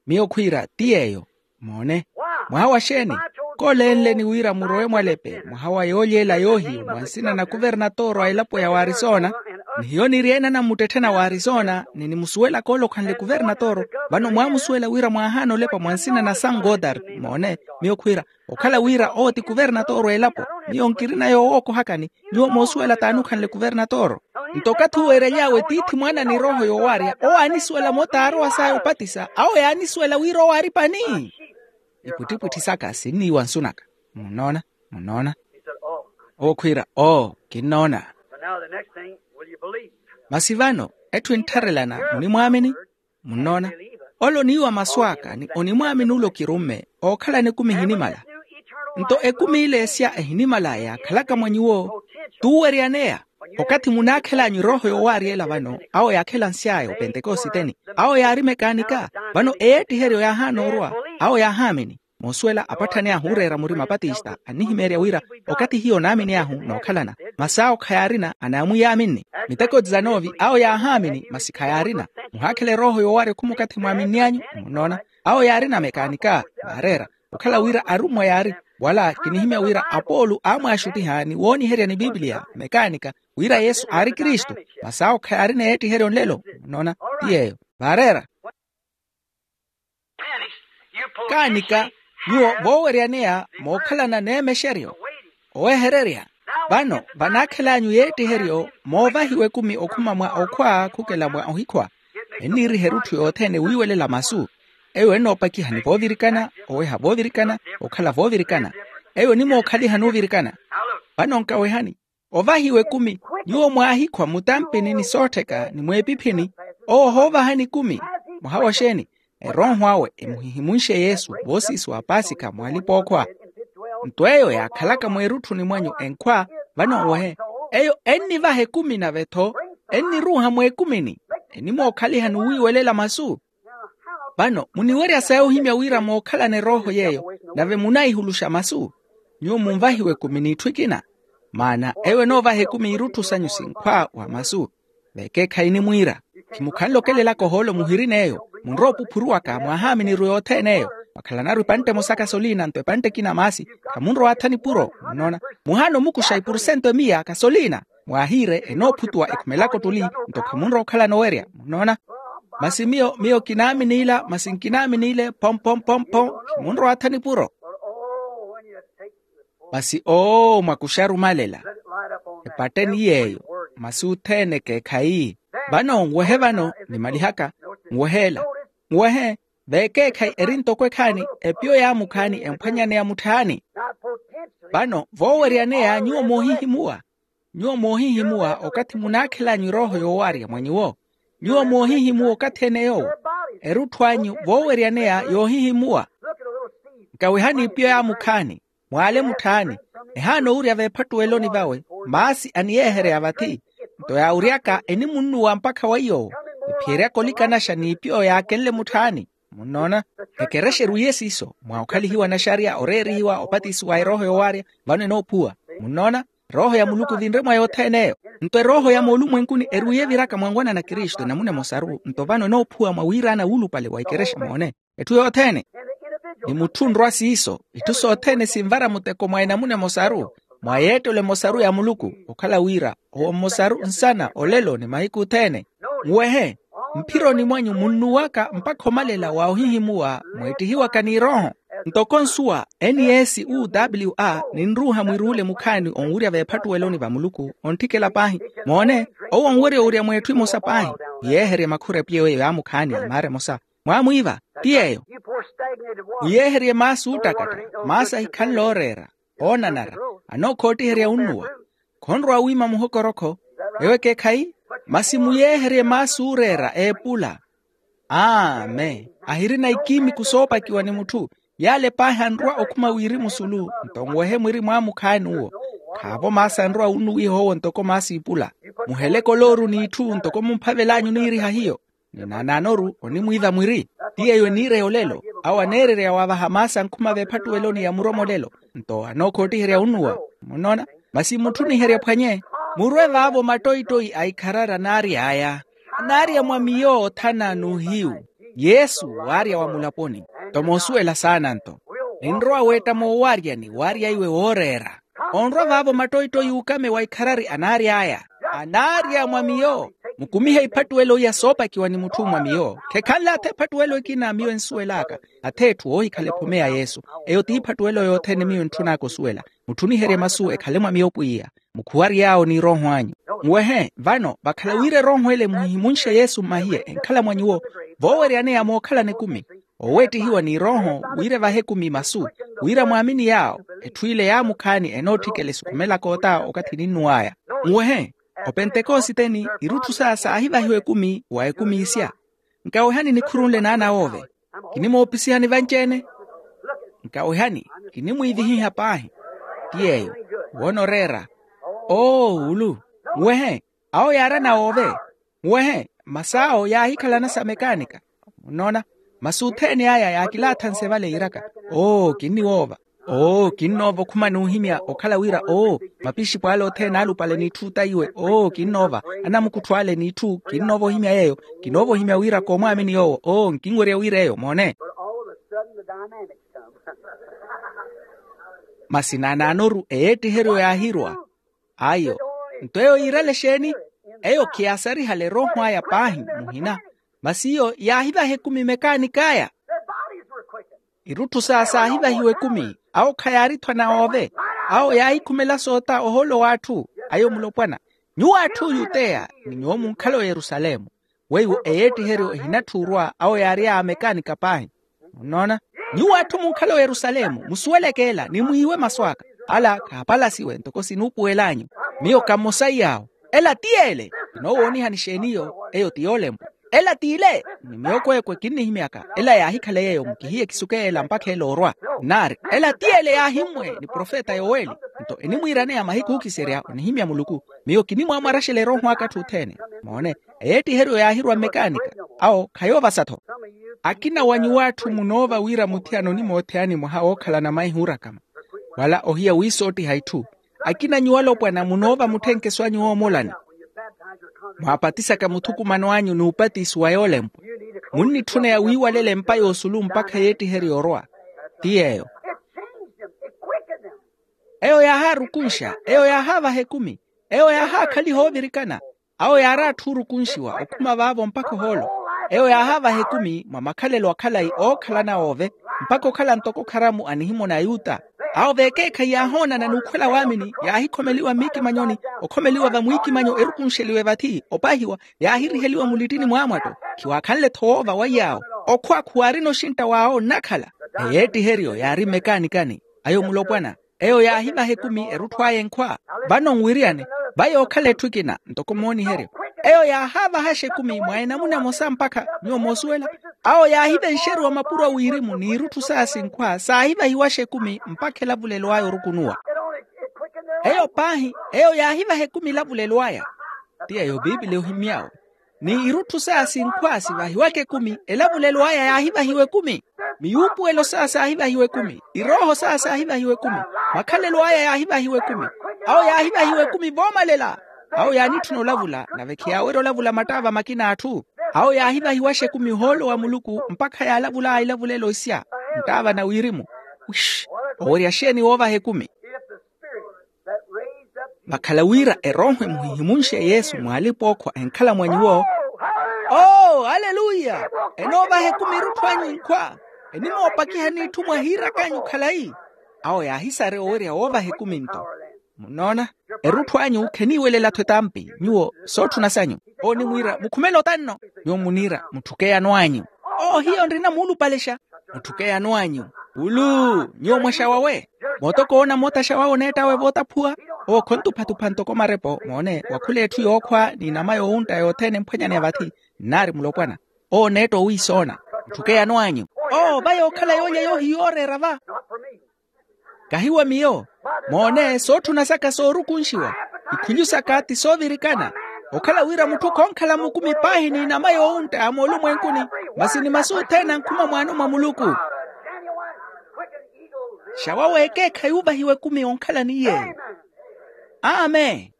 Miyo khwiira ti yeeyo. Moone. Mwaha wa xeeni? Kooleenleni wira murowe mwalepe mwaha wa yoolyeela yoohiyu mwa nsina na kuvernatoro a elapo ya warisona. Ni hiyo niri ene anamuttetthena warisona ni nimusuwelaka ole okhanle kuvernatoro. Vano mwaamusuwela wira mwaahaana olepa mwa nsina na san godard. Moone. Miyo khwiira, okhala wira owo ti kuvernatoro a elapo. Miyo nkirina yoowookohakani. Nyuwo moosuwela t'ani okhanle kuvernatoro? Nto okathi uweerely'awe tiithi mwaana ni erooho yoowarya owo aanisuwela-mo t'arowa saya opatisa awo yaanisuwela wira owo aari pani. Ipwittipwitthi saka sinniiwa nsu naka. Munnoona? Munnoona? Owo khwiira oo kinnoona. Masi vano etthu enttharelana munimwaamini? Munnoona? Ole oniiwa masu aka ni onimwaamini ole okirumme ookhalana ekumi ehinimala. Nto ekumi ile esya ehinimala yaakhalaka mwa nyuwo t'uweryaneya. Okathi munaakhel'anyu erooho yoowaarya ela vano, awo yaakhela nsy'aya opentekositeni. Awo yaari mekaanika. Vano eyeettiheryo yaahaana orwa. Awo yaahaamini. Moosuwela apatthani ahu ooreera murima patista annihimeerya wira, okathi hiyo onaamin'ahu nookhalana. Masi awo khayaarina anaamwiyaaminni. Miteko tizanoovi awo yaahaamini masi khayaarina. Muhaakhela erooho yoowaarya ekhumi okathi mwaaminny'anyu. Munnoona? Awo yaarina mekaanika. Vaareera. Okhala wira arummwa yaari. Wala kinihimya wira apoolu aamwaaxuttiha ni wooniherya ni pipiliya mekaanika, wira yesu aari kristu. Masi awo khayaarina eyeettiheryo nlelo. Munnoona? Ti yeeyo. Vaareera. Kaanika, nyuwo vooweryaneya mookhalana n'emexeryo owehererya. Vano vanaakhel'anyu yeettiheryo moovahiwa ekumi okhuma mwa okhwa khukela mwa ohikhwa. Enniiriha erutthu yothene wiiwelela masu. Eyo ennoopakiha ni voovirikana, oweha voovirikana, okhala voovirikana. Eyo enimookhaliha nuuvirikana. Vano nkawehani. Ovahiwa ekumi, nyuwo mwaahikhwa mutampini ni soottheka ni mweepiphini. Owo ohoovahani ekumi. Muhawa oxeeni? Erooho awe emuhihimunxe yesu voosiisi wa paasikha mwaalip'okhwa. Nto eyo yaakhalaka mweerutthuni mwanyu enkhwa. Vano nwehe, eyo ennivaha ekumi nave-tho enniruuha mweekumini. Enimookhaliha ni wiiwelela masu. Vano muniwerya sayi ohimya wira mookhalana erooho yeeyo, nave munaihuluxa masu. Nyuwo munvahiwe ekumi n'itthu ekina. Maana eyo enoovaha ekumi irutthu sanyu sinkhwa wa masu. Vekeekhayi nimwiira, khimukhanle okelelaka ohoolo muhirin'eyo. Munrowa opuphuruwaka mwahaaminiru yothene eyo. Mwakhalanaru epantte emosa kasoliina nto epantte ekina maasi. Khamunrowa atha nipuro. Munnoona? Muhaana omukuxa ipursentu emiya kasoliina. Mwaahiire enoophutuwa ekhumelaka ottuli. Nto khamunrowa okhalana owerya. Munnoona? Masi miyo miyo kinaamini ila masi nkinaamini ile phom phom phom phom. Khamunrowa atha nipuro. Masi oo mwakuxa arumalela. Epatteni yeeyo. Masi othene ekeekhayi. Vano nwehe vano nimalihaka. Nwehe ela. Nwehe. Veekeekhayi eri ntoko ekhaani. Epiyo yaamukhaani emphwanyaneya mutthaani. Vano vooweryaneya nyuwo moohihimuwa. Nyuwo moohihimuwa okathi munaakhel'anyu erooho yoowaarya mwa nyuwo. Nyuwo moohihimuwa okathi ene yoowo. Erutthu anyu vooweryaneya yoohihimuwa. Nkawehani ipiyo yaamukhaani. Mwaale mutthaani. Ehaana owurya veephattuweloni vawe. Maasi aniyeeherya vathi. Nto yaawuryaka enimunnuwa mpakha weiyo. Ephiyeryaka olikanaxa n'ipiyo yaakenle mutthaani. Munnoona? Ekerexa erwiye siiso mwa okhalihiwa naxariya oreerihiwa opatisiwa erooho yoowaarya. Vano enoophuwa. Munnoona? Erooho ya muluku vinre mwa yothene eyo. Nto erooho ya moolumwenkuni erwiye eviraka mwa nwana na kristu enamuna emosaru nto vano enoophuwa mwa wiiraana wuulupale wa ekerexa moone. Etthu yothene. Ni mutthu onrwa siiso itthu sothene sinvara muteko mwa enamuna emosaru, mwa yeettelo emosaru ya muluku. Okhala wira owo mmosaru nsana olelo ni mahiku othene. Nwehe. Mphironi mwanyu munnuwaka mpakha omalela wa ohihimuwa mweettihiwaka n'irooho. Ntoko nsuwa eni yeesi u w a ninruuha mwiruule mukhaani onwurya veephattuweloni va muluku. Ontthikela paahi. Moone. Owo onwerya owurya mweetthu emosa paahi. Yeeherye makhura epiyewe yaamukhaani amaara emosa. Mwaamwiiva. Ti yeeyo. Muyeeherye maasi oottakatta. Maasi ahikhanle ooreera. Oonanara. Anookhoottiherya onnuwa. Khonrowa wiima muhokorokho. Ewo ekeekhayi. Masi muyeeherye maasi ooreera eepula. Amen. Ahirina ikiimiku soopakiwa ni mutthu. Yaale paahi anrwa okhuma wirimu sulu nto nwehe mwiri mwaamukhaani uwo. Khaavo maasi anrwa unnuwiha owo ntoko maasi iipula. Muheleke olooru n'itthu ntoko mumphavel'anyu oniiriha hiyo. Ni naanaanoru onimwiiva mwiri. Ti yeeyo eniireya olelo. Awo aneererya waavaha maasi ankhuma veephattuweloni ya muromolelo. Nto anookhoottiherya onnuwa. Munnoona? Masi mutthuniherye phwanye. Murwe vaavo mattoitoi a ikharari anaary'aya. Anaarya mwa miyo othana n'uhiyu. Yesu waarya wa mulaponi. Nto moosuwela saana nto. Ninrowa weetta moowaryani waarya iwe wooreera. Onrwa vaavo mattoitoi uukame wa ikharari anaary'aya. Anaarya mwa miyo. Mukumihe iphattuwelo iya soopakiwa ni mutthu mwa miyo khekhanle atha ephattuwelo ekina miyo ensuwel'aka. Atha etthu oohikhala ephome ya yesu. Eyo t'iphattuwelo yothene miyo entthun'aka osuwela. Mutthuniherye masu ekhale mwa miyo pwiya. Mukhuwary'awo n'irooho anyu. Nwehe vano vakhala wira erooho ele muhihimunxe yesu mmahiye enkhala mwa nyuwo. Vooweryaneya mookhalana ekumi. Oweettihiwa n'irooho wira evahe ekumi masu. Wira mwaamini yaawo etthu ile yaamukhaani enootthikela esukhumelaka ota okathi eninnuw'aya. Nwehe. Opentekositeni irutthu saya saahivahiwa ekumi wa ekumi isya. Nkawehani nikhurunle naana woove. Kinimoopisihani vanci-ene. Nkawehani. Kinimwiivihiha paahi. Ti yeeyo. Woona oreera. Oo ulu. Muwehe. Awo yaarana woove. Muwehe. Masi awo yaahikhalana sa mekaanika. Munnoona? Masi othene aya yaakilaathani sevale yiiraka, oo kinniwoova. Oo kinnoova okhuma n'uhimya okhala wira oo mapixipo ale othene alupale n'itthu taiwe oo kinnoova. Anamukutthu ale n'itthu kinnoova ohimya yeeyo. Kinnoova ohimya wira koomwaamini yoowo oo nkinwerya wira eyo moone. Masi naanaanoru eyeettiheryo yaahirwa. Ayo. Nto eyo yiirale exeeni? Eyo khiyaasarihale erooho aya paahi muhina. Masi iyo yaahivaha ekumi mekaanik'aya. Irutthu saya saahivahiwa ekumi. Awo khayaari-tho anawoove. Awo yaahikhumela soota ohoolo w'atthu. Ayo mulopwana. Nyuwo atthu oyuteya ni nyuwo munkhala oyerusalemu. Weiwo eyeettiheryo ehinatthuurwa awo yaary'aya mekaanika paahi. Munnoona? Nyuwo atthu munkhala oyerusalemu musuweleke ela ni mwiiwe masu aka. Ala khaapalasiwe ntoko sinuupuwel'anyu. Miyo kammosaiye awo. Ela ti yeele. Kinoowoonihani xeeni iyo? Eyo ti yoolempwa. Ela t'ile. Ni miyo kweekwe kinnihimyaka ela yaahikhala yeeyo mukihiye ekisukeela mpakha ela orwa. Nari ela ti yeele yaahimmwe ni profeta yoweli. Nto enimwiiraneya mahiku ookiserya onihimya muluku. Miyo kinimwaamwaraxela erooho aka atthu othene. Moone. Eyeettiheryo yaahirwa mmekaanika. Awo khayoovasa-tho. Akina wa nyuwo atthu munoova wira muthiyana onimootheyani mwaha wookhalana maihi oorakama wala ohiya wiisoottiha itthu. Akina nyuwo alopwana munoova mutthenkeso anyu oomolani. Mwaapatisaka muthukumano anyu n'upatisi wa yoolempwa. Munnitthuneya wiiwalela empa y'osulu mpakha eyeettiheryo orwa. Ti yeeyo. Eyo yaahaarukunxa. Eyo yaahaavaha ekumi. Eyo yaahaakhaliha oovirikana. Awo yaari atthu oorukunxiwa okhuma vaavo mpakha ohoolo. Eyo yaahaavaha ekumi mwa makhalelo a khalayi ookhalana oove. Mpakha okhala ntoko kharamu a nihimoni a yuta. Awo vekeekhayi yaahoonana n'ukhwela waamini yaahikhomeliwa mmiikimanyoni. Okhomeliwa vamwiikimanyo erukunxeliwe vathi opahiwa. Yaahiriheliwa mulittini mwaamwatto. Khiwaakhanle-tho woova waiy'awo. Okhwa khuwaarina oxintta w'awo nnakhala. Eyeettiheryo yaari mmekaanikani. Ayo mulopwana. Eyo yaahivaha ekumi erutthu aya enkhwa. Vano nwiriyane. Vayo okhala etthu ekina ntoko mooniheryo. Eyo yaahaavahaxa ekumi mwa enamuna emosa mpakha nyuwo moosuwela. Awo yaahivenxeriwa mapuro a wirimu n'irutthu saya sinkhwa saahivahiwaxa ekumi mpakha elavulelo aya orukunuwa. Eyo paahi. Eyo yaahivaha ekumi elavulelo aya. Ti eyo piipili ohimy'awe. Ni irutthu saya sinkhwa sivahiwaka ekumi elavulelo aya yaahivahiwa ekumi. Miyuupuwelo saya saahivahiwa ekumi. Irooho saya saahivahiwa ekumi. Makhalelo aya yaahivahiwa ekumi. Awo yaahivahiwa ekumi voomalela. Awo yaanitthuna olavula nave khiyaawerya olavula mattaava makina a atthu. Awo yaahivahiwaxa ekumi ohoolo wa muluku mpakha yaalavul'aya ilavulelo isya. Nttaava na wirimu. Wish. Owerya xeeni woovaha ekumi? Vakhala wira erooho emuhihimunxe yesu mw'alipa ookhwa enkhala mwa nyuwo. Oo aleluya. Enoovaha ekumi erutthu anyu inkhwa. Enimoopakiha n'itthu mwahiirak'anyu khalayi. Awo yaahisarya owerya woovaha ekumi nto. Munnoona? Erutthu anyu kheniiwelela-tho etampi nyuwo sootthuna sanyu. Owo onimwiira mukhumele otanno. Nyuwo muniira mutthukeyano anyu. Oo hiyo nrina muulupalexa. Mutthukeyano anyu. Pulu. Nyuwo mwaxawawe. Mootokoona moota xawawe oneett'awe vootaphuwa. Owo khontuphatupha ntoko marepo moone wakhula etthu yookhwa n'inama yoowuntta yothene emphwanyaneya vathi. Nnaari mulopwana. Owo oneetta owiisoona. Mutthukeyano anyu. Oo va yookhala yoolya yoohiyooreera va. Kahi wa miyo. Moone sootthuna saka soorukunxiwa. Ikhulyu saka ti soovirikana. Okhala wira mutthu khoonkhala mukumi paahi n'inama yoowuntta moolumwenkuni. Masi ni masu othene ankhuma mwaano mwa muluku. Xawa w'ekeekhayi uvahiwa ekumi onkhala ni yeeyo. Amen.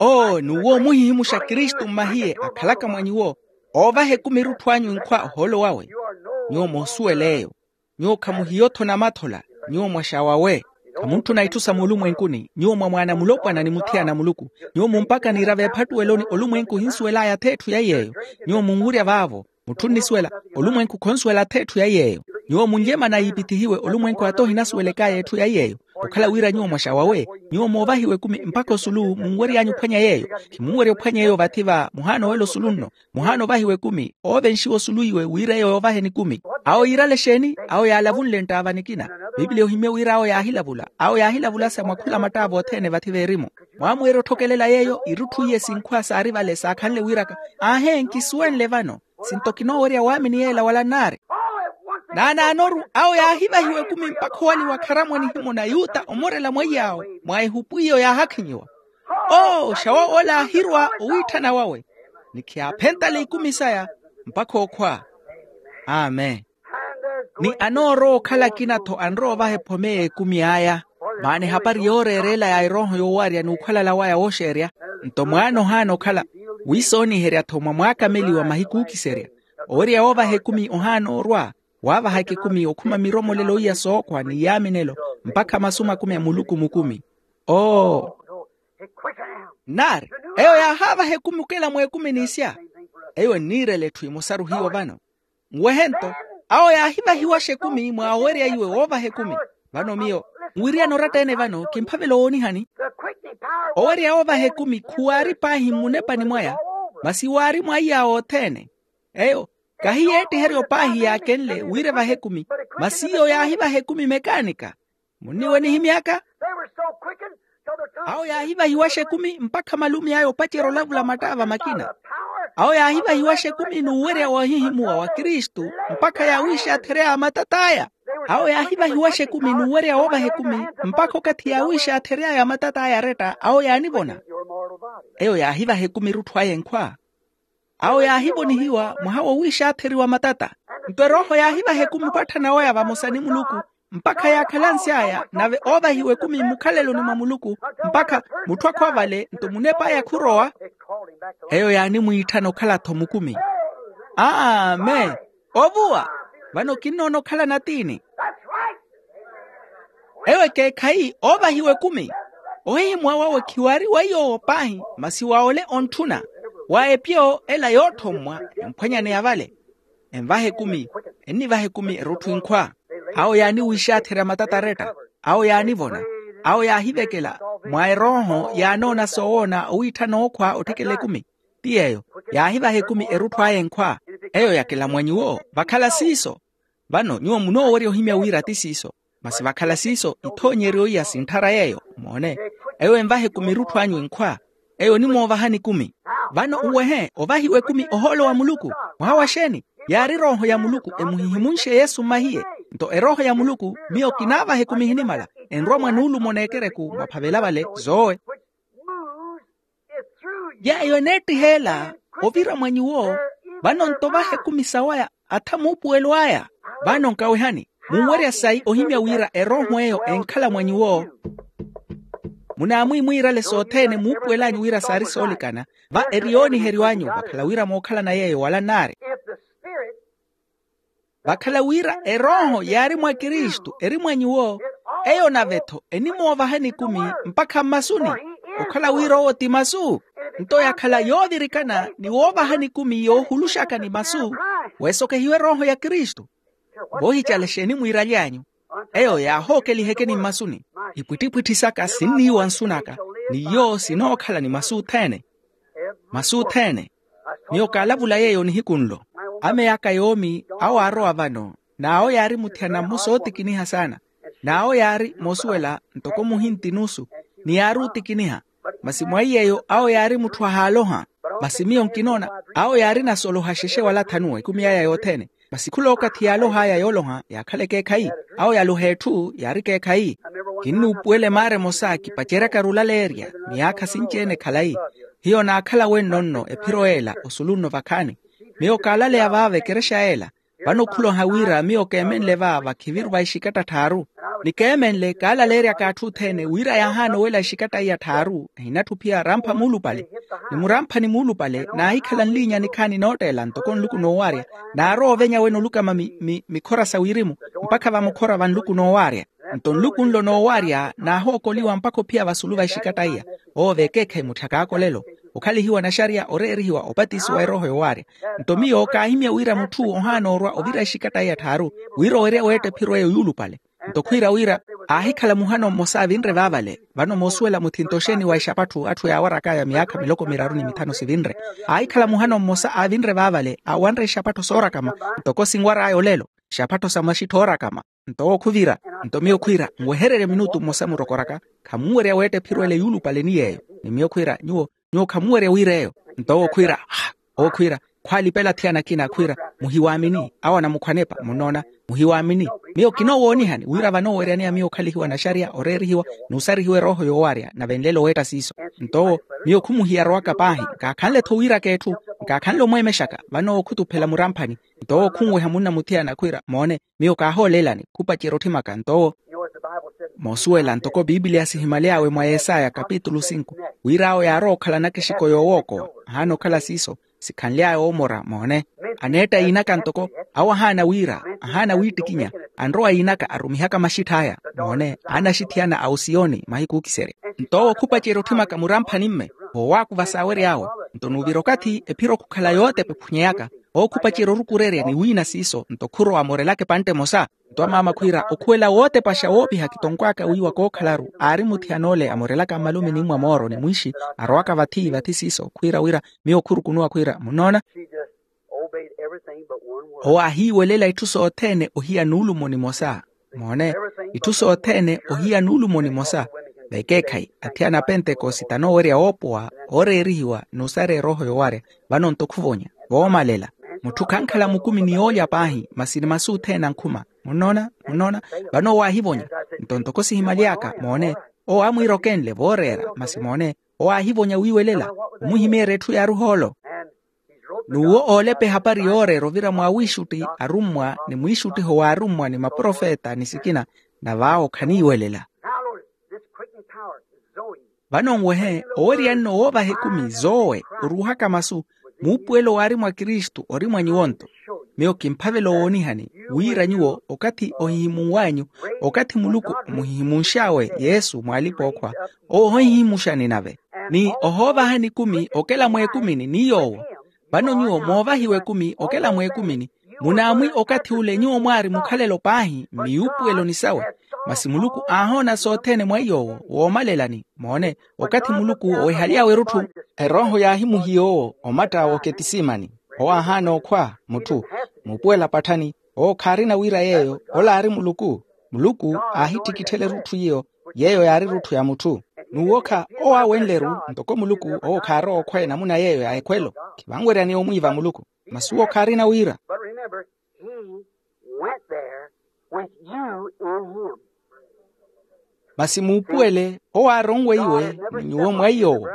Oo n'uwo omuhihimuxa kristu mmahiye akhalaka mwa nyuwo. Oovaha ekumi erutthu anyu inkhwa ohoolo wawe. Nyuwo moosuwela eyo. Nyuwo khamuhiyo-tho namathola. Nyuwo mwaxawawe. Khamuntthuna itthu sa muulumwenkuni nyuwo mwamwaana mulopwana ni muthiyana a muluku. Nyuwo mumpaka niira veephattuweloni olumwenku ohinsuwel'aya atheetthu ya yeeyo. Nyuwo munwirya vaavo. Mutthu onnisuwela. Olumwenku khonsuwela atheetthu ya yeeyo. Nyuwo munlyemana yiipithihiwe olumwenku ata ohinasuwelek'aya etthu ya yeeyo. Okhala wira nyuwo mwaxawawe. Nyuwo moovahiwa ekumi mpakha osulu munwery'anyu ophwanya yeeyo. Khimunwerya ophwanya eyo vathi va muhaana owela osulu nno. Muhaana ovahiwa ekumi oovenxiwa osulu iwe wira eyo yoovaheni ekumi. Awo yiirale exeeni? Awo yaalavunle nttaava nikina. Piipili ohimye wira awo yaahilavula awo yaahilavula sa mwa khula mattaava othene vathi veerimu. Mwamweerya otthokelela yeeyo irutthu iye sinkhwa saari vale saakhanle wiiraka. Aahe nkisuwenle vano. Sinto kinoowerya waamini yeela wala nnaari. Naanaanoru awo yaahivahiwa ekumi mpakha owaliwa kharamu a nihimoni a yuta omorela mweiy'awo mwa ehupu iyo yaahakhinyiwa. Oo xawoola aahirwa owiitthana wawe, ni khiyaaphentale ikumi saya mpakha okhwa. Amen. Ni anoorowa okhala akina-tho anrowa ovaha ephome y'ekumi aya. Maana ehapari yooreereela ya erooho yoowarya n'ukhwalala waya wooxeerya, nto mwaana ohaana okhala wiisooniherya-tho mwa mwaakameliwa mahiku ookiserya. Owerya woovaha ekumi ohaana orwa, waavahaka ekumi okhuma miromolelo iya sookhwa ni yaaminelo, mpakha masu makumi a muluku mukumi. Oo. Nnaari, eyo yaahaavaha ekumi okela mweekumi n'isya. Eyo enniirela etthu emosaru hiyo vano. Nwehe-nto, awo yaahivahiwaxa ekumi mwa owerya iwe woovaha ekumi. Vano miyo nwiriyana oratta-ene vano kimphavela owoonihani. Owerya woovaha ekumi khuwaari paahi mmunepani mwaya, masi waari mwa iy'awo othene. Eyo kahi yeettiheryo paahi yaakenle wira evahe ekumi, masi iyo yaahivaha ekumi mekaanika. Munniiwe nihimy'aka? Awo yaahivahiwaxa ekumi mpakha malumi aya opacerya olavula mattaava makina. Awo yaahivahiwaxa ekumi n'uwerya woohihimuwa wa kristu, mpakha yaawiixathery'aya matat'aya. Awo yaahivahiwaxa ekumi n'uwerya woovaha ekumi, mpakha okathi yaawiixathery'aya matat'aya aretta awo yaanivona. Eyo yaahivaha ekumi erutthu aya enkhwa. Awo yaahivonihiwa mwaha wowiixaatheriwa matata. Nto erooho yaahivaha ekumi opatthana waya vamosa ni muluku, mpakha yaakhala nsy'aya nave oovahiwa ekumi mmukhaleloni mwa muluku, mpakha mutthu akhwa vale nto munep'aya khurowa. Eyo yaanimwiitthana okhala-tho mukumi. Amen. Ovuwa. Vano kinnoona okhala natiini. Eyo ekeekhayi oovahiwa ekumi. Ohihimuwa wawe khiwaari wa iy'owo paahi, masi wa ole ontthuna, wa epyo ela yootthommwa emphwanyaneya vale. Envaha ekumi, ennivaha ekumi erutthu enkhwa. Awo yaaniwiixatherya matata aretta. Awo yaanivona. Awo yaahivekela. Mwa erooho yaanoona soowoona owiitthana ookhwa otthikela ekumi. Ti yeeyo, yaahivaha ekumi erutthu aya enkhwa. Eyo yakela mwa nyuwo vakhala siiso. Vano nyuwo munoowerya ohimya wira ti siiso. Masi vakhala siiso ithoonyeryo iya sintthara yeeyo moone. Eyo envaha ekumi erutthu anyu enkhwa. Eyo onimoovahani ekumi. Vano nwehe ovahiwa ekumi ohoolo wa muluku. Mwaha wa xeeni? Yaari erooho ya muluku emuhihimunxe yesu mmahiye. Nto erooho ya muluku miyo kinaavaha ekumi ehinimala, enrwa mwa nuulumo n'ekereku mwaphavela vale zoowe. Yeeyo eneettiheela ovira mwa nyuwo. Vano nto ovaha ekumi sawaya atha muupuwelo aya. Vano nkawehani, munwerya sayi ohimya wira erooho eyo enkhala mwa nyuwo. Munaamwiimwiirale sothene muupuwel'anyu wira saari soolikana, va eri yooniheryo anyu vakhala wira mookhalana yeeyo wala nnaari. Vakhala wira erooho yaari mwa kristu eri mwa nyuwo, eyo nave-tho enimoovahani ekumi mpakha mmasuni. Okhala wira owo ti masu. Nto yakhala yoovirikana ni woovahani ekumi yoohuluxaka ni masu, weesokehiwe erooho ya kristu. Voohicala exeeni mwiiraly'anyu? Eyo yaahookeliha ekeni mmasuni. Ipwittipwitthi saka sinniiwa nsu naka, ni iyo sinookhala ni masu othene. Masu othene. Miyo kaalavula yeeyo nihiku nlo. Ameya aka yoomi awo aarowa vano, n'awo yaari muthiyana mmosa ootikiniha saana. N'awo yaari moosuwela ntoko muhinti nusu, ni yaari otikiniha. Masi mwa iy'eyo awo yaari mutthu ahaaloha. Masi miyo nkinoona awo yaarina sooloha xexe wala thanu ekumi yaya yothene. Masi khula okathi yaaloh'aya yooloha yaakhala ekeekhayi. Awo yaaloha etthu yaari ekeekhayi. Kinnuupuwela emaara emosa kipaceryakaru olaleerya miyaakha sinci-ene khalayi. Hiyo naakhala wenno nno ephiro ela osulu nno vakhaani. Miyo kaalaleya vaava ekerexa ela. Vano khuloha wira miyo keemenle va vakhiviru va exikatta tthaaru. Ni keemenle kaalaleeryaka atthu othene wira yaahaana owela exikatta iya tthaaru ehinatthu ophiya rampha muulupale. Ni muramphani muulupale naahikhala nliinya nikhaani nootteela ntoko nluku noowarya. Naarowa ovenya wene olukama mikhora sa wirimu mpakha vamukhora va nluku noowarya. Nto nluku nlo noowarya naahookoliwa mpakha ophiya vasulu va exikatta iya. Owo veekeekhayi mutthya kaakolelo, okhalihiwa naxariya oreerihiwa opatisiwa erooho yoowarya. Nto miyo kaahimya wira mutthu ohaana orwa ovira exikatta iya tthaaru, wira owerya weetta ephiro eyo yuulupale. Nto khwiira wira aahikhala muhano mmosa avinre vaavale. Vano moosuwela muthinto oxeeni wa exapatthu atthu yaawarak'aya miyaakha miloko miraru ni mithanu sivinre. Aahikhala muhano mmosa avinre vaavale awanre exapattho soorakama, ntoko sinwar'aya olelo, exapattho sa maxitthi oorakama. Nto owo khuvira. Nto miyo khwiira nwehererye minutu mmosa murokoraka, khamunwerya weetta ephiro ele yuulupale ni yeeyo. Ni miyo khwiira nyuwo, nyuwo khamunwerya wira eyo. Nto owo khwiira, ah, owo khwiira, khwaalipela athiyana akina khwiira, muhiwaamini awo anamukhwanepa munnoona. Muhiwaamini. Miyo kinoowoonihani wira vanooweryaneya miyo okhalihiwa naxariya oreerihiwa n'usarihiwa erooho yoowarya nave nlelo weetta siiso. Nto owo, miyo khumuhiya arowaka paahi, nkaakhanle-tho wiiraka etthu, nkaakhanle omweemexaka vano owo khutuphela muramphani. Nto owo khunweha munna muthiyana khwiira, moone, miyo kaahooleelani, khupacerya otthimaka nto owo. Moosuwela ntoko piipiliya sihimaly'awe mwa yesaya kapitulu sinku, wira awo yaarowa okhala nakexiko yoowookowa. Ahaana okhala siiso, sikhanly'aya oomora moone. Aneetta yiinaka ntoko, awo ahaana wiira, ahaana wiittikinya, anrowa yiinaka arumihaka maxitth'aya. Moone, aana axithiyana a osiyoni mahiku ookiserya. Nto owo khupacerya otthimaka muramphani-mme, voowaakuva saawery'awe. Nto nuuvira okathi ephiro khukhala yootepa ephunyeeyaka, owo khupacerya orukurerya ni wiina siiso nto khurowa amorelaka epantte emosa. Nto amaama khwiira okhuwela wootepaxa woopiha kitonkwaaka wiiwa kookhalaru aari muthiyan'ole amorelaka mmalume ni mwa mooro ni mwiixi, arowaka vathi vathi siiso khwiira wira, miyo khurukunuwa khwiira munnoona. Owo aahiiwelela itthu sothene ohiya nuulumo nimosa. Moone, itthu sothene ohiya nuulumo nimosa. Vekeekhayi athiyana a pentekosite anoowerya woopowa, ooreerihiwa n'usareya erooho yoowarya. Vano nto khuvonya, voomalela. Mutthu khankhala mukumi ni yoolya paahi masi ni masu othene ankhuma. Munnoona? Munnoona? Vano owo aahivonya. Nto ntoko sihimaly'aka moone, owo aamwiira okenle vooreera masi moone, owo aahivonya wiiwelela, omuhimeerya etthu yaaruha olo. N'uwo oolepa ehapari yooreera ovira mwa wiixutti arummwa ni mwiixuttiho w'arummwa ni maprofeta ni sikina, nave awo khaniiwelela. Vano nwehe oweryanne owoovaha ekumi zoowe oruuhaka masu, muupuwelo waari mwa kristu ori mwa nyuwo nto. Miyo kimphavela owoonihani wira nyuwo okathi ohihimunw'anyu, okathi muluku omuhihimunx'awe yesu mw'alipa-ookhwa, owo ohihimuxani nave ni ohoovahani ekumi okela mweekumini ni yoowo. Vano nyuwo moovahiwa ekumi okela mweekumini, munaamwi okathi ule nyuwo mwaari mukhalelo paahi mmiyuupuweloni sawe. Masi muluku aahoona sothene mwa iy'owo woomalelani moone, okathi muluku owehaly'awe erutthu, erooho yaahimuhiya owo omatt'awe oketisimani. Owo aahaana okhwa mutthu, muupuwela patthani, owo khaarina wira yeeyo ola aari muluku. Muluku aahittikitthela erutthu iyo, yeeyo yaari erutthu ya mutthu. N'uwokha owo aawenle-ru ntoko muluku owo khaarowa okhwa enamuna yeeyo ya ekhwelo. Khivanweryani omwiiva muluku. Masi owo khaarina wira. But remember, he went there with you in him. Masi muupuwele owo aaronweiwe ni nyuwo mwa iy'owo.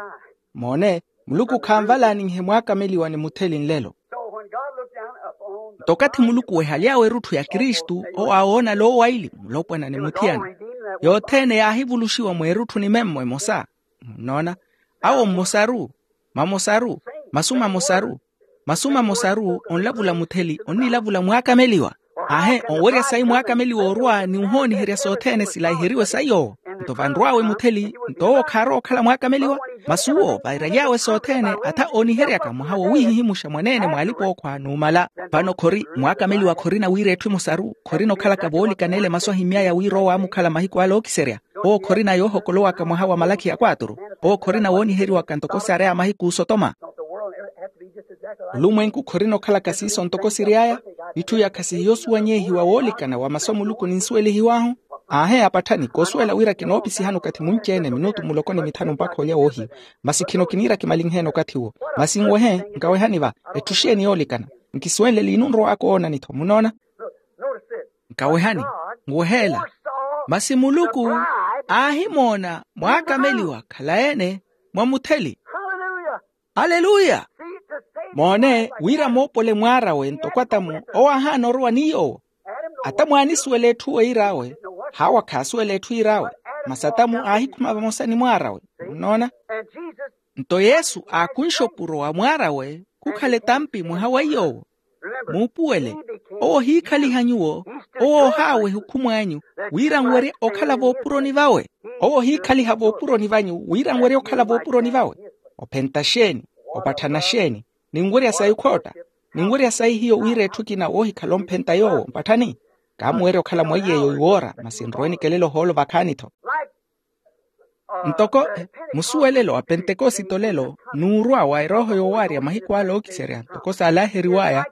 Moone, muluku khanvalaaninhe mwaakameliwa ni mutheli nlelo. So when God looked down upon the nto okathi muluku wehaly'awe erutthu ya kristu owo aawoona loowaili mulopwana ni muthiyana, yothene yaahivuluxiwa mweerutthu ni memmo emosa. Munnoona? Awo mmosaru, mamosaru, masu mamosaru, masu mamosaru onlavula mutheli onnilavula mwaakameliwa. Aahe onwerya sayi mwaakameliwa orwa ni ohooniherya sothene silaiheriwe sayi owo. Nto vanrw'awe mutheli nto owo khaarowa okhala mwaakameliwa. Masi uwo vairaly'awe sothene atha ooniheryaka mwaha wowihihimuxa mwaneene mw'alipa-ookhwa numala. Vano khori mwaakameliwa khorina wira etthu emosaru khorina okhalaka voolikana ele masu ahimmy'aya wira owo aamukhala mahiku ale ookiserya. Owo khorina yoohokolowaka mwaha wa malakhi ya kwaaturu. Owo khorina wooniheriwaka ntoko sareya mahiku osotoma. Olumwenku khorina okhalaka siiso ntoko siry'aya. Itthu ya khasihiya osuwanyehiwa woolikana wa masu a muluku ninsuwelihiw'ahu. Aahe apatthani koosuwela wira kinoopisihani okathi munci-ene minutu muloko ni mithanu mpakha olya woohiwa. Masi khino kiniira kimalinheene okathi uwo. Masi nwehe nkawehani va etthu xeeni yoolikana. Nkisuwenle liinu nrowaaka owoonani-tho munnoona. Nkawehani, nweheela. Masi muluku aahimoona mwaakameliwa khalayi-ene mwa mutheli. Aleluya. Moone wira moopole mwaar'awe ntoko atamu owo aahaana orowa ni yoowo. Atamu aanisuwela etthu weiir'awe. Hawa khaasuwela etthu iir'awe. Masi atamu aahikhuma vamosa ni mwaar'awe. Munnoona? Nto yesu aakunxa opuro wa mwaar'awe khukhala etampi mwaha wa iy'owo. Muupuwele, owo ohiikhaliha nyuwo. Owo ohaaweha okhumw'anyu wira nwerye okhala voopuroni vawe. Owo ohiikhaliha voopuroni vanyu wira nwerye okhala voopuroni vawe. Ophenta xeeni? Opatthana xeeni? Ninwerya sayi khootta. Ninwerya sayi hiyo wira etthu ekina woohikhala omphenta yoowo mpatthani. Kaamuwerya okhala mwa iyeeyo iwoora masi nrowe nikelele ohoolo vakhaani-tho. Ntoko musuwelelo a pentekosite olelo n'urwa wa erooho yoowarya mahiku ale ookiserya ntoko saalaaheriw'aya.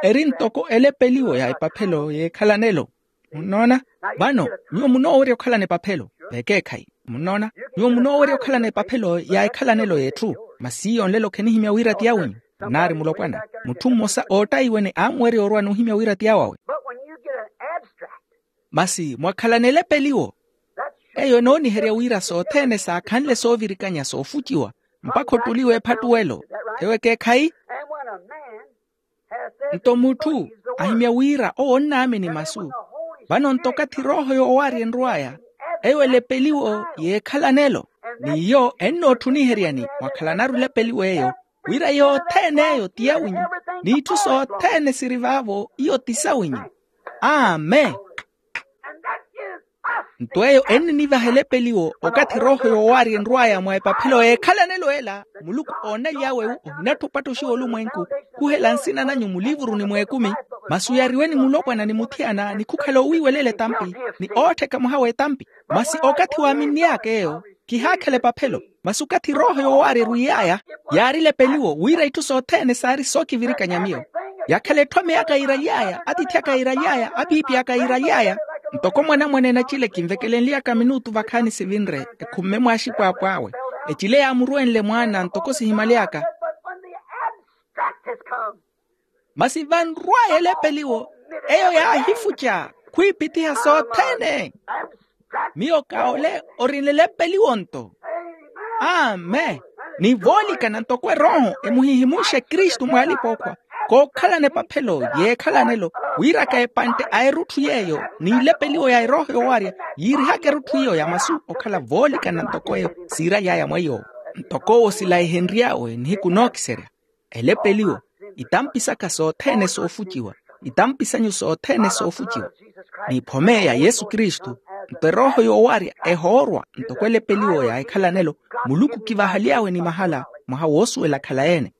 Eri ntoko elepeliwo ya epaphelo y'ekhalanelo. Munnoona? Vano nyuwo munoowerya okhalana epaphelo. Vekeekhayi. Munnoona? Nyuwo munoowerya okhalana epaphelo ya ekhalanelo y'etthu. Masi iyo nlelo khenihimya wira ti yawenyu. Nnaari mulopwana mutthu mmosa oottayiwene aamuwerya orwa n'uhimya wira ti yawawe. Masi mwakhalana elepeliwo. Eyo enooniherya wira sothene saakhanle soovirikanya soofuciwa mpakha ottuliwe ephattuwelo. Eyo ekeekhayi. Nto mutthu ahimya wira owo onnaamini masu. Vano nto okathi erooho yoowaarya enrw'aya, eyo elepeliwo yeekhalanelo. N'iyo ennootthuniheryani mwakhalanaru elepeliwo eyo, wira yothene eyo ti yawinyu, n'itthu sothene siri vaavo iyo ti sawinyu. Amen. Nto eyo enninivaha elepeliwo okathi erooho yoowaarya enrw'aya mwa epaphelo yeekhalanelo ela. Muluku oonaly'awe ohinattha opattoxiwa olumwenku, khuhela nsina nanyu mulivuruni mw'ekumi. Masi oyariwe ni mulopwana ni muthiyana ni khukhala owiiwelela etampi, ni oottheka mwaha w'etampi. Masi okathi waaminn'iy'aka eyo, khihaakhala epaphelo. Masi okathi erooho yoowaarya erwiiy'aya, yaari elepeliwo wira itthu sothene saari sookivirikanya miyo. Yakhala etthwame aka yiiraly'aya, atiithi aka yiiraly'aya, apiipi aka yiiraly'aya. Ntoko mwanamwane nacile kinvekelenly'aka minutu vakhaani sivinre, ekhumme mwaaxipwaapw'awe. Ecile yaamurwenle mwaana ntoko sihimaly'aka. Masi vanrw'aya elepeliwo, eyo yaahifuca khwiipithiha sothene. Miyo ka ole orinle elepeliwo nto. Amen. Ni voolikana ntoko erooho emuhihimunxe kristu mwaalip'okhwa, kookhalana epaphelo yeekhalanelo, wira ka epantte a erutthu yeeyo n'ilepeliwo ya erooho yoowarya, yiirihaka erutthu iyo ya masu okhala voolikana ntoko eyo siiraly'aya mwa iy'owo. Ntoko owo silaihenry'awe nihiku nookiserya. Elepeliwo, itampi saka sothene soofuciwa, itampi sanyu sothene soofuciwa. N'iphome ya yesu kristu, nto erooho yoowarya ehoorwa ntoko elepeliwo ya ekhalanelo, muluku kivahaly'awe ni mahala mwaha woosuwela akhala-ene.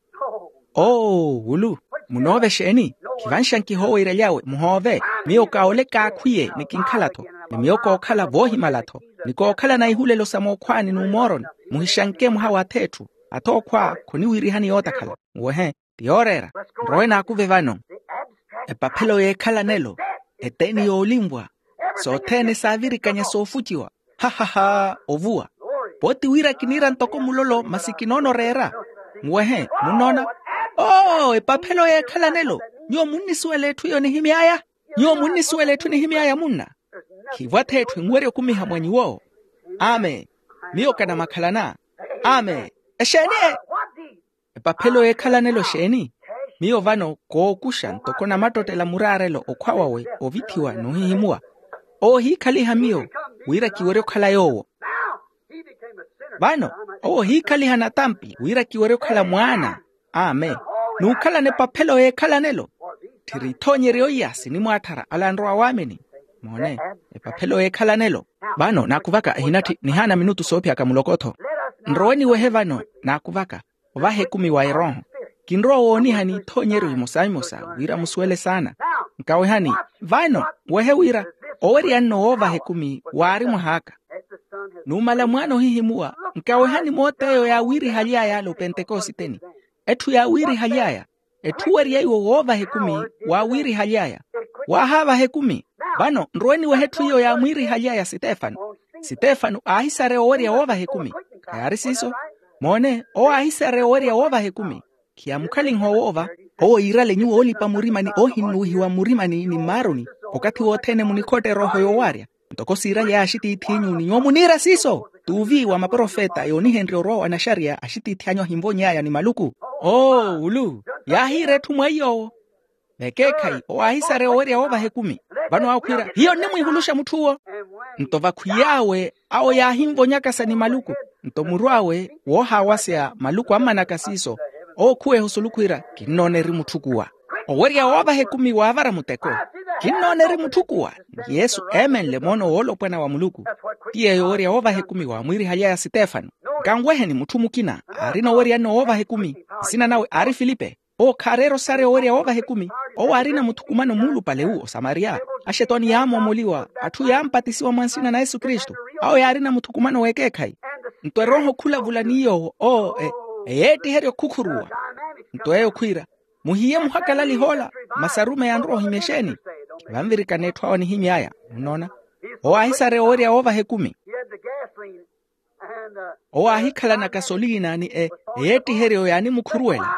Oo wulu, munoove exeeni? Khivanxa nkihooweiraly'awe muhoove. Miyo ka ole kaakhwiye ni kinkhala-tho, ni miyo kookhala voohimala-tho, ni kookhala na ihulelo sa mookhwaani n'umooroni. Muhixanke mwaha w'ath'etthu, ath'okhwa khoniwiirihani yootakhala. Muwehe, ti yooreera. Nrowe naakuve vano. Epaphelo y'ekhalanelo, eteni yoolinvwa, sothene saavirikanya soofuciwa. Hahaha. Ovuwa. Pooti wira kiniira ntoko mulolo masi kinoona oreera. Muwehe, munnoona? Oo epaphelo y'ekhalanelo. Nyuwo munnisuwela etthu iyo nihimy'aya? Nyuwo munnisuwela etthu nihimy'aya munna? Khiivo ath'etthu enwerya okumiha mwa nyuwo. Amen. Miyo kanamakhalana. Amen. Exeeni e? Epaphelo y'ekhalanelo exeeni? Miyo vano kookuxa ntoko namattottela muraarelo okhwa wawe ovithiwa n'uhihimuwa. Owo ohiikhaliha miyo wira kiwerye okhala yoowo. Vano owo ohiikhaliha natampi wira kiwerye okhala mwaana. Amen. N'ukhalana epaphelo y'ekhalanelo. Tthiri ithoonyeryo iya sinimwaatthara ala anrowa waamini. Moone, epaphelo y'ekhalanelo. Vano naakuvaka ehinatthi nihaana minutu soophiyaka muloko-tho. Nrowe niwehe vano naakuvaka ovaha ekumi wa erooho. Kinrowa wooniha n'ithoonyeryo imosa-imosa wira musuwele saana. Nkawehani, vano wehe wira owerya nno woovaha ekumi waari mwah'aka. Numala mwaana ohihimuwa, nkawehani moot'eyo yaawiirihaly'aya ala opentekositeni. Etthu yaawiirihaly'aya, etthu owerya iwo woovaha ekumi, waawiirihaly'aya. Waahaavaha ekumi. Vano nrowe niwehe etthu iyo yaamwiirihaly'aya sitefano. Sitefano aahisareya owerya woovaha ekumi. Khayaari siiso? Moone, owo aahisareya owerya woovaha ekumi. Khiyamukhalinha owoova. Owo yiirale nyuwo oolipa murimani oohinnuwihiwa mmurimani ni mmaaruni, okathi wothene munikhotta erooho yoowaarya. Ntoko siiralya axitiith'inyu ni nyuwo muniira siiso. T'uvi wa maprofeta yoonihenrye orowa wa naxariya axitiith'anyu ahinvony'aya ni maluku. Oo wulu, yaahiira etthu mwa iy'owo. Vekeekhayi owo aahisareya owerya woovaha ekumi. Vano awo khwiira hiyo nnimwiihuluxa mutth'uwo. Nto vakhwiy'awe awo yaahinvonyakasa ni maluku. Nto muru awe woohaawaseya maluku ammanaka siiso, owo khuweha osulu khwiira, kinnoona eri mutth'ukuwa. Owerya woovaha ekumi waavara muteko. Kinnoona eri mutth'ukuwa. Ni yesu eemenle moono woolopwana wa muluku. Ti yeeyo owerya woovaha ekumi waamwiirihaly'aya sitefano. Nkanweheni mutthu mukina aarina owerya nno woovaha ekumi. Nsina nawe aari filipe. Owo khaareera osareya owerya woovaha ekumi. Owo aarina muthukumano muulupale wu osamariya. Axetwani yaamoomoliwa, atthu yaampatisiwa mwa nsina na yesu kristu. Awo yaarina muthukumano w'ekeekhayi. Nto erooho khulavula ni yoowo oo eyeettiherya okhukhuruwa. Nto eyo khwiira, muhiye muhakalaliha ola. Masi arumeyi anrowa ohimya exeeni? Khivanvirikana etthu awo anihimy'aya. Munnoona? Owo aahisareya owerya woovaha ekumi. Owo aahikhalana kasoliina ni e eyeettiheryo yaanimukhuruwela,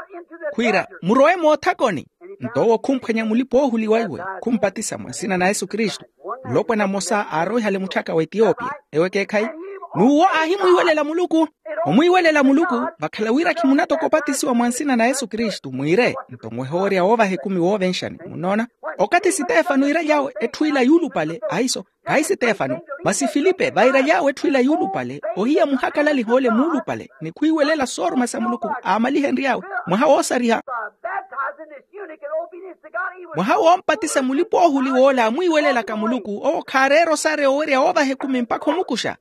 khwiira, murowe moothakoni. Nto owo khumphwanya mulipa oohuliwa iwe, khumpatisa mwa nsina na yesu kristu. Mulopwana mmosa aaroihale mutthaka w'etiyopiya. Ewo ekeekhayi. N'uwo aahimwiiwelela muluku. Omwiiwelela muluku vakhala wira khimunatoka opatisiwa mwa nsina na yesu kristu mwiire. Nto nwehe owerya woovaha ekumi woovenxani munnoona. Okathi sitefano iiraly'awe etthu ila yuulupale ahiso. Khahi sitefano masi filipe vairaly'awe etthu ila yuulupale. Ohiya muhakalaliha ole muulupale ni khwiiwelela sooruma sa muluku aamalihenry'awe. Mwaha woosariha mwaha woompatisa mulipa-oohuli w'ola amwiiwelelaka muluku owo khaareera osareya owerya woovaha ekumi mpakha omukuxa.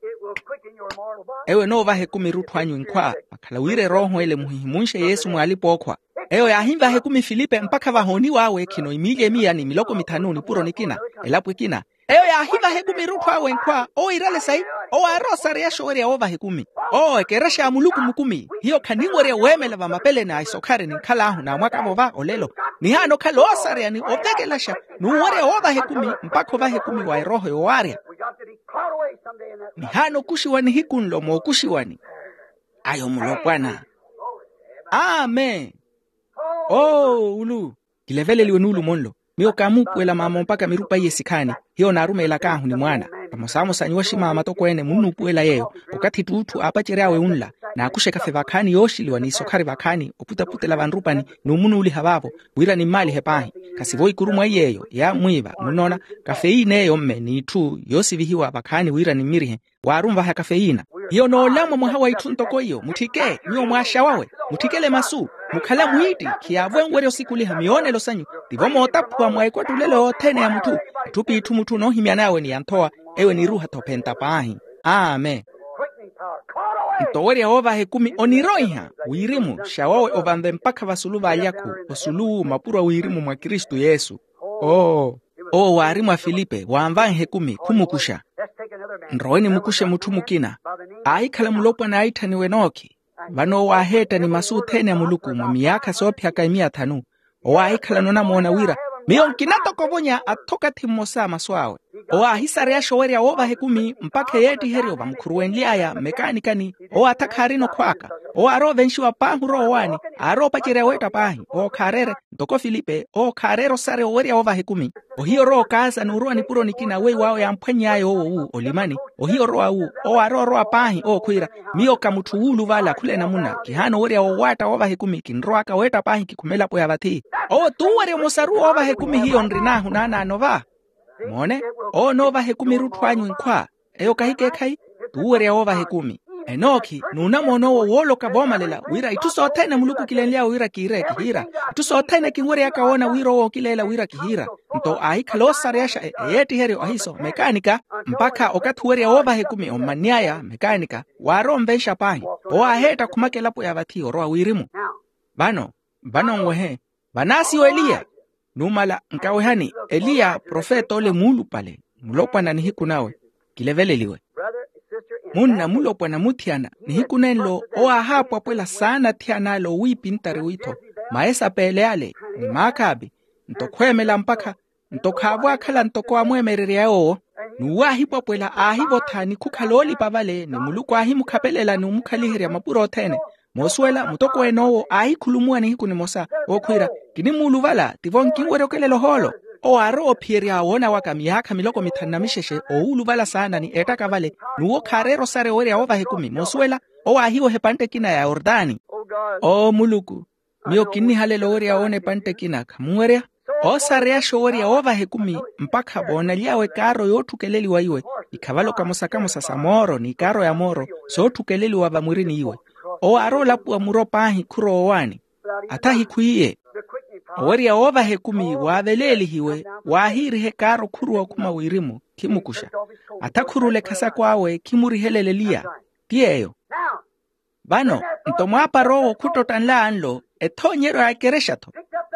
Ewo enoovaha ekumi erutthu anyu enkhwa vakhala wira erooho ele muhihimunxe yesu mw'alipa-ookhwa. Ewo yaahivaha ekumi filipe mpakha vahooniw'awe khino imiili emiya ni miloko mithanu nipuro nikina elapo ekina. Ewo yaahivaha ekumi erutthu awe enkhwa owo iirale sayi. Owo aarowa osareyaxa owerya woovaha ekumi. Owo ekerexa ya muluku mukumi hiyo khaninwerya weemela vamapeleni a isokhari ninkhal'ahu n'amwaka vova olelo. Nihaana okhala oosareya ni ovekelaxa n'uwerya woovaha ekumi mpakha ovaha ekumi wa erooho yowaarya. Nihaana okuxiwa nihiku nlo mookuxiwani. Ayo mulopwana. Amen. Oo ulu. Kileveleliwe nuulumo nlo. Miyo kaamuupuwela maama ompakha mirupa iye sikhaani. Hiyo naarumeelak'ahu ni mwaana. Vamosamosa nyuwo aximama atokweene munnuupuwela yeeyo. Okathi ett'utthu aapacery'awe unla naakuxeka-fe vakhaani yooxiliwa n'isokhari vakhaani oputaputela vanrupani n'umunuuliha vaavo wira nimmaalihe paahi. Khasivo ikuru mwa iy'eyo yaamwiiva munnoona. Kafeyiin'eyo mme n'itthu yoosivihiwa vakhaani wira nimmirihe. Waarunvaha kafeyiina. Hiyo noolamwa mwaha wa itthu ntoko iyo mutthike nyuwo mwaaxawawe. Mutthikele masu. Mukhala mwiitti khiyaavo enwerya osikuliha miyoonelo sanyu. Tivo mootaphuwa mwa ekwattulelo yothene ya mutthu. Itthu p'itthu mutthu onoohimyan'awe ni yanthowa. Ewo eniruuha-tho ophenta paahi. Amen. Nto owerya woovaha ekumi oniroiha wirimu xawawe ovanve mpakha vasulu v'alyakhu osulu mapuro a wirimu mwa kristu yesu. Oo owo waari mwa filipe waanvanha ekumi khumukuxa. Nrowe nimukuxe mutthu mukina. Aahikhala mulopwana aitthaniwe nookhi. Vano owo aaheetta ni masu othene a muluku mwa miyaakha soophiyaka emiya thanu. Owo aahikhalana onamoona wira miyo nkina toko ovonya athokathi mmosa a masu awe. Owo aahisareyaxa owerya woovaha ekumi mpakha eyeettiheryo vamukhuruwenly'aya mmekaanikani. Owo atha khaarina okhw'aka. Owo aarowa ovenxiwa paahi orowa owaani. Aarowa opacerya weetta paahi owo khaareere ntoko filipe owo khaareera osareya owerya woovaha ekumi. Ohiya orowa okaasa n'urowa nipuro nikina weiw'awe yamphwanny'aya owo wu olimani. Ohiya orowa wu owo aarowa orowa paahi owo khwiira miyo ka mutthu wuuluvala khula enamuna kihaana owerya wowaatta woovaha ekumi kinrowaka weetta paahi kikhuma elapo ya vathi. Owo t'uwerya omosaru woovaha ekumi hiyo nrin'ahu naanaano va. Moone owo onoovaha ekumi erutthu anyu enkhwa. Eyo kahikeekhayi t'uwerya woovaha ekumi. Enookhi n'unamoona owo wooloka voomalela wira itthu sothene muluku okilenly'awe wira kiire kihiira. Itthu sothene kinwery'aka woona wira owo okileela wira kihiira. Nto aahikhala oosareyaxa eyeettiheryo ahiso mekaanika mpakha okathi owerya woovaha ekumi ommanny'aya mekaanika waarowa onvenxa paahi. Owo aaheetta khumaka elapo ya vathi orowa wirimu. Vano vano nwehe. Vanaasiwa eliya. Numala nkawehani eliya profeta ole muulupale. Mulopwana nihiku nawe kileveleliwe. Munna mulopwana muthiyana nihiku nenlo owo aahaapwapwela saana athiyana ale owiipintari witho maesa peele ale ni maakaapi. Nto khweemela mpakha nto khaavo akhala ntoko amweemererya yoowo. N'uwo aahipwapwela aahivotha ni khukhala oolipa vale ni muluku aahimukhapelela ni omukhaliherya mapuro othene. Moosuwela mutokweene owo aahikhulumuwa nihiku nimosa wookhwiira kinimuuluvala tivo nkinwerya okelela ohoolo. Owo aarowa ophiyerya woona waka miyaakha miloko mithanu na mixexe owuuluvala saana ni ettaka vale. N'uwo khaareera osareya owerya woovaha ekumi moosuwela. Owo aahiweha epantte ekina ya yortani. Oo muluku miyo kinnihalela owerya woona epantte ekina khamunwerya. Oosareyaxa owerya woovaha ekumi mpakha voonaly'awe ekaaro yootthukeleliwa iwe ikhavala okamosa kamosa sa mooro n'ikaaro ya mooro sootthukeleliwa vamwirini iwe. Owo aarowa olapuwa muro paahi khurowa owaani. Atha ahikhwiiye. Owerya woovaha ekumi waaveleelihiwe waahiiriha ekaaro khuruwa okhuma wirimu khimukuxa. Atha khurula ekhasako awe khimurihelela eliya. Ti yeeyo. Vano nto mwaapara owo khuttotta nlaanlo ethoonyeryo ya ekerexa-tho.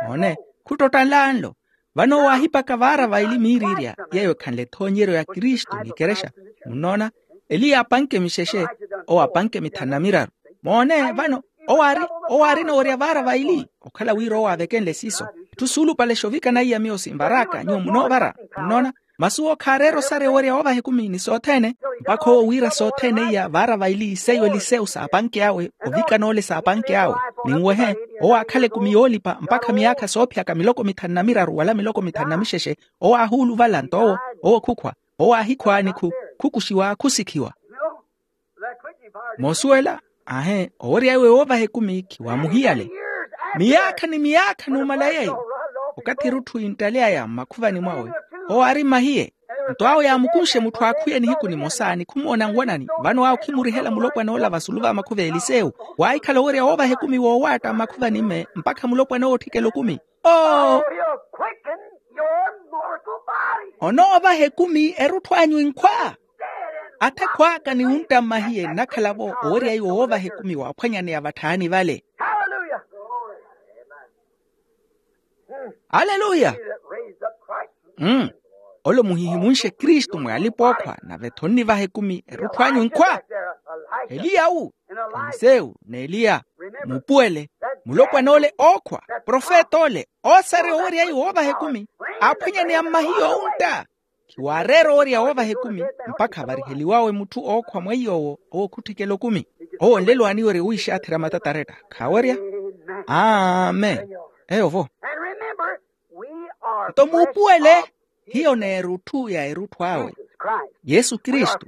Moone khuttotta nlaanlo. Vano owo aahipaka vaara vaili miiriirya yeeyo ekhanle ethoonyeryo ya kristu ni ekerexa. Munnoona eliya apanke mixexe owo apanke mithanu na miraru. Moone vano owo aari owo aarina owerya vaara vaili okhala wira owo aavekenle siiso. Itthu suulupale xoovikana iya miyo sinvar'aka nyuwo munoovara. Munnoona masi owo khaareera osareya owerya woovaha ekumi ni sothene mpakha owo wiira sothene iya vaara vaili seiyo eliseu saapanke awe ovikana ole saapanke awe. Ninwehe, owo aakhala ekumi yoolipa mpakha miyaakha soophiyaka miloko mithanu na miraru wala miloko mithanu na mixexe. Owo aahuuluvala nto owo, owo khukhwa, owo aahikhwa ni khu, khukuxiwa khusikhiwa. Moosuwela? Aahe, owerya iwe woovaha ekumi khiwaamuhiyale. Miyaakha ni miyaakha numala yeeyo. Okathi erutthu yinttaleya ya mmakhuvani mwawe, owo aari mmahiye. Nto awo yaamukunxe mutthu aakhuye nihiku nimosa ni khumoona nwanani. Vano awo khimurihela mulopwana ola vasulu va makhuva a elisewu. Waahikhala owerya woovaha ekumi woowaatta mmakhuvani-me mpakha mulopwana owo otthikela okumi. Oo. Onoovaha ekumi erutthu anyu inkhwa. Atha ekhw'aka ni wuntta mmahiye nnakhala-vo owerya iwo woovaha ekumi waaphwanyaneya vatthaani vale. Aleluya. Mm. Ole muhihimunxe kristu mwe alipa ookhwa nave-tho onnivaha ekumi erutthu anyu inkhwa. Eliya wu, elisewu n'eliya. Muupuwele, mulopwana ole ookhwa, profeta ole oosarya owerya iwo woovaha ekumi, aaphwanyaneya mmahiye owuntta. Khiwaareera owerya woovaha ekumi mpakha variheliwawe mutthu ookhwa mweiy'owo owo khutthikela okumi. Owo nlelo aaniwerya wiixaatherya matataretta khaawerya. Amen. Eyo-vo. Nto muupuwele, hiyo n'erutthu ya erutthu awe. Yesu kristu,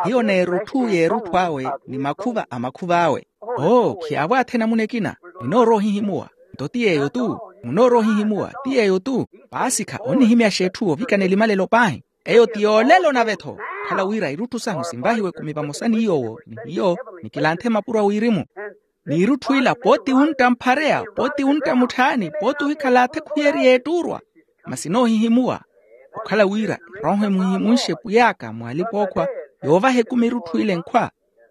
hiyo n'erutthu ya erutthu awe ni makhuva a makhuva awe. Oo khiyaavo athe namuna ekina. Ninoorowa ohihimuwa. Nto ti yeeyo-tu. Munoorowa ohihimuwa ti yeeyo-tu. Paasikha onnihimyaxa etthu ovikana elimalelo paahi. Eyo ti yoolelo nave-tho. Khala wira irutthu sahu sinvahiwe kumi vamosa ni yoowo ni hiyo, nikilanthe mapuro a wirimu. N'irutthu ila pooti wuntta mphareya, pooti wuntta mutthaani, pooti ohikhala athe khuyeriye ettuurwa. Masi noohihimuwa. Okhala wira erooho emuhihimunxe pwiy'aka mwaalipa ookhwa, yoovaha ekumi erutthu ile nkhwa.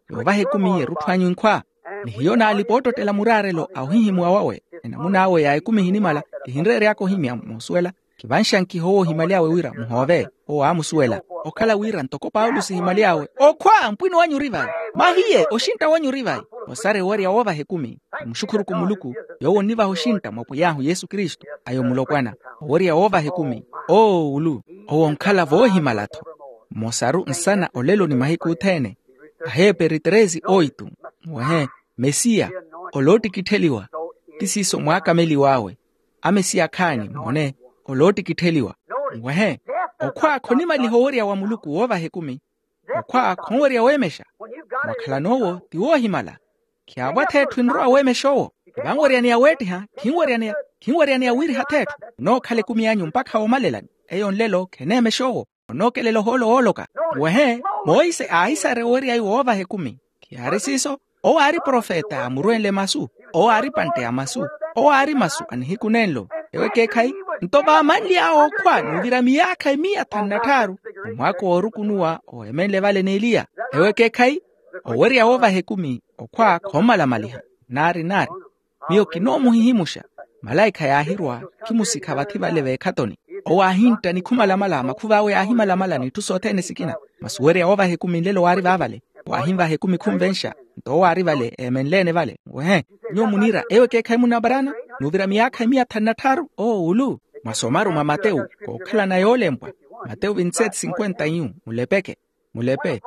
Yoovaha ekumi erutthu anyu inkhwa. Ni hiyo naalipa ottottela muraarelo a ohihimuwa wawe. Enamun'awe ya ekumi ehinimala, kihinreery'aka ohimya moosuwela. Kivanxankiha owo ohimaly'awe wira muhoove. Owo aamusuwela. Okhala wira ntoko paulo sihimaly'awe, okhwa mpwino wanyu ori vayi. Mahiye oxintta wanyu ori vayi. Osarya owerya woovaha ekumi. Muxukhuruku muluku, yoowo onnivaha oxintta mwa pwiy'ahu yesu kristu. Ayo mulopwana, owerya woovaha ekumi. Oo ulu. Owo onkhala voohimala-tho. Mmosaru nsana olelo ni mahiku othene. Aheeperi tresi oitu. Mwehe, mesiya, oloottikittheliwa. Ti siiso mwaakameliw'awe. Amesiya akhaani moone, oloottikittheliwa. Mwehe, okhwa khonimaliha owerya wa muluku woovaha ekumi. Okhwa khonwerya weemexa. Mwakhalan'owo ti woohimala. Khiyaavo atheetthu enrowa weemexa owo. Vanweryaneya weettiha, khinweryaneya, khinweryaneya wiiriha atheetthu. Munookhala ekumi anyu mpakha woomalelani. Eyo nlelo kheneemexa owo. Onookelela ohoolo wooloka. Wehe, monse aahisarya owerya iwo woovaha ekumi. Khiyaari siiso. Owo aari profeta aamurwenle masu. Owo aari pantte ya masu. Owo aari masu a nihiku nenlo. Ewo ekeekhayi. Nto vaamanly'awe okhwa n'uvira miyaakha emiya thanu na tthaaru, omwaako woorukunuwa owemenle vale n'eliya. Ewo ekeekhayi. Owerya woovaha ekumi okhwa khoomalamaliha. Naari naari. Miyo kinoomuhihimuxa. Malaikha yaahirwa, khimusikha vathi vale veekhatoni. Owo aahintta ni khumalamala makhuva awe yaahimalamala n'itthu sothene sikina. Masi owerya woovaha ekumi nlelo waari vaavale. Waahinvaha ekumi khunvenxa. Nto owo aari vale eemenleene vale. Wehe, nyuwo muniira ewo ekeekhayi munna abarana. N'uvira miyaakha emiya thanu na tthaaru owo ulu. Mwasomaru mwa matewu, kookhalana yoolempwa. Matewu vintseti sinkwenta iyu mulepeke. Mulepe.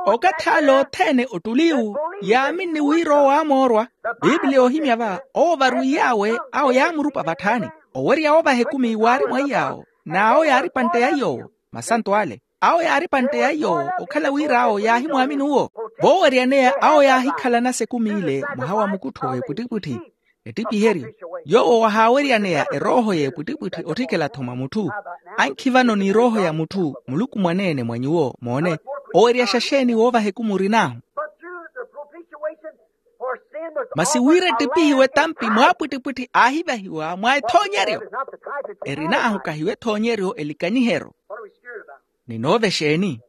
Okathi ale othene ottuli iwu yaaminni wira owo aamoorwa. Pipiliya oohimya va owo varwiy'awe awo yaamurupa vatthaani. Owerya woovaha ekumi waari mwaiy'awo. N'awo yaari pantte ya iy'owo. Masanto ale awo yaari pantte ya iy'owo okhala wira awo yaahimwaamini uwo. Vooweryaneya awo yaahikhalanasa ekumi ile mwaha wa mukuttho w'epwittipwitthi. Ettipiheryo. Yoowo wahaaweryaneya erooho y'epwittipwitthi otthikela-tho mwa mutthu. Ankhi vano n'irooho ya mutthu muluku mwaneene mwa nyuwo moone. Oweryaxa xeeni woovaha ekumi orin'ahu? Masi wira ettipihiwe tampi mwaapwittipwitthi aahivahiwa mwa ethoonyeryo. Erin'ahu kahiyo ethoonyeryo elikanyiheryo. Ninoova exeeni?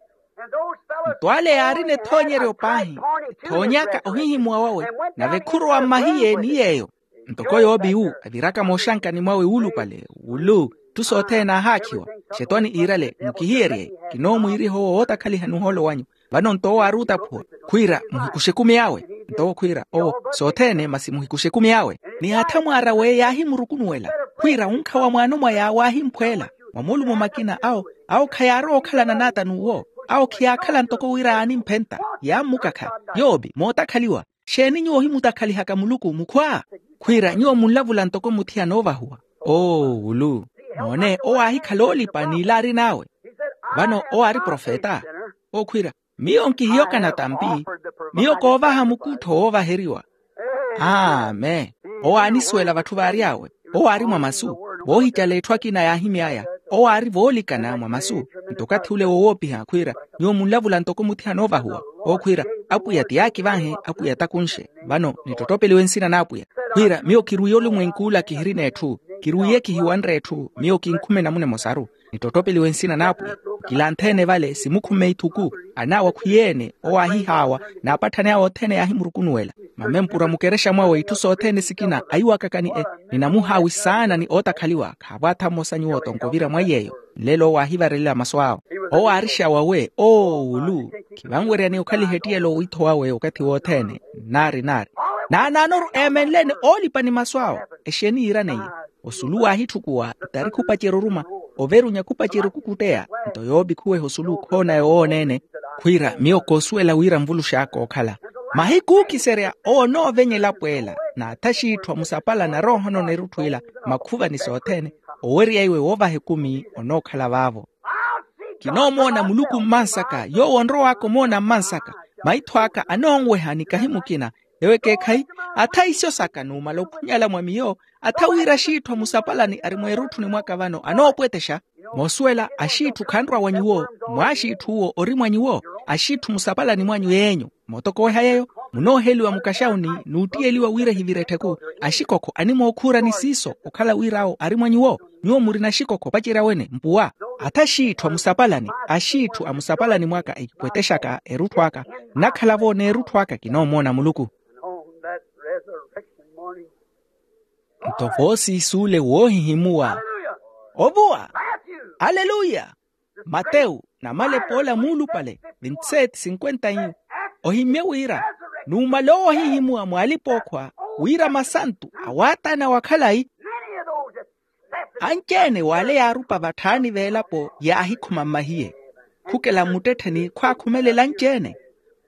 Nto ale yaarina ethoonyeryo paahi, ethoony'aka ohihimuwa wawe. Nave khurowa mmahiye ni yeeyo. Ntoko yoopi wu aviraka mooxankani mwawe wuulupale wulu, itthu sothene aahaakhiwa. Xetwani iirale mukihiyerye. Kinoomwiiriha owo wootakhalihani ohoolo wanyu. Vano nto owo aari otaphuwa, khwiira muhikuxe ekumi awe. Nto owo khwiira owo sothene masi muhikuxe ekumi awe. Ni athamwaara weyo yaahimurukunuwela, khwiira onkhawa mwaano mwa yaawo aahimphweela. Mwa moolumo makina awo, awo khayaarowa okhalana n'ata n'uwo. Awo khiyaakhala ntoko wira yaanimphenta yaammukakha. Yoopi mootakhaliwa. Xeeni nyuwo ohimutakhalihaka muluku mukhwa? Khwiira nyuwo munlavula ntoko muthiyana oovahuwa. Oowulu. Moone owo aahikhala oolipa n'ila arin'awe. Vano owo aari profeta. Okhwiira, miyo nkihiyoka natampi. Miyo koovaha mukuttho woovaheriwa. Amen. Owo aanisuwela vatthu vaary'awe. Owo aari mwa masu. Voohicala etthu akina yaahimy'aya. Owo aari voolikana mwa masu. Nto okathi ule wowoopiha khwiira, nyuwo munlavula ntoko muthiyana oovahuwa. Okhwiira, apwiya ti yaakivanhe, apwiya takunxe. Vano nittottopeliwe nsina n'apwiya. Khwiira miyo kirwiye olumwenk'ula kihirina etthu. Kirwiye kihiwanre etthu, miyo kinkhume enamuna emosaru. Nittottopeliwe nsina n'apwiya. Kilantheene vale simukhumme ithuku. An'awe akhwiyeene owo aahihaawa. N'apatthani awe othene yaahimurukunuwela. Mame mpura mukerexa mwawe itthu sothene sikina ahiwakakani e. Ninamuhaawi saana ni ootakhaliwa khaavo atha mmosa nyuwo tonko ovira mwa iy'eyo. Nlelo owo aahivarelela masu awe. Owo aari xawawe oowulu. Khivanweryani okhaliha ettiyela owiitho wawe okathi wothene. Nnaari nnaari. Naanaanoru eemenleene oolipa ni masu awe. Exeeni yiiraneiye? Osulu waahitthukuwa. Itarikhi opacerya oruma. Overunya khupacerya okukutteya. Nto yoopi khuweha osulu khoona yowooneene. Khwiira miyo koosuwela wira nvulux'aka ookhala. Mahiku ookiserya owo onoovenyela pweela. N'atha xiitthu amusapalani aroohana onerutthu ila. Makhuvani sothene. Owerya iwe woovaha ekumi onookhala vaavo. Kinoomoona muluku mmansaka yoowo onrow'aka omoona mmansaka. Maitho aka anoonweha nikahi mukina. Ewo ekeekhayi. Atha isyo saka numala okhunyala mwa miyo. Atha wira axiitthu amusapalani ari mweerutthuni mwaka vano anoopwetexa. Moosuwela axiitthu khanrwa wa nyuwo. Mwaaxiitthu uwo ori mwa nyuwo. Axiitthu musapalani mwanyu yeenyu. Mootokoweha yeeyo. Munooheliwa mukaxawuni. Nuuttiyeliwa wira ehivire ettheku. Axikokho animookhuurani siiso okhala wira awo ari mwa nyuwo. Nyuwo murina axikokho opacerya wene mpuwa. Atha axiitthu amusapalani axiitthu amusapalani mwaka ekipwetexaka erutthu aka. Nnakhala-vo n'erutthu aka kinoomoona muluku. Nto voosiisi ole woohihimuwa. Ovuwa. Aleluya. Matewu namalepa ola muulupale vinti seti sinkwenta inyu. Ohimmye wira numala owo ahihimuwa mwaalipa-okhwa wira masantu awaatana wa khalayi. Anci-ene w'ale yaarupa vatthaani v'elapo yaahikhuma mmahiye. Khukela mmuttettheni khwaakhumelela anci-ene.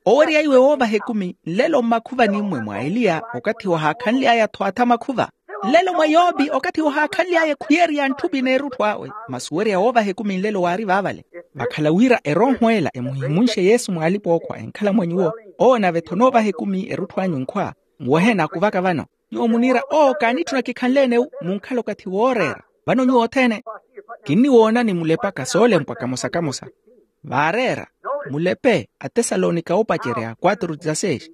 Owerya iwe woovaha ekumi nlelo mmakhuvani-mmwe mwa eliya okathi wahaakhanly'aya-tho atha makhuva. Nlelo mwa yoopi okathi wahaakhanly'aya ekhuyerya ntthupini erutthu awe masi owerya woovaha ekumi nlelo waari vaavale. Vakhala wira erooho ela emuhihimunxe yesu mwaalipa-okhwa enkhala mwa nyuwo. Owo nave-tho onoovaha ekumi erutthu anyu nkhwa. Nwehe nakuvaka vano. Nyuwo muniira oo kaanitthuna kikhanleene-wu munkhala okathi wooreera. Vano nyuwo othene kinniwoonani mulepaka soolempwa kamosa-kamosa. Vaareera mulepe atesalonika oopacerya quatro dezasseis.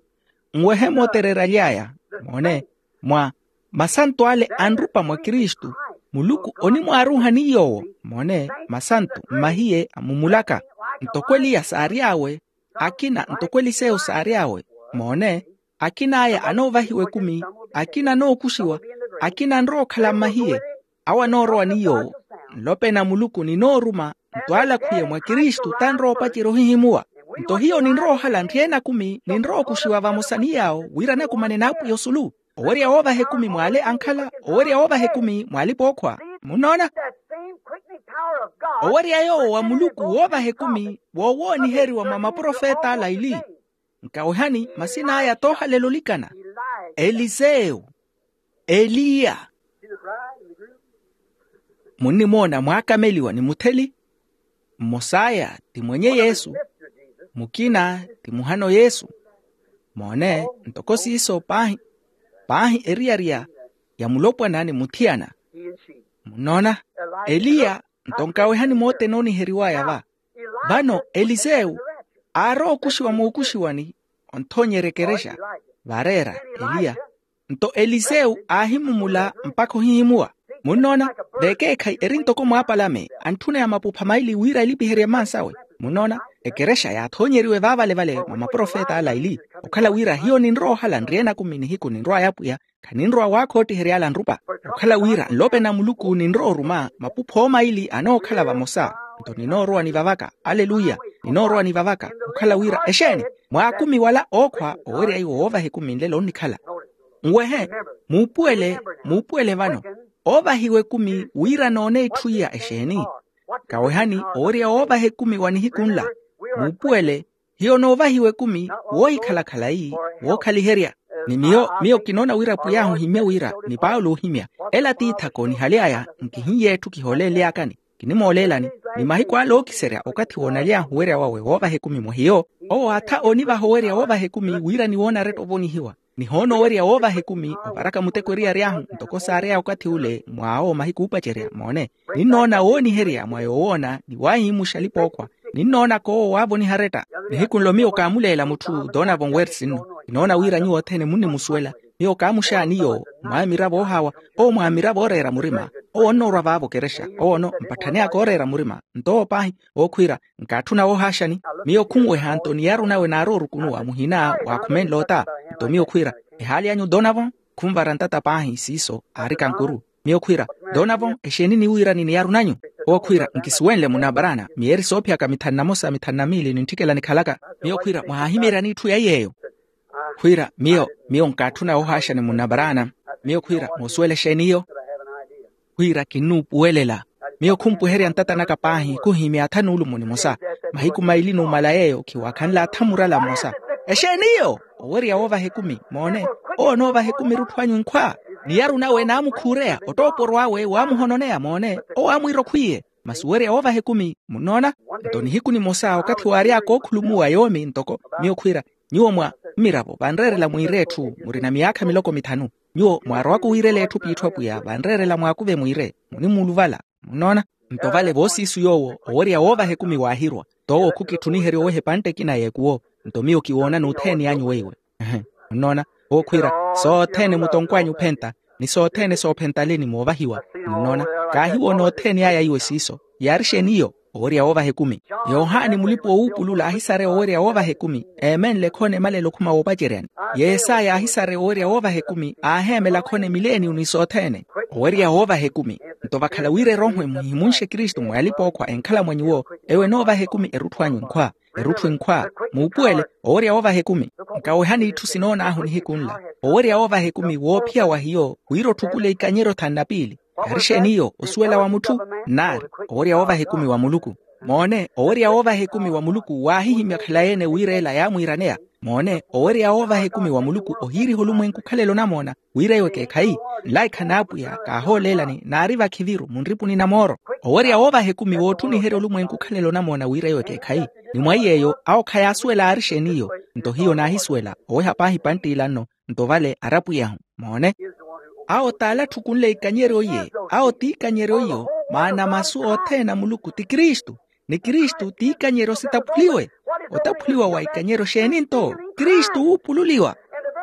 Nwehe mootereeraly'aya moone mwa masantu ale anrupa mwa kristu. Muluku onimwaaruuhani yoowo moone masantu mmahiye amumulaka. Ntoko eliya saary'awe akina ntoko elisewu saary'awe moone. Akin'aya anoovahiwa ekumi akina anookuxiwa akina anrowa okhala mmahiye. Awo anoorowa ni yoowo nlopena muluku ninooruma nto alakhwiye mwa kristu tanrowa opacerya ohihimuwa. Nto hiyo ninrowa ohala nryeene akumi ninrowa okuxiwa vamosa ni yaawo wira anakumane n'apwiya osulu. Owerya woovaha ekumi mwaale ankhala owerya woovaha ekumi mwaalipa-okhwa. Munnoona? Owerya yoowo wa muluku woovaha ekumi woowooniheriwa mwa maprofeta ala ili. Nkawehani masin'aya toohalela olikana elisewu eliya. Munnimoona mwaakameliwa ni mutheli mmos'aya ti mwenye yesu. Mukina ti muhano yesu. Moone ntoko siiso paahi paahi eriyari ya mulopwana ni muthiyana. Munnoona? Eliya nto nkawehani mootene ooniheriw'aya va. Vano elisewu aarowa okuxiwa mookuxiwani. Onthoonyerya ekerexa vaareera eliya. Nto elisewu aahimumula mpakha ohihimuwa. Munnoona? Vekeekhayi eri ntoko mwaapalame antthuneya mapupha maili wira elipiherye mmansawe. Munnoona? Ekerexa yaathoonyeriwe vaavale-vale mwa maprofeta ala aili. Okhala wira hiyo ninrowa ohala nryeene akumi nihiku ninrw'aya apwiya. Khaninrowa waakhootiherya ala nrupa. Okhala wira nlopena muluku ninrowa oruma mapupha omaili anookhala vamosa. Nto ninoorowa nivavaka aleluya. Ninoorowa nivavaka okhala wira exeeni mwaakumi wala ookhwa owerya iwo woovaha ekumi nlelo onnikhala. Nwehe muupuwele muupuwele vano oovahiwa ekumi wira noone itthu iya exeeni? Kawehani owerya woovaha ekumi wa nihiku nla muupuwele. Hiyo noovahiwa ekumi woohikhala khalayi, wookhaliherya. Ni miyo miyo kinoona wira pwiy'ahu ohimmye wira ni paulo oohimya, ela tiithaka onihaly'aya nkihinnye etthu kihoolenly'akani. Kinimooleelani ni mahiku ale ookiserya okathi woonaly'ahu owerya wawe woovaha ekumi mwa hiyo. Owo atha onivaha owerya woovaha ekumi wira niwoona aretta ovonihiwa. Nihoona owerya woovaha ekumi ovaraka muteko eriyari ahu ntoko saary'aya okathi ule mwaawo mahiku oopacerya moone. Ninnoona wooniherya mwa yoowoona ni waahimuxa alipa ookhwa. Ninnoonaka owo waavoniha aretta. Nihiku nlo miyo kaamuleela mutthu donovan wersi nno. Kinoona wira nyuwo othene munnimusuwela. Miyo kaamuxaani yoowo mwaamiravo oohawa, owo mwaamiravo ooreera murima. Owo onnoorwa vaavo okerexa owono mpatthani aka ooreera murima. Nto owo paahi ookhwiira, nkaatthuna woohaaxani. Miyo khunweha nto niyaru nawe naari orukunuwa muhina waakhumenle ota. Nto miyo khwiira, ehaali anyu donovan. Khunvara ntata paahi siiso aari kankuru. Miyo khwiira, donovan exeeni niwiirani niyaru nanyu? Owo khwiira, nkisuwenle munabaraana miyeeri soophiyaka mithanu na mosa mithanu na miili nintthikela nikhalaka. Miyo khwiira mwahaahimeeryani itthu ya iy'eyo? Khwiira miyo miyo nkaatthuna woohaaxani munabaraana. Miyo khwiira moosuwela exeeni iyo? Khwiira kinnuupuwelela. Miyo khumpuherya ntata naka paahi khuhimya atha nuulumo nimosa. Mahiku maili numala yeeyo khiwaakhanle atha murala mmosa. Exeeni iyo? Owerya woovaha ekumi moone. Owo onoovaha ekumi erutthu anyu nkhwa. Niyaru nawe naamukhuureya ottooporw'awe waamuhononeya moone. Owo aamwiira okhwiye. Masi owerya woovaha ekumi munnoona? Nto nihiku nimosa okathi waary'aka ookhulumuwa yoomi ntoko miyo khwiira, nyuwo mwa mmiravo vanreerela mwiire etthu murina miyaakha miloko mithanu. Nyuwo mwaarowaka owiirela etthu p'itthu apwiya vanreerela mwaakuve mwiire. Munimuuluvala. Munnoona? Nto vale voosiisu yoowo owerya woovaha ekumi waahirwa. Toowo khukitthuniherya oweha epantte ekina y'ekuwo. Nto miyo kiwoona n'uthene anyu weiwe. Munnoona? Owo khwiira, sothene mutonkw'anyu ophenta ni sothene soophentaleni moovahiwa. Munnoona? Kaahiwoona othene aya iwe siiso. Yaari exeeni iyo? Owerya woovaha ekumi. Yohani mulipa-oowuupulula aahisareya owerya woovaha ekumi eemenle khona emalelo okhuma woopaceryani. Yesaya aahisareya owerya woovaha ekumi aaheemela khona emileniyo ni sothene. Owerya woovaha ekumi. Nto vakhala wira erooho emuhihimunxe kristu mwa yalipa-ookhwa enkhala mwa nyuwo. Ewo enoovaha ekumi erutthu anyu nkhwa. Erutthu inkhwa. Muupuwele owerya woovaha ekumi. Nkawehani itthu sinoon'ahu nihiku nla. Owerya woovaha ekumi woophiya wa hiyo wira otthukule ikanyeryo thanu na piili. Yaari exeeni iyo? Osuwela wa mutthu. Nnaari, owerya woovaha ekumi wa muluku. Moone owerya woovaha ekumi wa muluku waahihimya khalayi-ene wira ela yaamwiiraneya. Moone owerya woovaha ekumi wa muluku ohiiriha olumwenku okhalela onamoona wira iwe ekeekhayi. Nlaikha n'apwiya kaahooleelani naari vakhiviru munripuni na mooro. Owerya woovaha ekumi wootthuniherya olumwenku okhalela onamoona wira iwe ekeekhayi. Ni mwa iy'eyo awo khayaasuwela aari exeeni iyo. Nto hiyo naahisuwela oweha paahi panttila nno. Nto vale ari apwiyahu. Moone, awo t'ale atthukunle ikanyeryo iye. Awo t'ikanyeryo iyo. Maana masu othene a muluku ti kristu. Ni kristu t'ikanyeryo sitaphuliwe. Otaphuliwa wa ikanyeryo xeeni nto? Kristu wuupululiwa.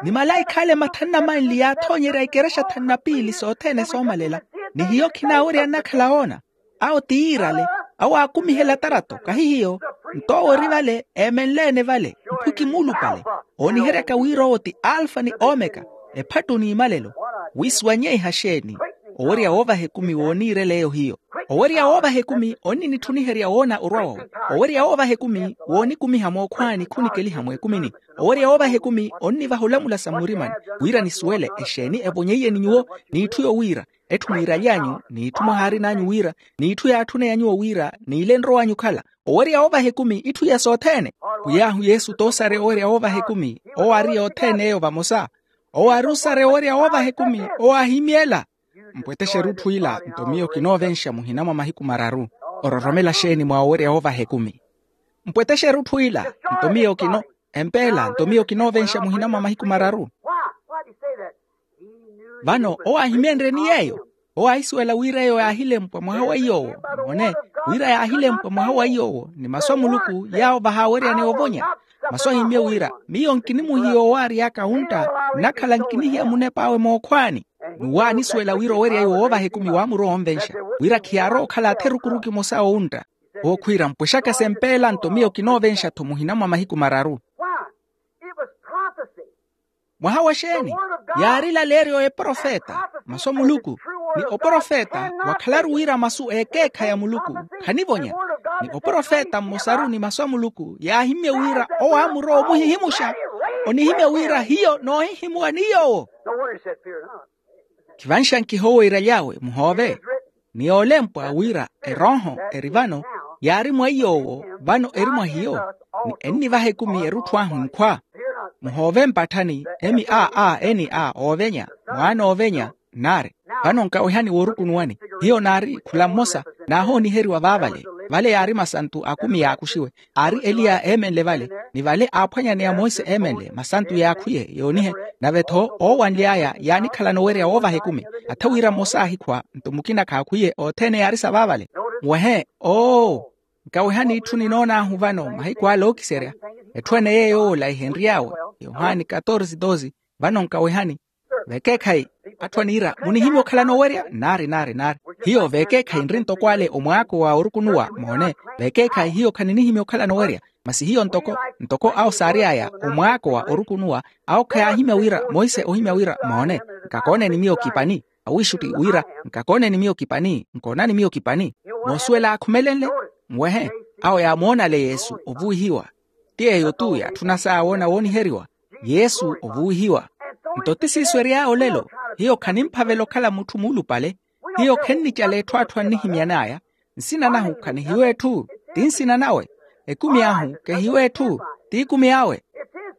Ni malaikha ale mathanu na manli yaathoonyerya ikerexa thanu na piili sothene soomalela. Ni hiyo khinaawerya nnakhala woona. Awo ti yiirale. Awo aakumihela tarato kahi hiyo. Nto owo ori vale eemenle-ene vale. Mphuki muulupale ooniheryaka wira owo ti alfa ni omeka, ephattu n'imalelo. Wisuwanyeiha xeeni? Owerya woovaha ekumi wooniirela eyo hiyo. Owerya woovaha ekumi onninitthuniherya woona orwa wawe. Owerya woovaha ekumi woonikumiha mookhwaani khunikeliha mweekumini. Owerya woovaha ekumi onnivaha olamula sa mmurimani wira nisuwele exeeni evonyeiye ni nyuwo, n'itthu yowiira, etthu mwiiraly'anyu n'itthu mwahaarin'anyu wira, n'itthu yaatthuney'anyu owiira n'ile enrow'anyu okhala. Owerya woovaha ekumi itthu iya sothene. Pwiy'ahu yesu t'osareya owerya woovaha ekumi. Owo aari yothene eyo vamosa. Owo aari osareya owerya woovaha ekumi. Owo aahimy'ela. Mpwetexe erutthu ila nto miyo kinoovenxa muhina mwa mahiku mararu. Ororomela xeeni mwa owerya woovaha ekumi? Mpwetexe erutthu ila nto miyo kino empeela nto miyo kinoovenxa muhina mwa mahiku mararu. Vano owo aahimyenrye ni yeeyo. Owo aahisuwela wira eyo yaahilempwa mwaha wa iy'owo. Moone, wira yaahilempwa mwaha wa iy'owo ni masu a muluku yaawo vahaaweryaneya ovonya. Masu ahimmye wira miyo nkinimuhiya owo aary'aka wuntta, nnakhala nkinihiya munep'awe mookhwaani. N'uwo aanisuwela wira owerya iwo woovaha ekumi waamurowa onvenxa, wira khiyaarowa okhala atherukuruku emosa owuntta. Owo khwiira mpwexaka sempeela nto miyo kinoovenxa-tho muhina mwa mahiku mararu. Mwaha wa xeeni? Yaari ilaleeryo eprofeta, masu a muluku. Ni oprofeta wakhalaru wira masu ekeekhayi a muluku khanivonya. Ni oprofeta mmosaru ni masu a muluku yaahimmye wira owo aamurowa omuhihimuxa. Onihimya wira hiyo noohihimuwa ni yoowo. Khivanxa nkihoweiraly'awe muhoove. Ni yoolempwa wira erooho eri vano, yaari mwa iy'owo vano eri mwa hiyo. ni ennivaha ekumi erutthu ahu nkhwa. Muhoove mpatthani emi a a eni a oovenya, mwaana oovenya. Nnaari, vano nkawehani woorukunuwani. Hiyo naari khula mmosa, naahooniheriwa vaavale. Vale yaari masantu akumi yaakuxiwe. Aari eliya eemenle vale, ni vale aaphwanyaneya monse eemenle masantu yaakhwiye yoonihe. Nave-tho oowanly'aya yaanikhalana owerya woovaha ekumi. Atha wira mmosa aahikhwa nto mukina khaakhwiye othene yaari sa vaavale. Muwehe oo. Nkawehani itthu ninoon'ahu vano mahiku ale ookiserya. Etthu ene yeeyo ola ehenry'awe, yohani katorsi dosi. Vano nkawehani. Vekeekhayi, atthu aniira munihimya okhalana owerya nnaari nnaari nnaari. Hiyo vekeekhayi nri ntoko ale omwaako wa orukunuwa moone. Vekeekhayi hiyo khaninihimya okhalana owerya. Masi hiyo ntoko ntoko awo saary'aya omwaako wa orukunuwa. Awo khayaahimya wira monse ohimya wira moone, nkakooneni miyo kipani. Awiixutti wira nkakooneni miyo kipani nkoonani miyo kipani. Moosuwela aakhumelenle. Muwehe, awo yaamoona ale yesu ovuwihiwa. Ti yeeyo-tu yaatthuna saawoona wooniheriwa. Yesu ovuwihiwa. Nto ti siiso ery'aya olelo. Hiyo khanimphavela okhala mutthu muulupale. Hiyo khennicala etthu atthu annihimyan'aya. Nsina nahu khanihiyo etthu, ti nsina nawe. Ekumi ahu kehiyo etthu, ti ekumi awe.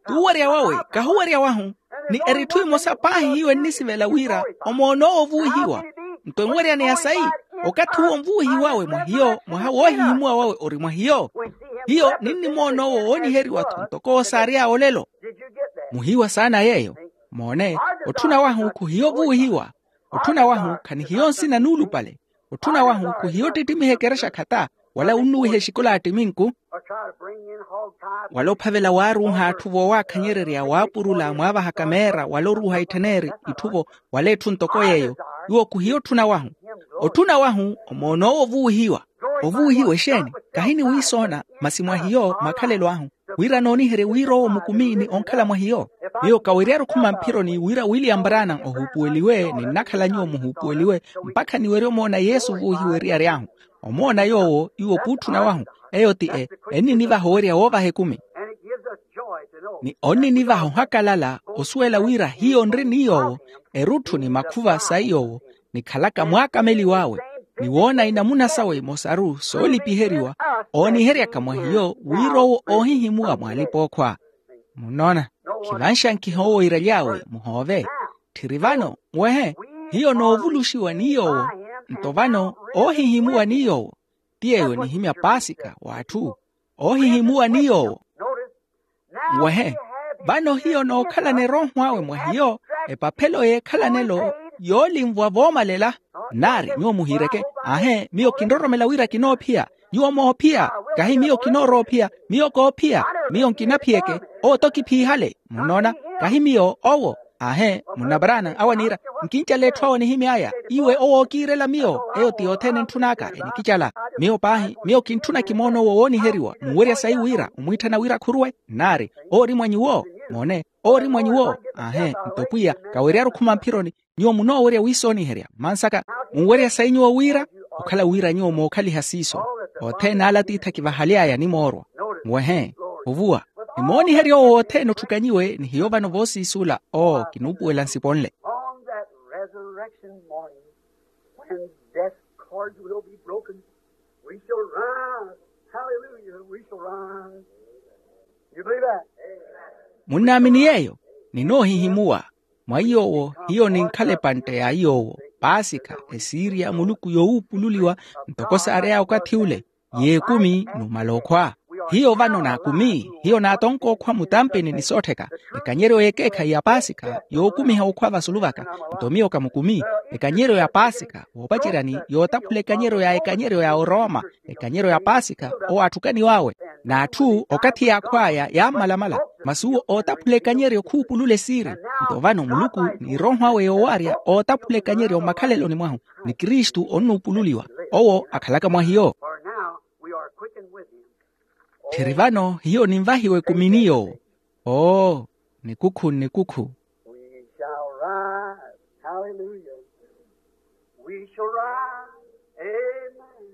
T'uwerya wawe, kahuwerya wahu. Ni eritthu emosa paahi hiyo ennisivela wira omoon'owo ovuwihiwa. Nto enweryaneya sayi, okathi uwo onvuwihiwawe mwa hiyo mwaha woohihimuwa wawe ori mwa hiyo. Hiyo ninnimoon'owo wooniheriwa-tho ntoko owo saary'aya olelo. Muhiwa saana yeeyo. Moone, otthuna wahu khuhiyo ovuwihiwa. Otthuna wahu khanihiyo nsina nuulupale. Otthuna wahu khuhiyo ottittimiha ekerexa khata, wala wunnuwiha exikola attiminku. Wala ophavela waaruuha atthu voowakhanyererya waapurula mwaavaha kameera wala oruuha ittheneri itthu-vo, wala etthu ntoko yeeyo. Iwo khuhiyo otthuna wahu. Otthuna wahu omoon'owo ovuwihiwa. Ovuwihiwa exeeni? Kahini wiisoona, masi mwa hiyo makhalelo ahu, wira nooniherye wira owo mukumi ni onkhala mwa hiyo. Miyo kaweryaru okhuma mphironi wira william brana ohuupuweliwe ni nnakhala nyuwo muhuupuweliwe, mpakha niwerye omoona yesu ovuwihiwa eriyari ahu. Omoona yoowo iwo khuutthuna wahu. Eyo ti e enninivaha owerya woovaha ekumi. Ni onninivaha ohakalala osuwela wira hiyo nri ni yoowo, erutthu ni makhuva sayi yoowo, nikhalaka mwaakameliw'awe, ni woona inamuna sawe imosaru soolipiheriwa, ooniheryaka mwa hiyo wira owo oohihimuwa mwa alipa-ookhwa. Munnoona, khivanxankiha owo iiraly'awe muhoove. Tthiri vano, muwehe, hiyo noovuluxiwa ni yoowo. Nto vano oohihimuwa ni yoowo. Ti yeeyo enihimya paasika w'atthu, oohihimuwa ni yoowo. Muwehe, vano hiyo nookhalana erooho awe mwa hiyo, epaphelo y'ekhalanelo yoolinvwa voomalela. Nnaari nyuwo muhiireke, aahe miyo kinroromela wira kinoophiya. Nyuwo moophiya. Kahi miyo kinooroophiya. Miyo koophiya. Miyo nkinaphiyeke. Owo t'okiphiihale. Munnoona? Kahi miyo owo. Aahe, munna brana awo aniira, nkincala etthu awo anihimy'aya. Iwe owo ookiirela miyo eyo ti yothene entthun'aka enikicala. Miyo paahi miyo kintthuna kimoona owo wooniheriwa munwerya sayi wira omwiitthana wira khuruwe. Nnaari, owo ori mwa nyuwo. Moone, owo ori mwa nyuwo. Aahe, nto pwiya kaweryaru okhuma mphironi. Nyuwo munoowerya wiisooniherya mmansaka, munwerya sayi nyuwo wira okhala wira nyuwo mookhaliha siiso. Othene ala atiithi akivahaly'aya animoorwa. Muwehe, ovuwa, nimooniherya owo wothene otthukanyiwe ni hiyo vano voosiisula. Oo kinuupuwela nsiponle. On that resurrection morning, when death cords will be broken, we shall rise. Hallelujah, we shall rise. You believe that? Munnaamini yeeyo? Ninoohihimuwa. Mwa iy'owo hiyo ninkhala epantte ya iy'owo, paasikha, esiirya muluku yoowuupululiwa, ntoko saary'aya okathi ule. Y'ekumi numala okhwa. Hiyo vano naakumi. Hiyo naatonka okhwa mutampini ni soottheka. Ekanyeryo y'ekeekhayi ya paasikha yookumiha okhwa vasulu vaka. Nto miyo kamukumi. Ekanyeryo ya paasikha voopaceryani yootaphula ekanyeryo ya ekanyeryo ya orooma. Ekanyeryo ya paasikha owo aatthukaniw'awe. N'atthu okathi yaakhw'aya yaammalamala. Masi uwo ootaphula ekanyeryo khuupulula esiiri. Nto vano muluku ni erooho awe yoowarya ootaphula ekanyeryo mmakhaleloni mwahu. Ni kristu onnuupululiwa. Owo akhalaka mwa hiyo. Tthiri vano hiyo ninvahiwa ekumi ni yoowo. Oo, nikukhu nikukhu. We shall rise. Hallelujah. We shall rise. Amen.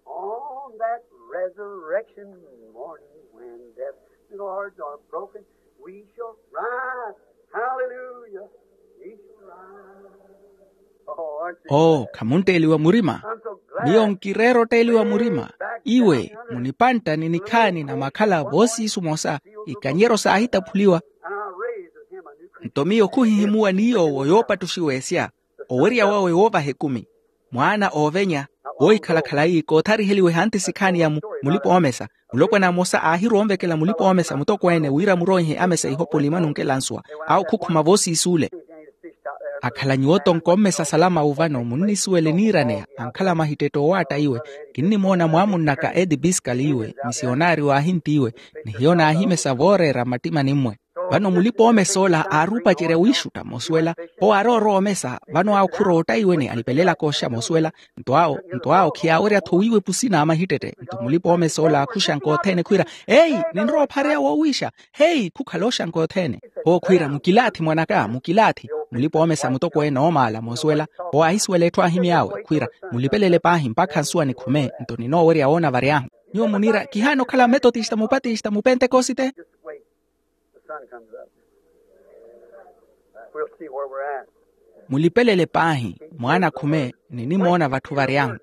On that resurrection morning when death cords are broken, we shall rise. Hallelujah. We shall rise. Oh, aren't you oo glad? Khamuntteliwa murima. I'm so glad. Miyo nkireera otteeliwa murima. Iwe munipantta ni nikhaani na makhala voosiisu mosa, ikanyeryo saahitaphuliwa. Nto miyo khuhihimuwa ni yoowo yoopattuxiwa esya. Owerya wawe woovaha ekumi. Mwaana oovenya, woohikhala khalayi koothariheliwe ehanti sikhaani ya mulipa oomesa. Mulopwana mmosa aahirwa onvekela mulipa oomesa mutokweene wira muroihe amesa ihopoli mwanunkela nsuwa. Awo khukhuma voosiis'ule. Akhala nyuwo tonko mmesa salama uvano munnisuwele niiraneya ankhala mahittette owaatta iwe. Kinnimoona mwaamunnaka edi piskali iwe, misionaario aahinti iwe, ni hiyo naahimesa vooreera mmattimani mmwe. Vano mulipa oomesa ola aaruupacerya wiixutta mosuwela. Owo aaroorowa omesa vano awo khurootta iwe ni alipelelaka oxa mosuwela. Nto awo nto awo khiyaawerya-tho wiiwa epusi n'amahittette nto mulipa oomesa ola aakhuxanka othene khwiira, eyi, ninrowa ophareya woowiixa. Heyi, khukhala oxanka othene. Owo khwiira, mukilaathi mwanaka, mukilaathi. Mulipa oomesa mutokweene oomaala moosuwela. Owo aahisuwela etthu aahimy'awe khwiira, mulipelele paahi mpakha nsuwa nikhume nto ninoowerya woona vary'ahu. Nyuwo muniira kihaana okhala mmetotista mupatista mupentekosite. Mulipelele paahi mwaana akhume, ninimoona vatthu vary'ahu.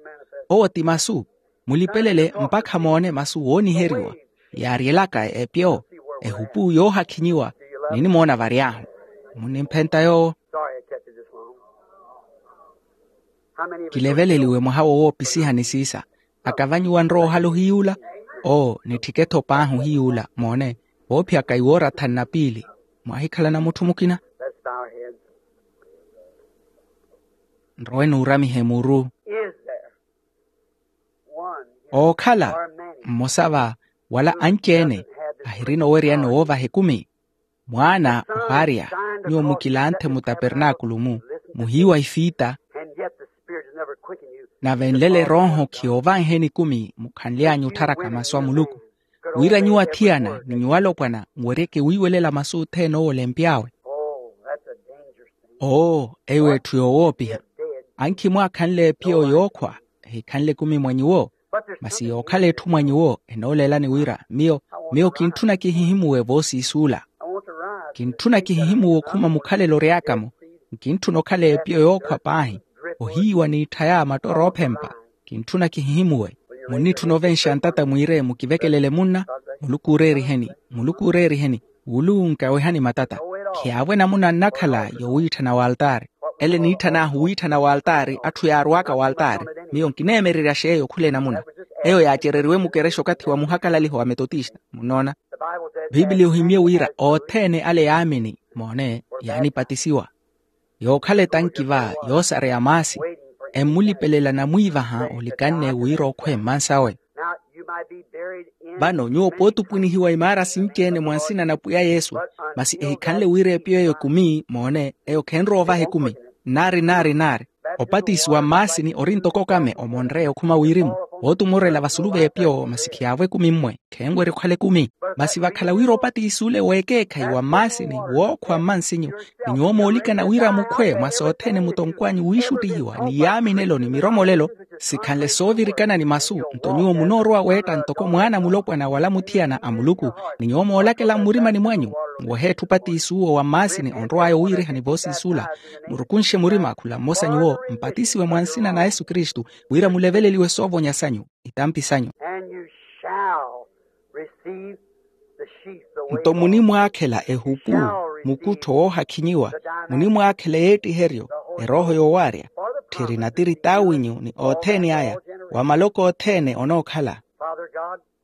Owo ti masu. Mulipelele mpakha moone masu wooniheriwa yaaryelaka epyo, ehupu yoohakhinyiwa. Ninimoona vary'ahu. Munnimphenta yoowo. Kileveleliwe mwaha wo woopisihani siisa. Akavanyiwa nrowa ohala ohiyuula. Oo, nitthike-tho paahi ohiyuula moone. Voophiyaka iwoorathani na piili. Mwaahikhalana mutthu mukina. Nrowe nuuramihe muru. Ookhala mmosa va wala anci-ene ahirina oweryani owoovaha ekumi? Mwaana ohaarya, nyuwo mukilanthe mutapernaakulu-mu, muhiiwa ifiita. Nave nlelo erooho khiyoovanheni ekumi mukhanly'anyu ottharaka masu a muluku, wira nyuwo athiyana ni nyuwo alopwana muweryeke wiiwelela masu othene owo olempy'awe. Oo, eyo etthu yoowoopiha. Ankhi mwaakhanle ephiyo yookhwa ehikhanle ekumi mwa nyuwo. Masi yookhala etthu mwa nyuwo enooleelani wira miyo miyo kintthuna kihihimuwe voosiisuula. Kintthuna kihihimuwe okhuma mukhalelo ory'aka-mo. Nkintthuna okhala ephiyo yookhwa paahi, ohiiwa n'ittha ya matoro oophempa. Kintthuna kihihimuwe. Munnitthuna ovenxa ntata mwiire mukivekelele munna. Muluku ooreeriheni, muluku ooreeriheni. Wuluwu nkawehani matata. Khiyaavwe namuna nnakhala yowiitthana w'altaari. Ele niitthanahu wiitthana w'altaari atthu yaarw'aka w'altaari. Miyo nkineemererya xeeyo khula enamuna. Eyo yaacereriwe mukerexa okathi wa muhakalaliho wa metotista munnoona. Piipiliya ohimye wira othene ale yaamini moone yaanipatisiwa. Yookhala etanki va yoosareya maasi. Emmulipelela namwiivaha olikanne wira okhwe mmansawe. Vano nyuwo pootupwinihiwa imaara sinci-ene mwa nsina na pwiya yesu. Masi ehikhanle wira epiyo eyo ekumi moone eyo khenrowa ovaha ekumi. Nnaari nnaari nnaari. Opatisiwa mmaasini ori ntoko okame omonreya okhuma wirimu. Wootumorela vasulu v'epiyo masi khiyaavo ekumi mmwe. Khenwerya okhala ekumi. Masi vakhala wira opatisiwule w'ekeekhayi wa mmaasini wookhwa mmansinyu, ni nyuwo moolikana wira mukhwe mwa sothene mutonkw'anyu wiixuttihiwa ni yaaminelo ni miromolelo, sikhanle soovirikana ni masu. Nto nyuwo munoorowa weetta ntoko mwaana mulopwana wala muthiyana a muluku. Ni nyuwo moolakela mmurimani mwanyu, muwehe etthu opatisiwuwo wa mmaasini onrow'aya owiirihani voosiisuula. Murukunxe murima khula mmosa nyuwo mpatisiwe mwa nsina na yesu kristu, wira muleveleliwe soovonya sanyu, itampi sanyu. Nto munimwaakhela ehupu, mukuttho woohakhinyiwa, munimwaakhela eyeettiheryo, erooho yoowaarya. Tthiri natiri t'awinyu ni othene aya, wa maloko othene onookhala.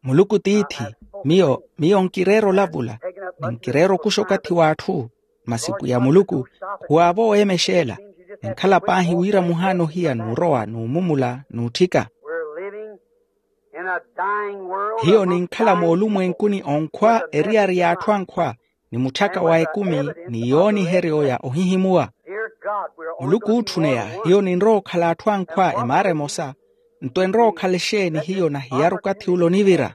Muluku tiithi, miyo miyo nkireera olavula, ni nkireera okuxa okathi w'atthu. Masi pwiya muluku, khuwaavo weemexeela. Ninkhala paahi wira muhaana ohiya n'urowa n'umumula n'utthika. Hiyo ninkhala moolumwenkuni onkhwa eriyari y'atthu ankhwa, ni mutthaka wa ekumi, ni yooniheryo ya ohihimuwa. Muluku ootthuneya, hiyo ninrowa okhala atthu ankhwa emaara emosa. Nto enrowa okhala exeeni hiyo nahiyari okathi ula onivira?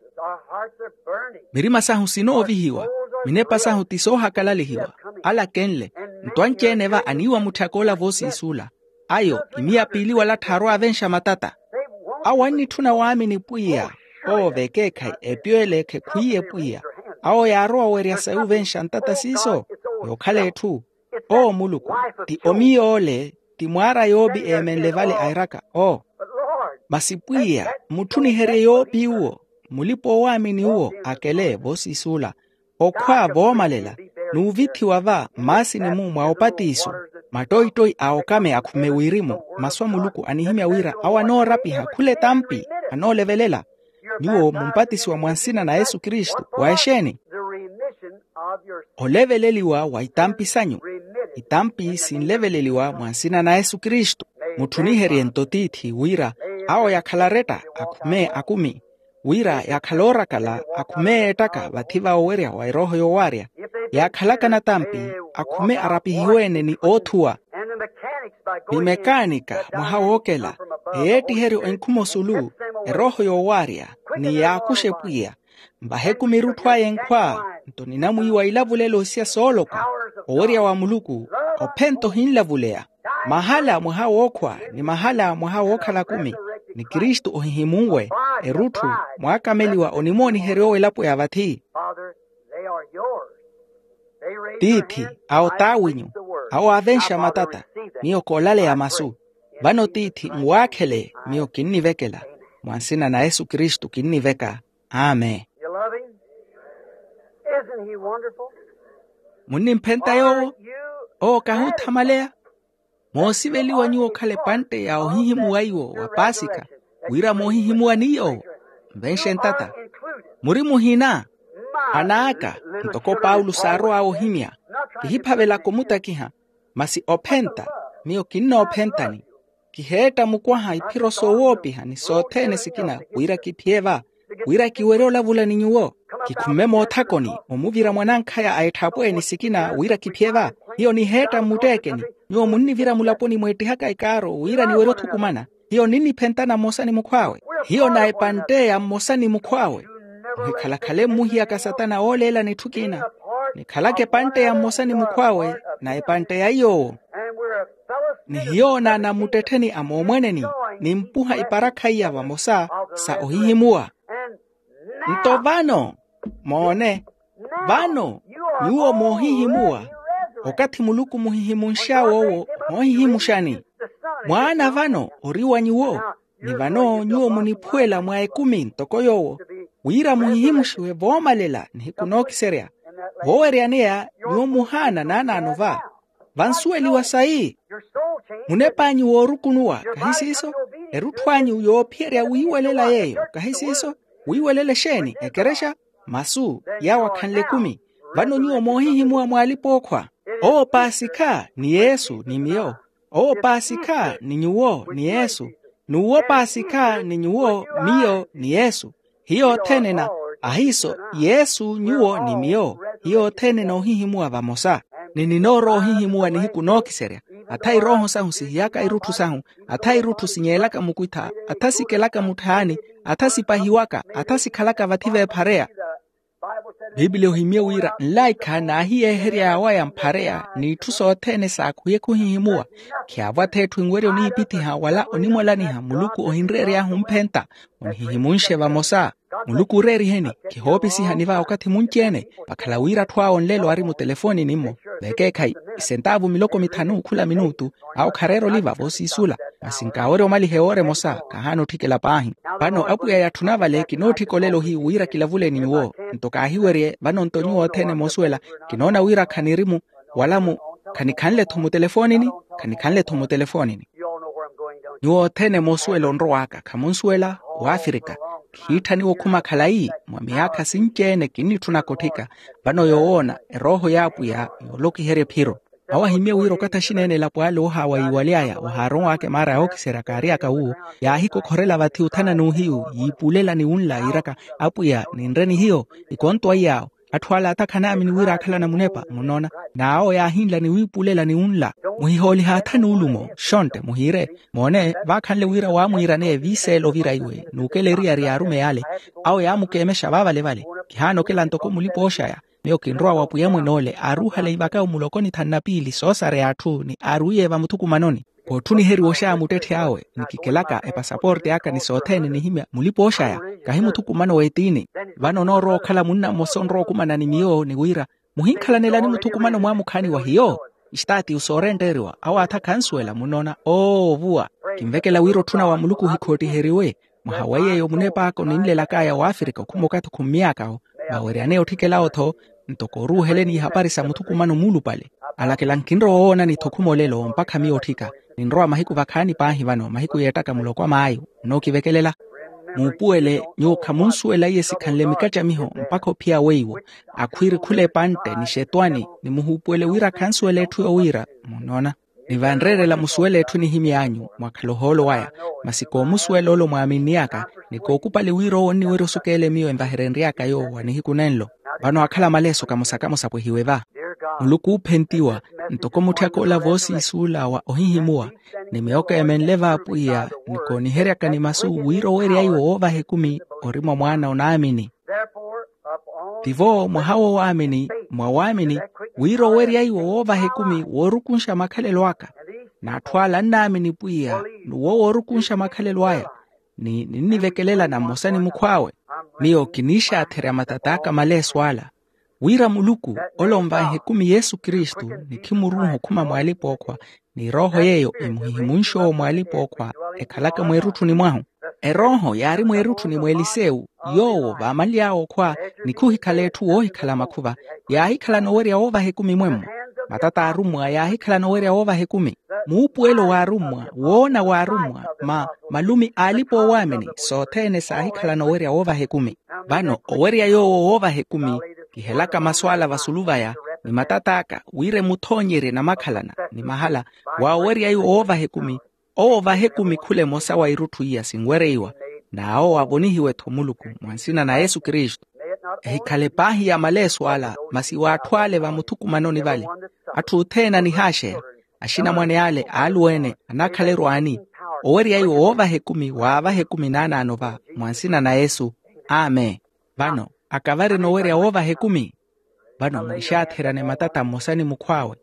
Mirima sahu sinoovihiwa, minepa sahu ti soohakalalihiwa. Ala kenle. Nto anci-ene va aniiwa mutthaka ola voosiisuula. Ayo imiya piili wala tthaarowa avenxa matata. Awo annitthuna waamini pwiya. Oo v'ekeekhayi epiyo ele khekhwiiye pwiya. Awo yaarowa owerya sayi ovenxa ntata siiso. Yookhala etthu. Oo muluku, ti omiyo ole, ti mwaara yoobi eemenle vale airaka oo. Masi pwiya, mutthuniherye yoopi uwo, mulipa-owaamini uwo akele voosiisuula, okhwa voomalela, n'uvithiwa va mmaasini-mu mwa opatiso, mattoittoi a okame akhume wirimu. Masu a muluku anihimya wira awo anoorapiha khula etampi, anoolevelela. Nyuwo mumpatisiwa mwa nsina na yesu kristu wa exeeni? Oleveleliwa wa itampi sanyu. Itampi sinleveleliwa mwa nsina na yesu kristu. Mutthuniherye-nto tiithi wira awo yakhala aretta akhume akumi, wira yakhala oorakala akhume eettaka vathi va owerya wa erooho yoowaarya. Yaakhalaka natampi, akhume arapihiwe-ene ni oothuwa. Ni mekaanika mwaha wookela, eyeettiheryo enkhuma osulu, erooho yoowaarya, ni yaakuxe pwiya. Mvahe ekumi erutthu aya enkhwa. Nto ninamwiiwa ilavulelo isiya sooloka, owerya wa muluku, ophenta ohinlavuleya. Mahala mwaha wookhwa, ni mahala mwaha wookhala akumi, ni kristu ohihimunwe, erutthu, mwaakameliwa onimooniherya owo elapo ya vathi. Tiithi, awo t'awinyu, awo aavenxa matata. Miyo koolaleya masu. Vano tiithi nwaakhele, miyo kinnivekela. Mwa nsina na yesu kristu kinniveka. Amen. Munnimphenta yoowo? Owo kahuuthamaleya. Moosiveliwa nyuwo okhala epantte ya ohihimuwa iwo wa paasikha, wira moohihimuwa ni yoowo. Nvenxe ntata. Muri muhina. Anaaka, ntoko paulo saarow'awe ohimya, kihiphavelaka omutakiha. Masi ophenta, miyo kinnoophentani. Kiheetta mukwaha iphiro soowoopiha ni sothene sikina wira kiphiye va, wira kiwerye olavula ni nyuwo. Kikhumme moothakoni omuvira mwanankhaya a etthapweeni sikina wira kiphiye va. Hiyo niheetta mmutteekeni. Nyuwo munnivira mulaponi mweettihaka ekaaro wira niwerye othukumana. Hiyo ninniphentana mmosa ni mukhw'awe. Hiyo na epantte ya mmosa ni mukhw'awe. Muhikhalakhale mmuhiyaka satana ooleelani etthu ekina. Nikhalaka epantte ya mmosa ni mukhw'awe, na epantte ya iy'owo. Ni hiyo naanammuttettheni a moomweneni, nimpuha iparakha iya vamosa sa ohihimuwa. Nto vano, moone, vano, nyuwo moohihimuwa. Okathi muluku muhihimunx'awe owo, moohihimuxani. Mwaana vano ori wa nyuwo. Ni vano nyuwo muniphuwela mwa ekumi ntoko yoowo, wira muhihimuxiwe voomalela nihiku nookiserya. Vooweryaneya, nyuwo muhaana naanaano va. Vansuweliwa sayi. Munep'anyu woorukunuwa, kahi siiso? Erutthu anyu yoophiyerya wiiwelela yeeyo, kahi siiso? Wiiwelela exeeni? Ekerexa? Masu. Yaawo akhanle ekumi. Vano nyuwo moohihimuwa mwa alipa-ookhwa. Owo paasikha ni yesu ni miyo. Owo paasikha ni nyuwo ni yesu. N'uwo paasikha ni nyuwo, miyo ni yesu. Hiyo othene na, ahiiso, yesu nyuwo ni miyo. Hiyo othene noohihimuwa vamosa. Ni ninoorowa ohihimuwa nihiku nookiserya. Atha irooho sahu sihiyaka irutthu sahu. Atha irutthu sinyeelaka mukwitha. Atha sikelaka mutthaani. Atha sipahiwaka. Atha sikhalaka vathi veephareya. Piipiliya ohimye wira nlaikha naahiyeeherya yawaya mphareya, n'itthu sothene saakhuye khuhihimuwa. Khiyaavo atha etthu enwerya oniipithiha wala onimwalaniha muluku ohinreery'ahu omphenta. Onihihimunxe vamosa. Muluku ooreeriheni. Khihoopisihani va okathi munci-ene. Vakhala wira atthu awo nlelo ari mutelefonini-mmo. Vekeekhayi, isentaavu miloko mithanu khula minutu. Awo khareera oliva voosiisula. Masi nkaawerya omaliha ewoora emosa, kahaana otthikela paahi. Vano apwiya yatthuna vale kinootthika olelo hiyu wira kilavule ni nyuwo. Nto kaahiwerye vano nto nyuwo othene moosuwela. Kinoona wira khanirimu wala mu khanikhanle-tho mutelefonini. Khanikhanle-tho mutelefonini. Nyuwo othene moosuwela onrow'aka khamunsuwela. W'afirika. Khiitthaniwa okhuma khalayi mwa miyaakha sinci-ene kinnitthunaka otthika. Vano yoowoona erooho y'apwiya yoolokiherya ephiro. Awo ahimye wira okathi axineenela pwaali oohaawa yiiwaly'aya ohaaronw'aka emaara yookiserya kaary'aka wuwo. Yaahikokhorela vathi othana n'uhiyu yiipulela ni wunla yiiraka, apwiya ninre ni hiyo. Ikontwaiye awo. Atthu ala atakhan'amini wira aakhalana munepa munoona. N'awo yaahinla ni wiipulela ni wunla. Muhihooliha atha n'ulumo xontte muhiire. Moone, vaakhanle wira waamwiiraneya viiseela ovira iwe n'ukela eriyari y'arumeyi ale. Awo yaamukeemexa vaavale-vale. Kihaana okela ntoko mulipa-ooxaya. Miyo kinrowa wa pwiya mwene ole aaruuhale ivaka omulokoni thanu na piili soosareya atthu ni aaruwiye vamuthukumanoni. Kootthuniheriwa oxaya muttetthe awe ni kikelaka epasaporte aka ni sothene nihimya mulipa-ooxaya. Kahi muthukumano w'etiini. Vano onoorowa okhala munna mmosa onrowa okumana ni miyo ni wira muhinkhalanelani muthukumano mwaamukhaani wa hiyo. Istaati usoorentteeriwa awo atha khansuwela munoona. Oovuwa. Kinvekela wira otthuna wa muluku ohikhootiheriwe. Mwaha wa yeeyo munepaaka oninlelak'aya w'afrika okhuma okathi okhummy'aka-wo, vaweryaneya otthikela-wo-tho. Ntoko oruuheleni ihapari sa muthukumano muulupale. Alakela nkinrowa owoonani-tho okhuma olelo mpakha miyo otthika. Ninrowa mahiku vakhaani paahi vano mahiku yeettaka muloko a maayu. Nnookivekelela. Muupuwele nyuwo khamunsuwela iye sikhanle mikattamiho mpakha ophiya weiwo. Akhwiiri khula epantte ni xetwani. Nimuhuupuwele wira khansuwela etthu yoowiira. Munnoona? Ni vanreerela musuwela etthu enihimy'anyu mwakhala ohoolo waya. Masi koomusuwela ole omwaaminniy'aka, ni kookupali wira owo onniwerya osukeele miyo envaherenry'aka yoowo wa nihiku nenlo. Vano akhala maleeso kamosa kamosa apwehiwe va. Muluku oophentiwa, ntoko mutthiyaka ola voosiisuula wa ohihimuwa, ni miyo keemenle va apwiya, ni kooniheryaka ni masu wira owerya iwo woovaha ekumi ori mwa mwaana onaamini. Tivo mwaha woowaamini mwa waamini, wira owerya iwo woovaha ekumi woorukunxa makhalelo aka. N'atthu ala annaamini pwiya, n'uwo woorukunxa makhalelo aya. Ni ninnivekelela na mmosa ni mukhw'awe. Miyo kiniixaatherya matat'aka maleeso ala, wira muluku ole onvanha ekumi yesu kristu, ni khimuruuha okhuma mw'alipa-ookhwa, ni erooho yeeyo emuhihimunxe owo mw'alipa-ookhwa, ekhalaka mweerutthuni mwahu. Erooho yaari mweerutthuni mw'elisewu, yoowo vaamanly'awe okhwa, ni khuhikhala etthu woohikhala makhuva, yaahikhala noowerya woovaha ekumi mwemmo. Matata a arummwa yaahikhala noowerya woovaha ekumi. Muupuwelo w'arummwa, woona w'arummwa, ma malumi a alipa-oowaamini sothene saahikhala noowerya woovaha ekumi. Vano owerya yoowo woovaha ekumi, kihelaka masu ala vasulu vaya, ni matat'aka wira emuthoonyerye namakhalana ni mahala. Wa owerya iwo woovaha ekumi, owo ovaha ekumi khula emosa wa irutthu iya sinwereiwa, n'awo avonihiwe-tho muluku mwa nsina na yesu kristu. Ehikhale paahi ya maleeso ala masi w'atthu ale vamuthukumanoni vale. Atthu othene anihaaxeya, axinamwane ale aaluwene anakhala erwaani. Owerya iwo woovaha ekumi waavaha ekumi naanaano va, mwa nsina na yesu. Amen. Vano, akavari noowerya woovaha ekumi. Vano mwixaatherya ni matata mmosa ni mukhw'awe.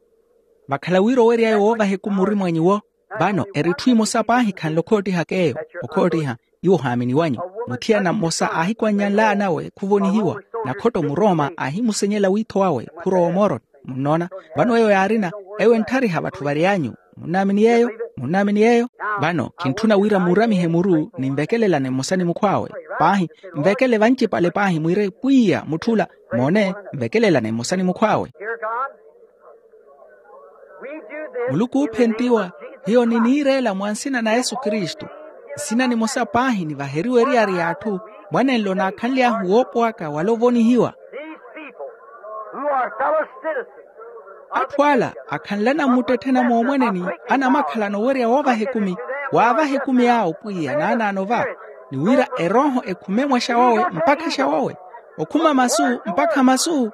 Vakhala wira owerya iwo woovaha ekumi ori mwa nyuwo. Vano eri etthu emosa paahi khanle okhoottihaka eyo. Okhoottiha, nyuwo ohaamini wanyu. Muthiyana mmosa aahikwannyanl'anawe khuvonihiwa, nakhotto murooma aahimusenyela wiitho wawe khurowa omoroni. Munnoona? Vano eyo yaarina, eyo entthariha vatthu vary'anyu. Munnaamini yeeyo? Munnaamini yeeyo? Vano kintthuna wira muuramihe muru ninvekelelane mmosa ni mukhw'awe. Paahi, nvekele vancipale paahi mwire pwiya mutthula. Moone, nvekelelane mmosa ni mukhw'awe. Muluku oophentiwa, hiyo niniireela mwa nsina na yesu kristu. Nsina nimosa paahi nivaheriwe eriyari y'atthu, mwanenlo naakhanly'ahu woopwaka wala ovonihiwa. Atthu ala akhanlana mmuttetthena moomwaneni, anamakhalana owerya woovaha ekumi, waavaha ekumi awo pwiya naanaano va, ni wira erooho ekhume mwaxa wawe mpakha xa wawe, okhuma masu mpakha masu.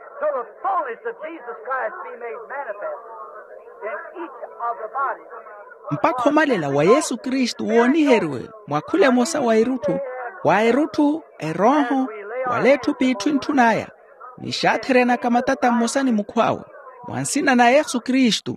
Mpakha omalela wa yesu kristu wooniheriwe mwa khula emosa wa erutthu, wa erutthu, erooho, wala etthu p'itthu entthun'aya. Nixaatheryanaka matata mmosa ni mukhw'awe, mwa nsina na yesu kristu.